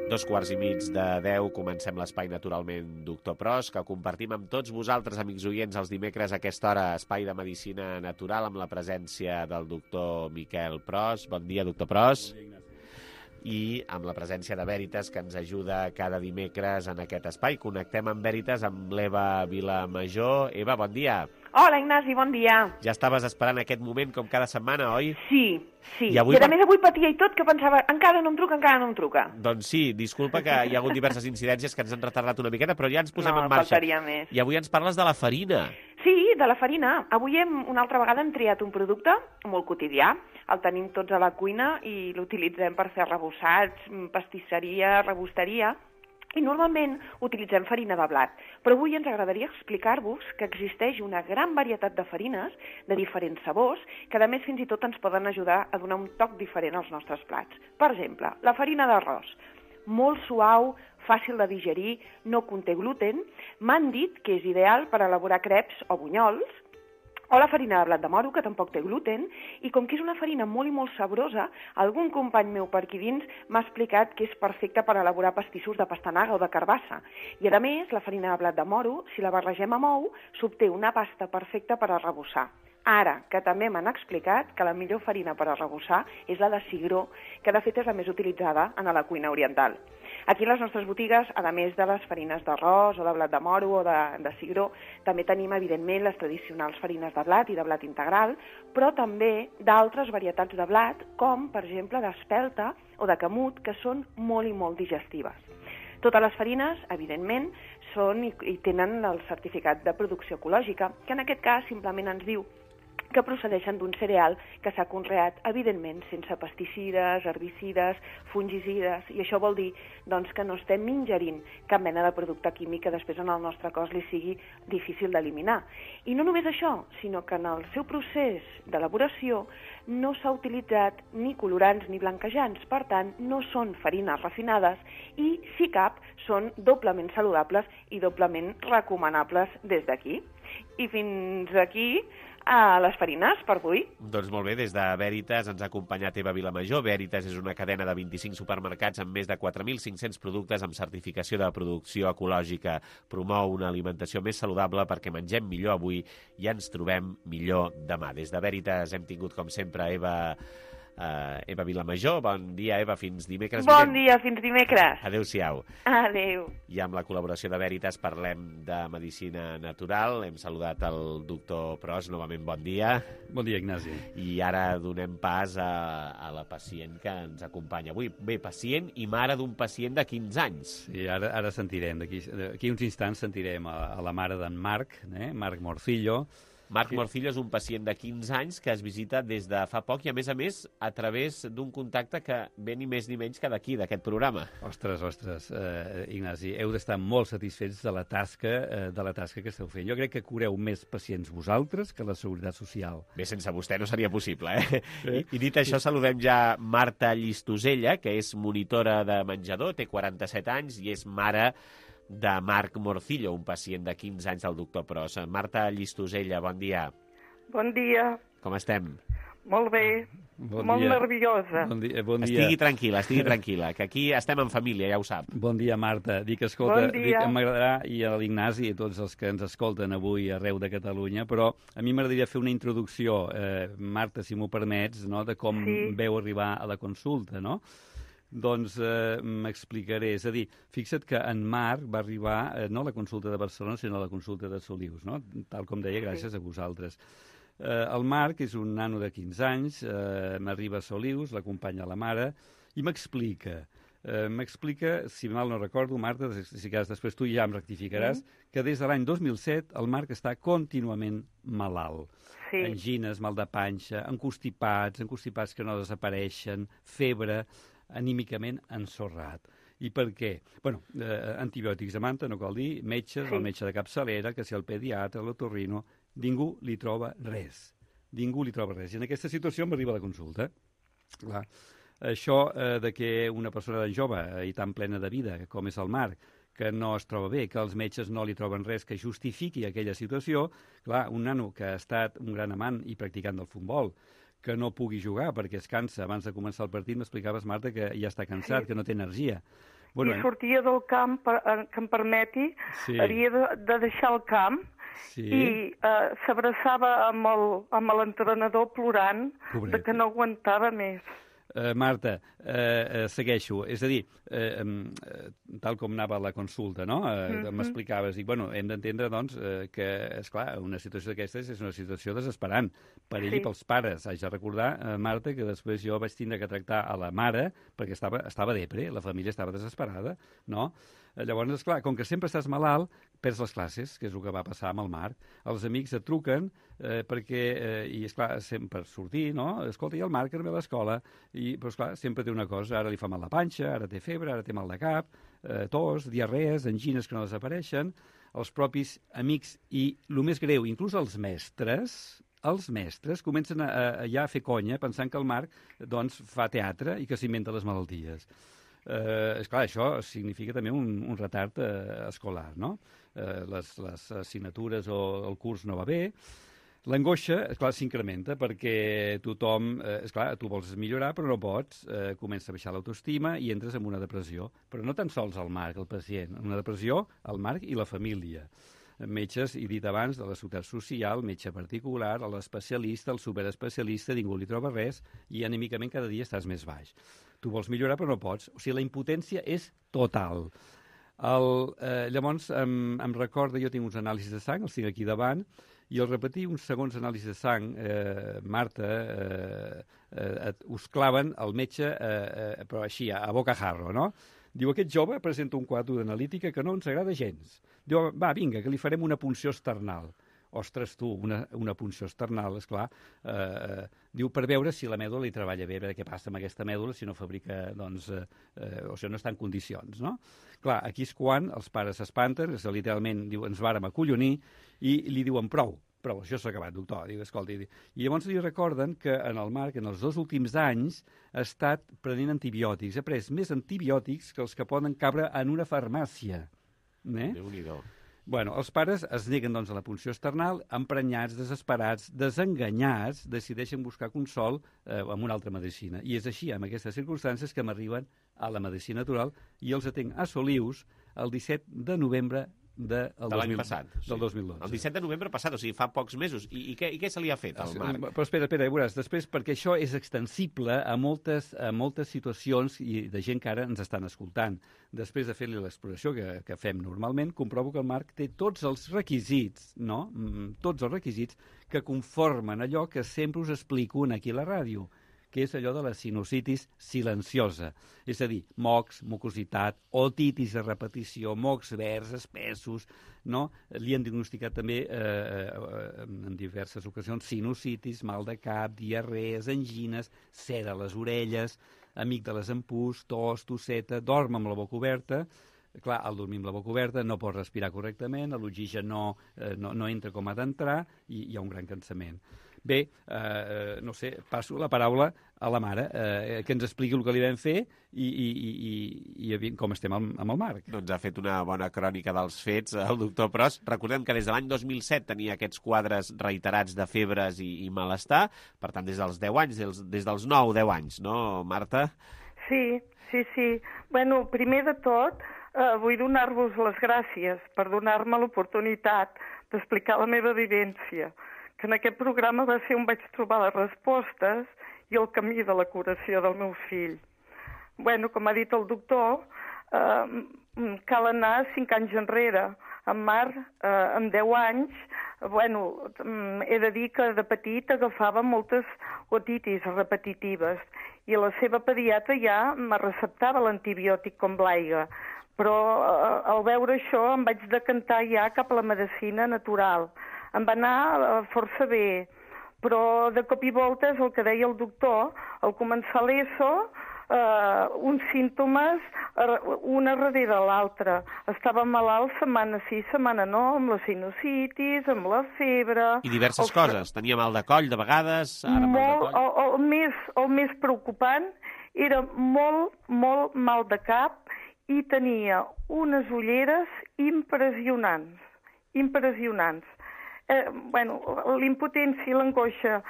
Dos quarts i mig de 10, comencem l'espai Naturalment Doctor Pros, que compartim amb tots vosaltres, amics oients, els dimecres a aquesta hora, espai de medicina natural, amb la presència del doctor Miquel Pros. Bon dia, doctor Pros. I amb la presència de Veritas, que ens ajuda cada dimecres en aquest espai. Connectem amb Veritas, amb l'Eva Vilamajor. Eva, bon dia. Hola, Ignasi, bon dia. Ja estaves esperant aquest moment, com cada setmana, oi? Sí. I a més avui patia i tot, que pensava, encara no em truca. Doncs sí, disculpa que hi ha hagut diverses incidències que ens han retardat una miqueta, però ja ens posem en marxa. No, faltaria més. I avui ens parles de la farina. Sí, de la farina. Avui una altra vegada hem triat un producte molt quotidià, el tenim tots a la cuina i l'utilitzem per fer arrebossats, pastisseria, rebosteria, i normalment utilitzem farina de blat. Però avui ens agradaria explicar-vos que existeix una gran varietat de farines de diferents sabors que, a més, fins i tot ens poden ajudar a donar un toc diferent als nostres plats. Per exemple, la farina d'arròs, molt suau, fàcil de digerir, no conté gluten. M'han dit que és ideal per elaborar creps o bunyols. o la farina de blat de moro, que tampoc té gluten, i com que és una farina molt i molt sabrosa, algun company meu per aquí dins m'ha explicat que és perfecta per elaborar pastissos de pastanaga o de carbassa. I a més, la farina de blat de moro, si la barregem amb ou, s'obté una pasta perfecta per arrebossar. Ara, que també m'han explicat que la millor farina per arrebossar és la de cigró, que de fet és la més utilitzada en la cuina oriental. Aquí a les nostres botigues, a més de les farines d'arròs o de blat de moro o de cigró, també tenim, evidentment, les tradicionals farines de blat i de blat integral, però també d'altres varietats de blat, com, per exemple, d'espelta o de camut, que són molt i molt digestives. Totes les farines, evidentment, són i tenen el certificat de producció ecològica, que en aquest cas simplement ens diu que procedeixen d'un cereal que s'ha conreat, evidentment, sense pesticides, herbicides, fungicides, i això vol dir doncs, que no estem ingerint cap mena de producte químic que després en el nostre cos li sigui difícil d'eliminar. I no només això, sinó que en el seu procés d'elaboració no s'ha utilitzat ni colorants ni blanquejants, per tant, no són farines refinades i, si cap, són doblement saludables i doblement recomanables des d'aquí. I fins aquí a les farines per avui. Doncs molt bé, des de Veritas ens ha acompanyat Eva Vilamajor. Veritas és una cadena de 25 supermercats amb més de 4.500 productes amb certificació de producció ecològica. Promou una alimentació més saludable perquè mengem millor avui i ens trobem millor demà. Des de Veritas hem tingut, com sempre, Eva Vilamajor. Bon dia, Eva, fins dimecres. Bon dia, fins dimecres. Adéu-siau. Adéu. I amb la col·laboració de Veritas parlem de medicina natural. Hem saludat el doctor Pros, novament bon dia. Bon dia, Ignasi. I ara donem pas a la pacient que ens acompanya avui. Bé, pacient i mare d'un pacient de 15 anys. Sí, ara sentirem, d'aquí uns instants sentirem a la mare d'en Marc, Marc Morcillo. Marc Morcillo és un pacient de 15 anys que es visita des de fa poc i, a més, a través d'un contacte que ve ni més ni menys que d'aquí, d'aquest programa. Ostres, Ignasi, heu d'estar molt satisfets de la tasca que esteu fent. Jo crec que cureu més pacients vosaltres que la Seguretat Social. Bé, sense vostè no seria possible, I dit això, saludem ja Marta Llistosella, que és monitora de menjador, té 47 anys i és mare de Marc Morcillo, un pacient de 15 anys del doctor Pros. Marta Llistosella, bon dia. Bon dia. Com estem? Molt bé. Molt nerviosa. Bon dia. Estigui tranquil·la, que aquí estem en família, ja ho sap. Bon dia, Marta. Escolta, m'agradarà, i a l'Ignasi i a tots els que ens escolten avui arreu de Catalunya, però a mi m'agradaria fer una introducció, Marta, si m'ho permets, de com veu arribar a la consulta, no? Doncs m'explicaré. És a dir, fixa't que en Marc va arribar no a la consulta de Barcelona, sinó a la consulta de Solius, no? Tal com deia, gràcies a vosaltres. El Marc és un nano de 15 anys, m'arriba a Solius, l'acompanya la mare, i m'explica, si mal no recordo, Marta, si cas després tu ja em rectificaràs, que des de l'any 2007 el Marc està contínuament malalt. Angines, mal de panxa, encostipats que no desapareixen, febre, anímicament ensorrat. I per què? Bueno, antibiòtics a manta, no cal dir, metges, el metge de capçalera, que si el pediatre, l'otorrino, ningú li troba res. Ningú li troba res. I en aquesta situació m'arriba la consulta. Clar. Això de que una persona tan jove i tan plena de vida com és el Marc, que no es troba bé, que els metges no li troben res que justifiqui aquella situació, clar, un nano que ha estat un gran amant i practicant del futbol, que no pugui jugar perquè es cansa. Abans de començar el partit m'explicaves, Marta, que ja està cansat, que no té energia. I sortia del camp, que em permeti, havia de deixar el camp i s'abraçava amb l'entrenador plorant de que no aguantava més. Marta, segueixo. És a dir, tal com anava la consulta, no? M'explicaves. Dic, bueno, hem d'entendre, doncs, que, esclar, una situació d'aquestes és una situació desesperant per ell i pels pares. Haig de recordar, Marta, que després jo vaig tindre que tractar a la mare perquè estava depre, la família estava desesperada, no? Llavors, esclar, com que sempre estàs malalt, perds les classes, que és el que va passar amb el Marc. Els amics et truquen perquè, i esclar, sempre per sortir, no? Escolta, i el Marc arriba a l'escola, però esclar, sempre té una cosa, ara li fa mal la panxa, ara té febre, ara té mal de cap, tos, diarrees, angines que no desapareixen, els propis amics i, el més greu, inclús els mestres comencen ja a fer conya pensant que el Marc doncs, fa teatre i que s'inventa les malalties. Esclar, això significa també un retard escolar, no? Les assignatures o el curs no va bé. L'angoixa, esclar, s'incrementa perquè tothom, esclar, tu vols millorar però no pots, comença a baixar l'autoestima i entres en una depressió. Però no tan sols el Marc, el pacient, una depressió el Marc i la família. Metges, he dit abans, de la seguretat social, metge particular, l'especialista, el superespecialista, ningú li troba res i anímicament cada dia estàs més baix. Tu vols millorar però no pots. O sigui, la impotència és total. Llavors, em recorda, jo tinc uns anàlisis de sang, els tinc aquí davant, i al repetir uns segons anàlisis de sang, Marta, us claven el metge, però així, a bocajarro, no? Diu, aquest jove presenta un quadre d'analítica que no ens agrada gens. Diu, va, vinga, que li farem una punció external. Ostres, tu, una punció external, esclar. Diu, per veure si la mèdula li treballa bé, què passa amb aquesta mèdula si no fabrica, doncs, o sigui, no està en condicions, no? Clar, aquí és quan els pares s'espanten, literalment, diu, ens vàrem acollonir, i li diuen, prou, això s'ha acabat, doctor. Diu, escolta, i llavors li recorden que en el Marc, en els 2 últims anys, ha estat prenent antibiòtics, ha pres més antibiòtics que els que poden cabre en una farmàcia. Déu-n'hi-do. Bueno, els pares es neguen doncs, a la punció external, emprenyats, desesperats, desenganyats, decideixen buscar consol amb una altra medicina. I és així, amb aquestes circumstàncies, que m'arriben a la medicina natural i els atenc a Solius el 17 de novembre del 2012. El 17 de novembre passat, o sigui, fa pocs mesos. I què se li ha fet al Marc? Però espera, ja veuràs, després, perquè això és extensible a moltes situacions i de gent que ara ens estan escoltant. Després de fer-li l'exploració que fem normalment, comprovo que el Marc té tots els requisits, no? Tots els requisits que conformen allò que sempre us explico aquí a la ràdio, que és allò de la sinusitis silenciosa. És a dir, mocs, mucositat, otitis a repetició, mocs verds, espessos, no? Li han diagnosticat també en diverses ocasions sinusitis, mal de cap, diarrees, angines, cera a les orelles, amígdales en pus, tos, tosseta, dorm amb la boca oberta. Clar, al dormir amb la boca oberta no pot respirar correctament, l'oxigen no entra com ha d'entrar i hi ha un gran cansament. Bé, no sé, passo la paraula a la mare, que ens expliqui el que li vam fer i com estem amb el Marc. Doncs ha fet una bona crònica dels fets el doctor Pros. Recordem que des de l'any 2007 tenia aquests quadres reiterats de febres i malestar, per tant, des dels 10 anys, des dels 9-10 anys, no, Marta? Sí. Bueno, primer de tot, vull donar-vos les gràcies per donar-me l'oportunitat d'explicar la meva vivència, que en aquest programa va ser on vaig trobar les respostes i el camí de la curació del meu fill. Bueno, com ha dit el doctor, cal anar 5 anys enrere. En Marc, amb 10 anys, bueno, he de dir que de petit agafava moltes otitis repetitives i la seva pediatra ja me receptava l'antibiòtic com l'aigua. Però al veure això em vaig decantar ja cap a la medicina natural. Em va anar força bé, però de cop i volta és el que deia el doctor, al començar l'ESO, uns símptomes una darrere l'altra. Estava malalt setmana sí, setmana no, amb la sinusitis, amb la febre... I diverses coses. Tenia mal de coll, de vegades... El més preocupant era molt mal de cap i tenia unes ulleres impressionants. L'impotència i l'angoixa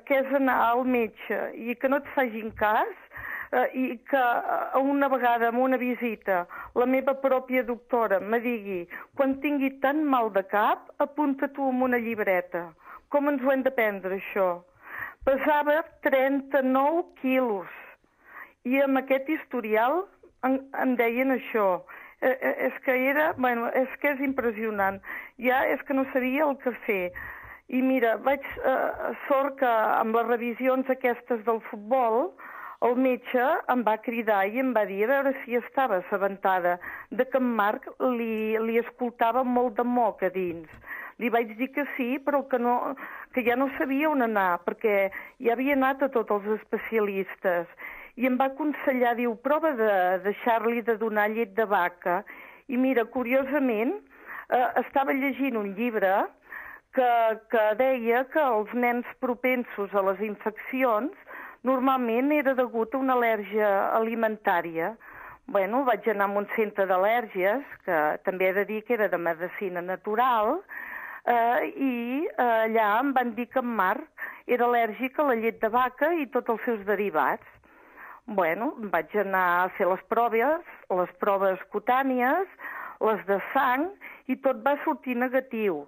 que és anar al metge i que no et facin cas i que una vegada en una visita la meva pròpia doctora me digui quan tingui tan mal de cap apunta tu en una llibreta. Com ens ho hem de prendre això? Pesava 39 quilos i amb aquest historial em deien això. És que és impressionant. Ja és que no sabia el que fer. I mira, sort que amb les revisions aquestes del futbol, el metge em va cridar i em va dir a veure si estava assabentada de que en Marc li escoltava molt de moc a dins. Li vaig dir que sí, però que ja no sabia on anar, perquè ja havia anat a tots els especialistes. I em va aconsellar, diu, prova de deixar-li de donar llet de vaca. I mira, curiosament, estava llegint un llibre que deia que els nens propensos a les infeccions normalment era degut a una al·lèrgia alimentària. Bueno, vaig anar a un centre d'al·lèrgies, que també he de dir que era de medicina natural, i allà em van dir que en Marc era al·lèrgic a la llet de vaca i tots els seus derivats. Bueno, vaig anar a fer les proves cutànies, les de sang, i tot va sortir negatiu.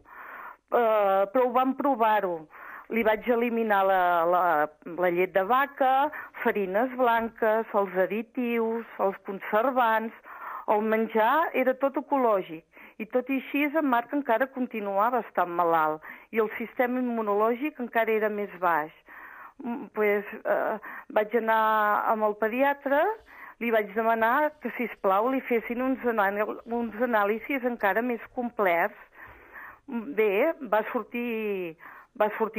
Però ho vam provar-ho. Li vaig eliminar la llet de vaca, farines blanques, els additius, els conservants. El menjar era tot ecològic. I tot i així, en Marc encara continuava estant malalt. I el sistema immunològic encara era més baix. Vaig anar amb el pediatre, li vaig demanar que, sisplau, li fessin uns anàlisis encara més complets. Bé, va sortir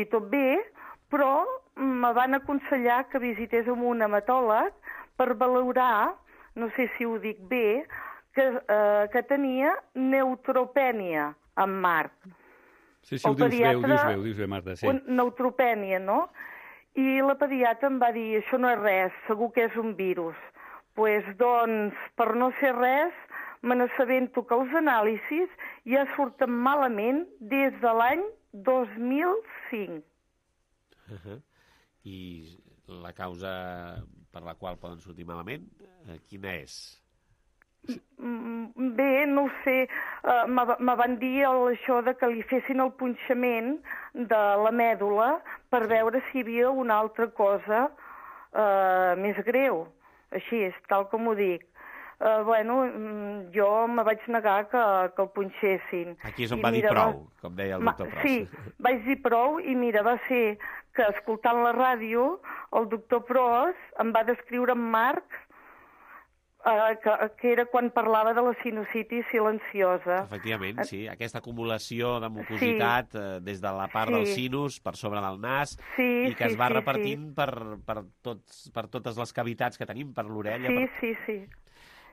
tot bé, però me van aconsellar que visités amb un hematòleg per valorar, no sé si ho dic bé, que tenia neutropènia en Marc. Sí, ho dius bé, Marta. Sí. Neutropènia, no? I la pediatra em va dir, això no és res, segur que és un virus. Doncs, per no ser res, me n'assabento que els anàlisis ja surten malament des de l'any 2005. I la causa per la qual poden sortir malament, quina és? Bé, no ho sé. Me van dir això de que li fessin el punxament de la mèdula per veure si hi havia una altra cosa més greu. Així és, tal com ho dic. Jo me vaig negar que el punxessin. Aquí és on va dir prou, com deia el doctor Pros. Sí, vaig dir prou i mira, va ser que escoltant la ràdio el doctor Pros em va descriure en Marc que era quan parlava de la sinusitis silenciosa. Efectivament, sí. Aquesta acumulació de mucositat des de la part del sinus per sobre del nas i que es va repartint per totes les cavitats que tenim, per l'orella. Sí.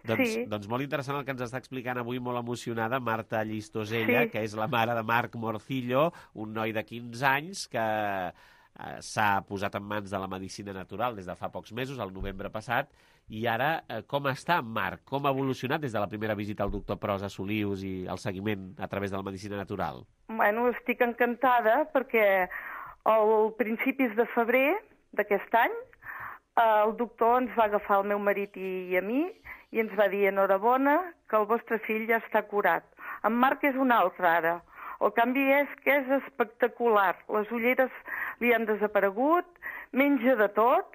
Doncs molt interessant el que ens està explicant avui, molt emocionada, Marta Llistosella, que és la mare de Marc Morcillo, un noi de 15 anys que s'ha posat en mans de la medicina natural des de fa pocs mesos, el novembre passat, i ara com està en Marc? Com ha evolucionat des de la primera visita al doctor Pros a Solius i el seguiment a través de la medicina natural? Estic encantada perquè al principis de febrer d'aquest any el doctor ens va agafar el meu marit i a mi i ens va dir enhorabona que el vostre fill ja està curat. En Marc és un altre ara. El canvi és que és espectacular. Les ulleres li han desaparegut, menja de tot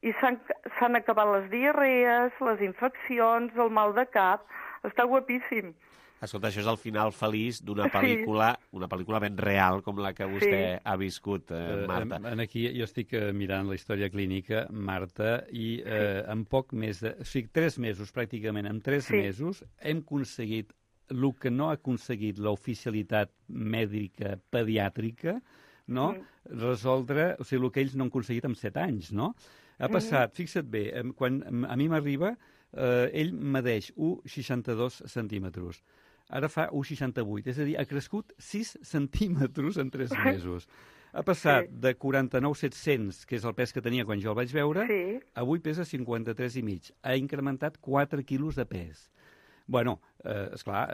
i s'han acabat les diarrees, les infeccions, el mal de cap. Està guapíssim. Escolta, això és el final feliç d'una pel·lícula, una pel·lícula ben real com la que vostè ha viscut, Marta. Aquí jo estic mirant la història clínica, Marta, i en poc més de... O sigui, 3 mesos, pràcticament, en 3 mesos hem aconseguit el que no ha aconseguit l'oficialitat mèdica pediàtrica, no? Resoldre, o sigui, el que ells no han aconseguit en 7 anys, no? Ha passat, fixa't bé, quan a mi m'arriba, ell medeix 1,62 centímetres. Ara fa 1,68, és a dir, ha crescut 6 centímetres en 3 mesos. Ha passat de 49,700, que és el pes que tenia quan jo el vaig veure, avui pesa 53,5. Ha incrementat 4 quilos de pes. Bueno, esclar,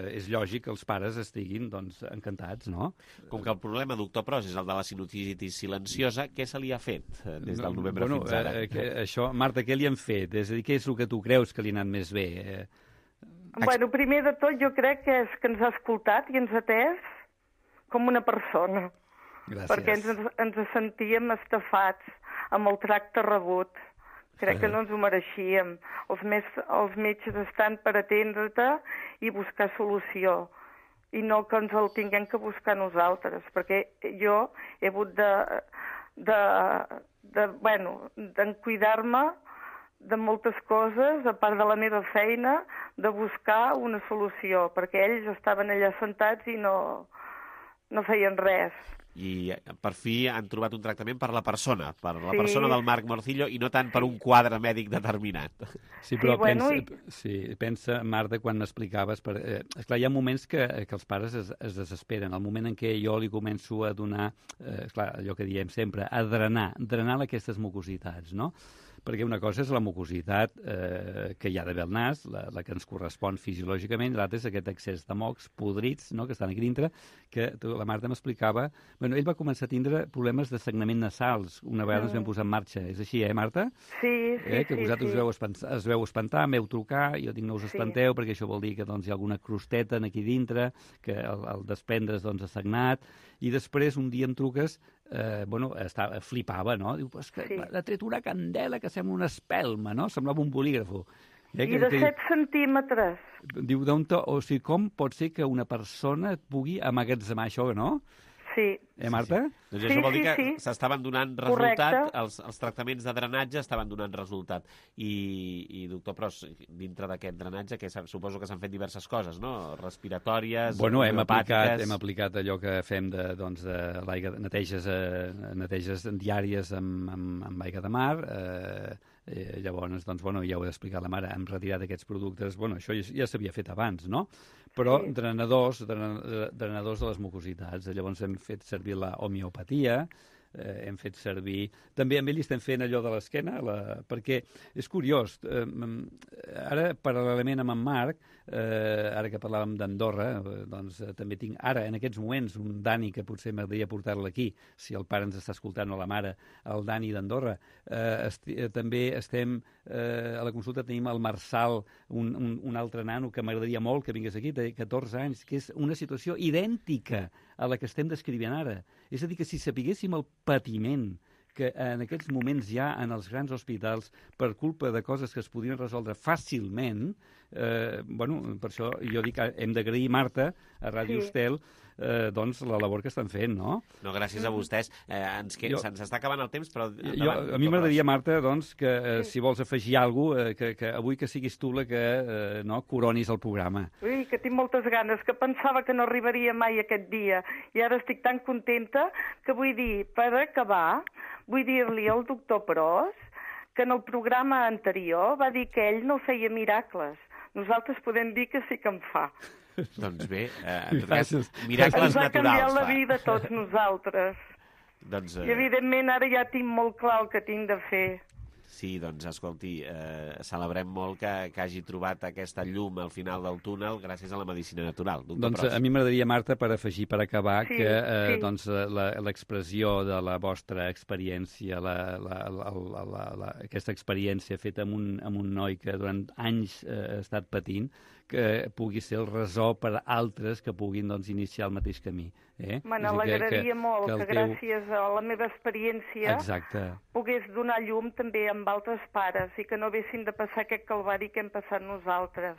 és lògic que els pares estiguin encantats, no? Com que el problema, doctor Pros, és el de la sinusitis silenciosa, què se li ha fet des del novembre fins ara? Això, Marta, què li han fet? És a dir, què és el que tu creus que li ha anat més bé? Primer de tot, jo crec que és que ens ha escoltat i ens ha atès com una persona. Gràcies. Perquè ens sentíem estafats amb el tracte rebut. Crec que no ens ho mereixíem. Els metges estan per atendre-te i buscar solució. I no que ens el tinguem que buscar nosaltres. Perquè jo he hagut d'encuidar-me de moltes coses, a part de la meva feina, de buscar una solució. Perquè ells estaven allà sentats i no feien res. I per fi han trobat un tractament per la persona, persona del Marc Morcillo i no tant per un quadre mèdic determinat. Sí, però pensa, Marta, quan m'explicaves... Esclar, hi ha moments que els pares es desesperen. El moment en què jo li començo a donar, allò que diem sempre, a drenar aquestes mucositats, no? perquè una cosa és la mucositat que hi ha d'haver al nas, la que ens correspon fisiològicament, l'altra és aquest excés de mocs podrits, no?, que estan aquí dintre, que la Marta m'explicava. Bueno, ell va començar a tindre problemes de sagnament nasals una vegada ens vam posar en marxa. És així, Marta? Sí, que vosaltres es veu espantar, em veu trucar, jo dic no us espanteu, perquè això vol dir que doncs, hi ha alguna crosteta aquí dintre, que al desprendre's doncs, ha sagnat, i després un dia em truques, flipava, no? Diu, és que ha tret una candela que sembla una espelma, no? Semblava un bolígrafo. I de 7 centímetres. Diu, o sigui, com pot ser que una persona pugui amagatzemar això, no? Sí. Marta? Sí. Doncs això vol dir que s'estaven donant resultat, els tractaments de drenatge estaven donant resultat. I doctor Pros, dintre d'aquest drenatge, que suposo que s'han fet diverses coses, no? Respiratòries, hem aplicat allò que fem de l'aigua, neteges diàries amb aigua de mar, llavors, ja ho he d'explicar a la mare, hem retirat aquests productes, això ja s'havia fet abans, no? Però drenadors de les mucositats, llavors hem fet servir la homeopatia, hem fet servir... També amb ell estem fent allò de l'esquena, perquè és curiós. Ara, paral·lelament amb en Marc, ara que parlàvem d'Andorra, doncs també tinc ara, en aquests moments, un Dani que potser m'agradaria portar-lo aquí, si el pare ens està escoltant o la mare, el Dani d'Andorra. També estem, a la consulta tenim el Marçal, un altre nano que m'agradaria molt que vingués aquí, té 14 anys, que és una situació idèntica a la que estem descrivint ara. És a dir, que si sapiguéssim el patiment que en aquests moments hi ha en els grans hospitals per culpa de coses que es podrien resoldre fàcilment, per això jo dic que hem d'agrair, Marta, a Ràdio Estel, doncs la labor que estan fent, no? No, gràcies a vostès. Se'ns està acabant el temps, però... A mi m'agradaria, Marta, doncs, que si vols afegir alguna cosa, que avui que siguis tu la que coronis el programa. Ui, que tinc moltes ganes, que pensava que no arribaria mai aquest dia, i ara estic tan contenta que vull dir, per acabar, vull dir-li al doctor Pros que en el programa anterior va dir que ell no feia miracles. Nosaltres podem dir que sí que en fa. Doncs bé, miracles naturals. Ens va canviar la vida a tots nosaltres. I evidentment ara ja tinc molt clar el que tinc de fer. Sí, doncs, escolti, celebrem molt que hagi trobat aquesta llum al final del túnel gràcies a la medicina natural. Doncs a mi m'agradaria, Marta, per afegir, per acabar, que l'expressió de la vostra experiència, aquesta experiència feta amb un noi que durant anys ha estat patint, que pugui ser el resó per a altres que puguin iniciar el mateix camí. Me n'alegraria molt que gràcies a la meva experiència pogués donar llum també amb altres pares i que no haguessin de passar aquest calvari que hem passat nosaltres.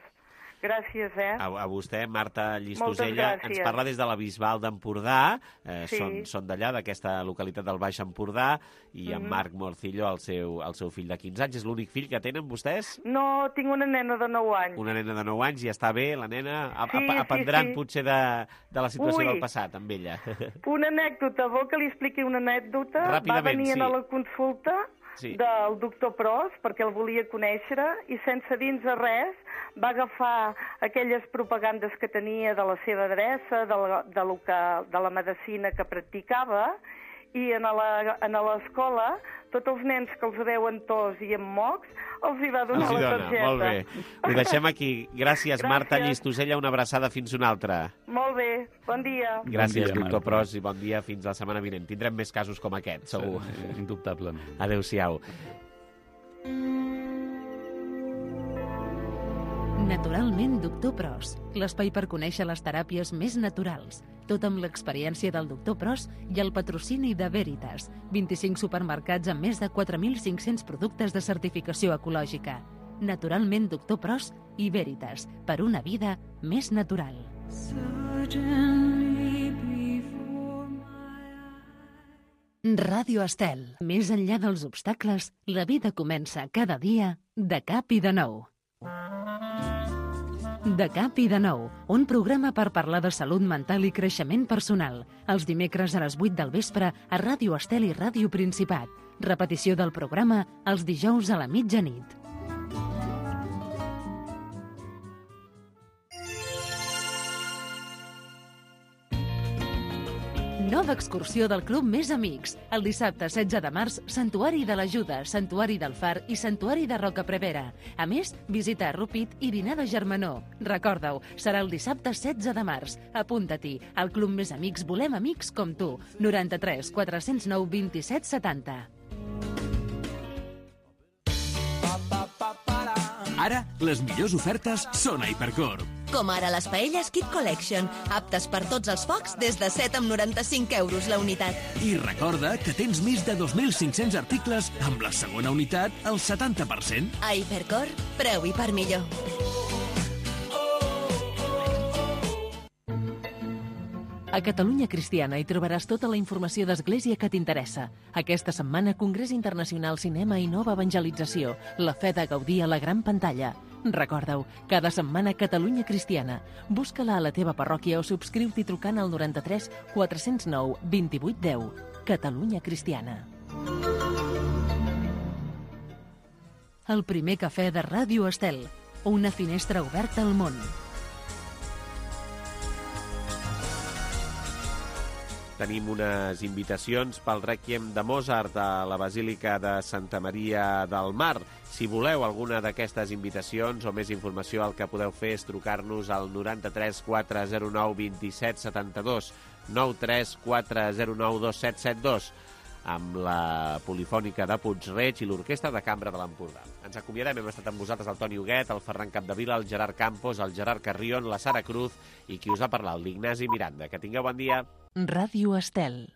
Gràcies, A vostè, Marta Llistosella, ens parla des de la Bisbal d'Empordà, són d'allà, d'aquesta localitat del Baix Empordà, i en Marc Morcillo, el seu fill de 15 anys. És l'únic fill que tenen vostès? No, tinc una nena de 9 anys. Una nena de 9 anys, i està bé, la nena? Aprendran potser de la situació del passat, amb ella. Una anècdota, vol que li expliqui una anècdota? Ràpidament, va venir a la consulta del doctor Pros, perquè el volia conèixer, i sense dir-nos res, va agafar aquelles propagandes que tenia de la seva adreça, de la medicina que practicava, i a l'escola, tots els nens que els veuen tos i amb mocs, els hi va donar la targeta. Molt bé. Ho deixem aquí. Gràcies, Marta Llistosella. Una abraçada fins una altra. Molt bé. Bon dia. Gràcies, doctor Pros, i bon dia. Fins la setmana vinent. Tindrem més casos com aquest, segur. Indubtablement. Adéu-siau. Naturalment, doctor Pros, l'espai per conèixer les teràpies més naturals. Tot amb l'experiència del doctor Pros i el patrocini de Veritas. 25 supermercats amb més de 4.500 productes de certificació ecològica. Naturalment, doctor Pros i Veritas, per una vida més natural. Ràdio Estel. Més enllà dels obstacles, la vida comença cada dia de cap i de nou. De cap i de nou, un programa per parlar de salut mental i creixement personal. Els dimecres a les 8 del vespre a Ràdio Estel i Ràdio Principat. Repetició del programa els dijous a la mitjanit. Nova excursió del Club Més Amics. El dissabte 16 de març, Santuari de l'Ajuda, Santuari del Far i Santuari de Roca Prevera. A més, visita a Rupit i dinar de germanor. Recorda-ho, serà el dissabte 16 de març. Apunta-t'hi. Al Club Més Amics volem amics com tu. 93 409 27 70. Ara, les millors ofertes són a Hipercor. Com ara les paelles Kit Collection, aptes per tots els focs des de 7,95 € la unitat. I recorda que tens més de 2.500 articles amb la segona unitat al 70%. A Hipercor, preu i per millor. A Catalunya Cristiana hi trobaràs tota la informació d'Església que t'interessa. Aquesta setmana, Congrés Internacional Cinema i Nova Evangelització. La fe de gaudir a la gran pantalla. Recorda-ho, cada setmana Catalunya Cristiana. Busca-la a la teva parròquia o subscriu-t'hi trucant al 93 409 28 10. Catalunya Cristiana. El primer cafè de Ràdio Estel. Una finestra oberta al món. Tenim unes invitacions pel Rèquiem de Mozart a la Basílica de Santa Maria del Mar. Si voleu alguna d'aquestes invitacions o més informació, el que podeu fer és trucar-nos al 93 409 27 72, 93 409 2772, amb la Polifònica de Puig-reig i l'Orquestra de Cambra de l'Empordà. Ens acomiadem, hem estat amb vosaltres el Toni Huguet, el Ferran Capdevila, el Gerard Campos, el Gerard Carrion, la Sara Cruz i qui us ha parlat, l'Ignasi Miranda. Que tingueu bon dia. Ràdio Estel.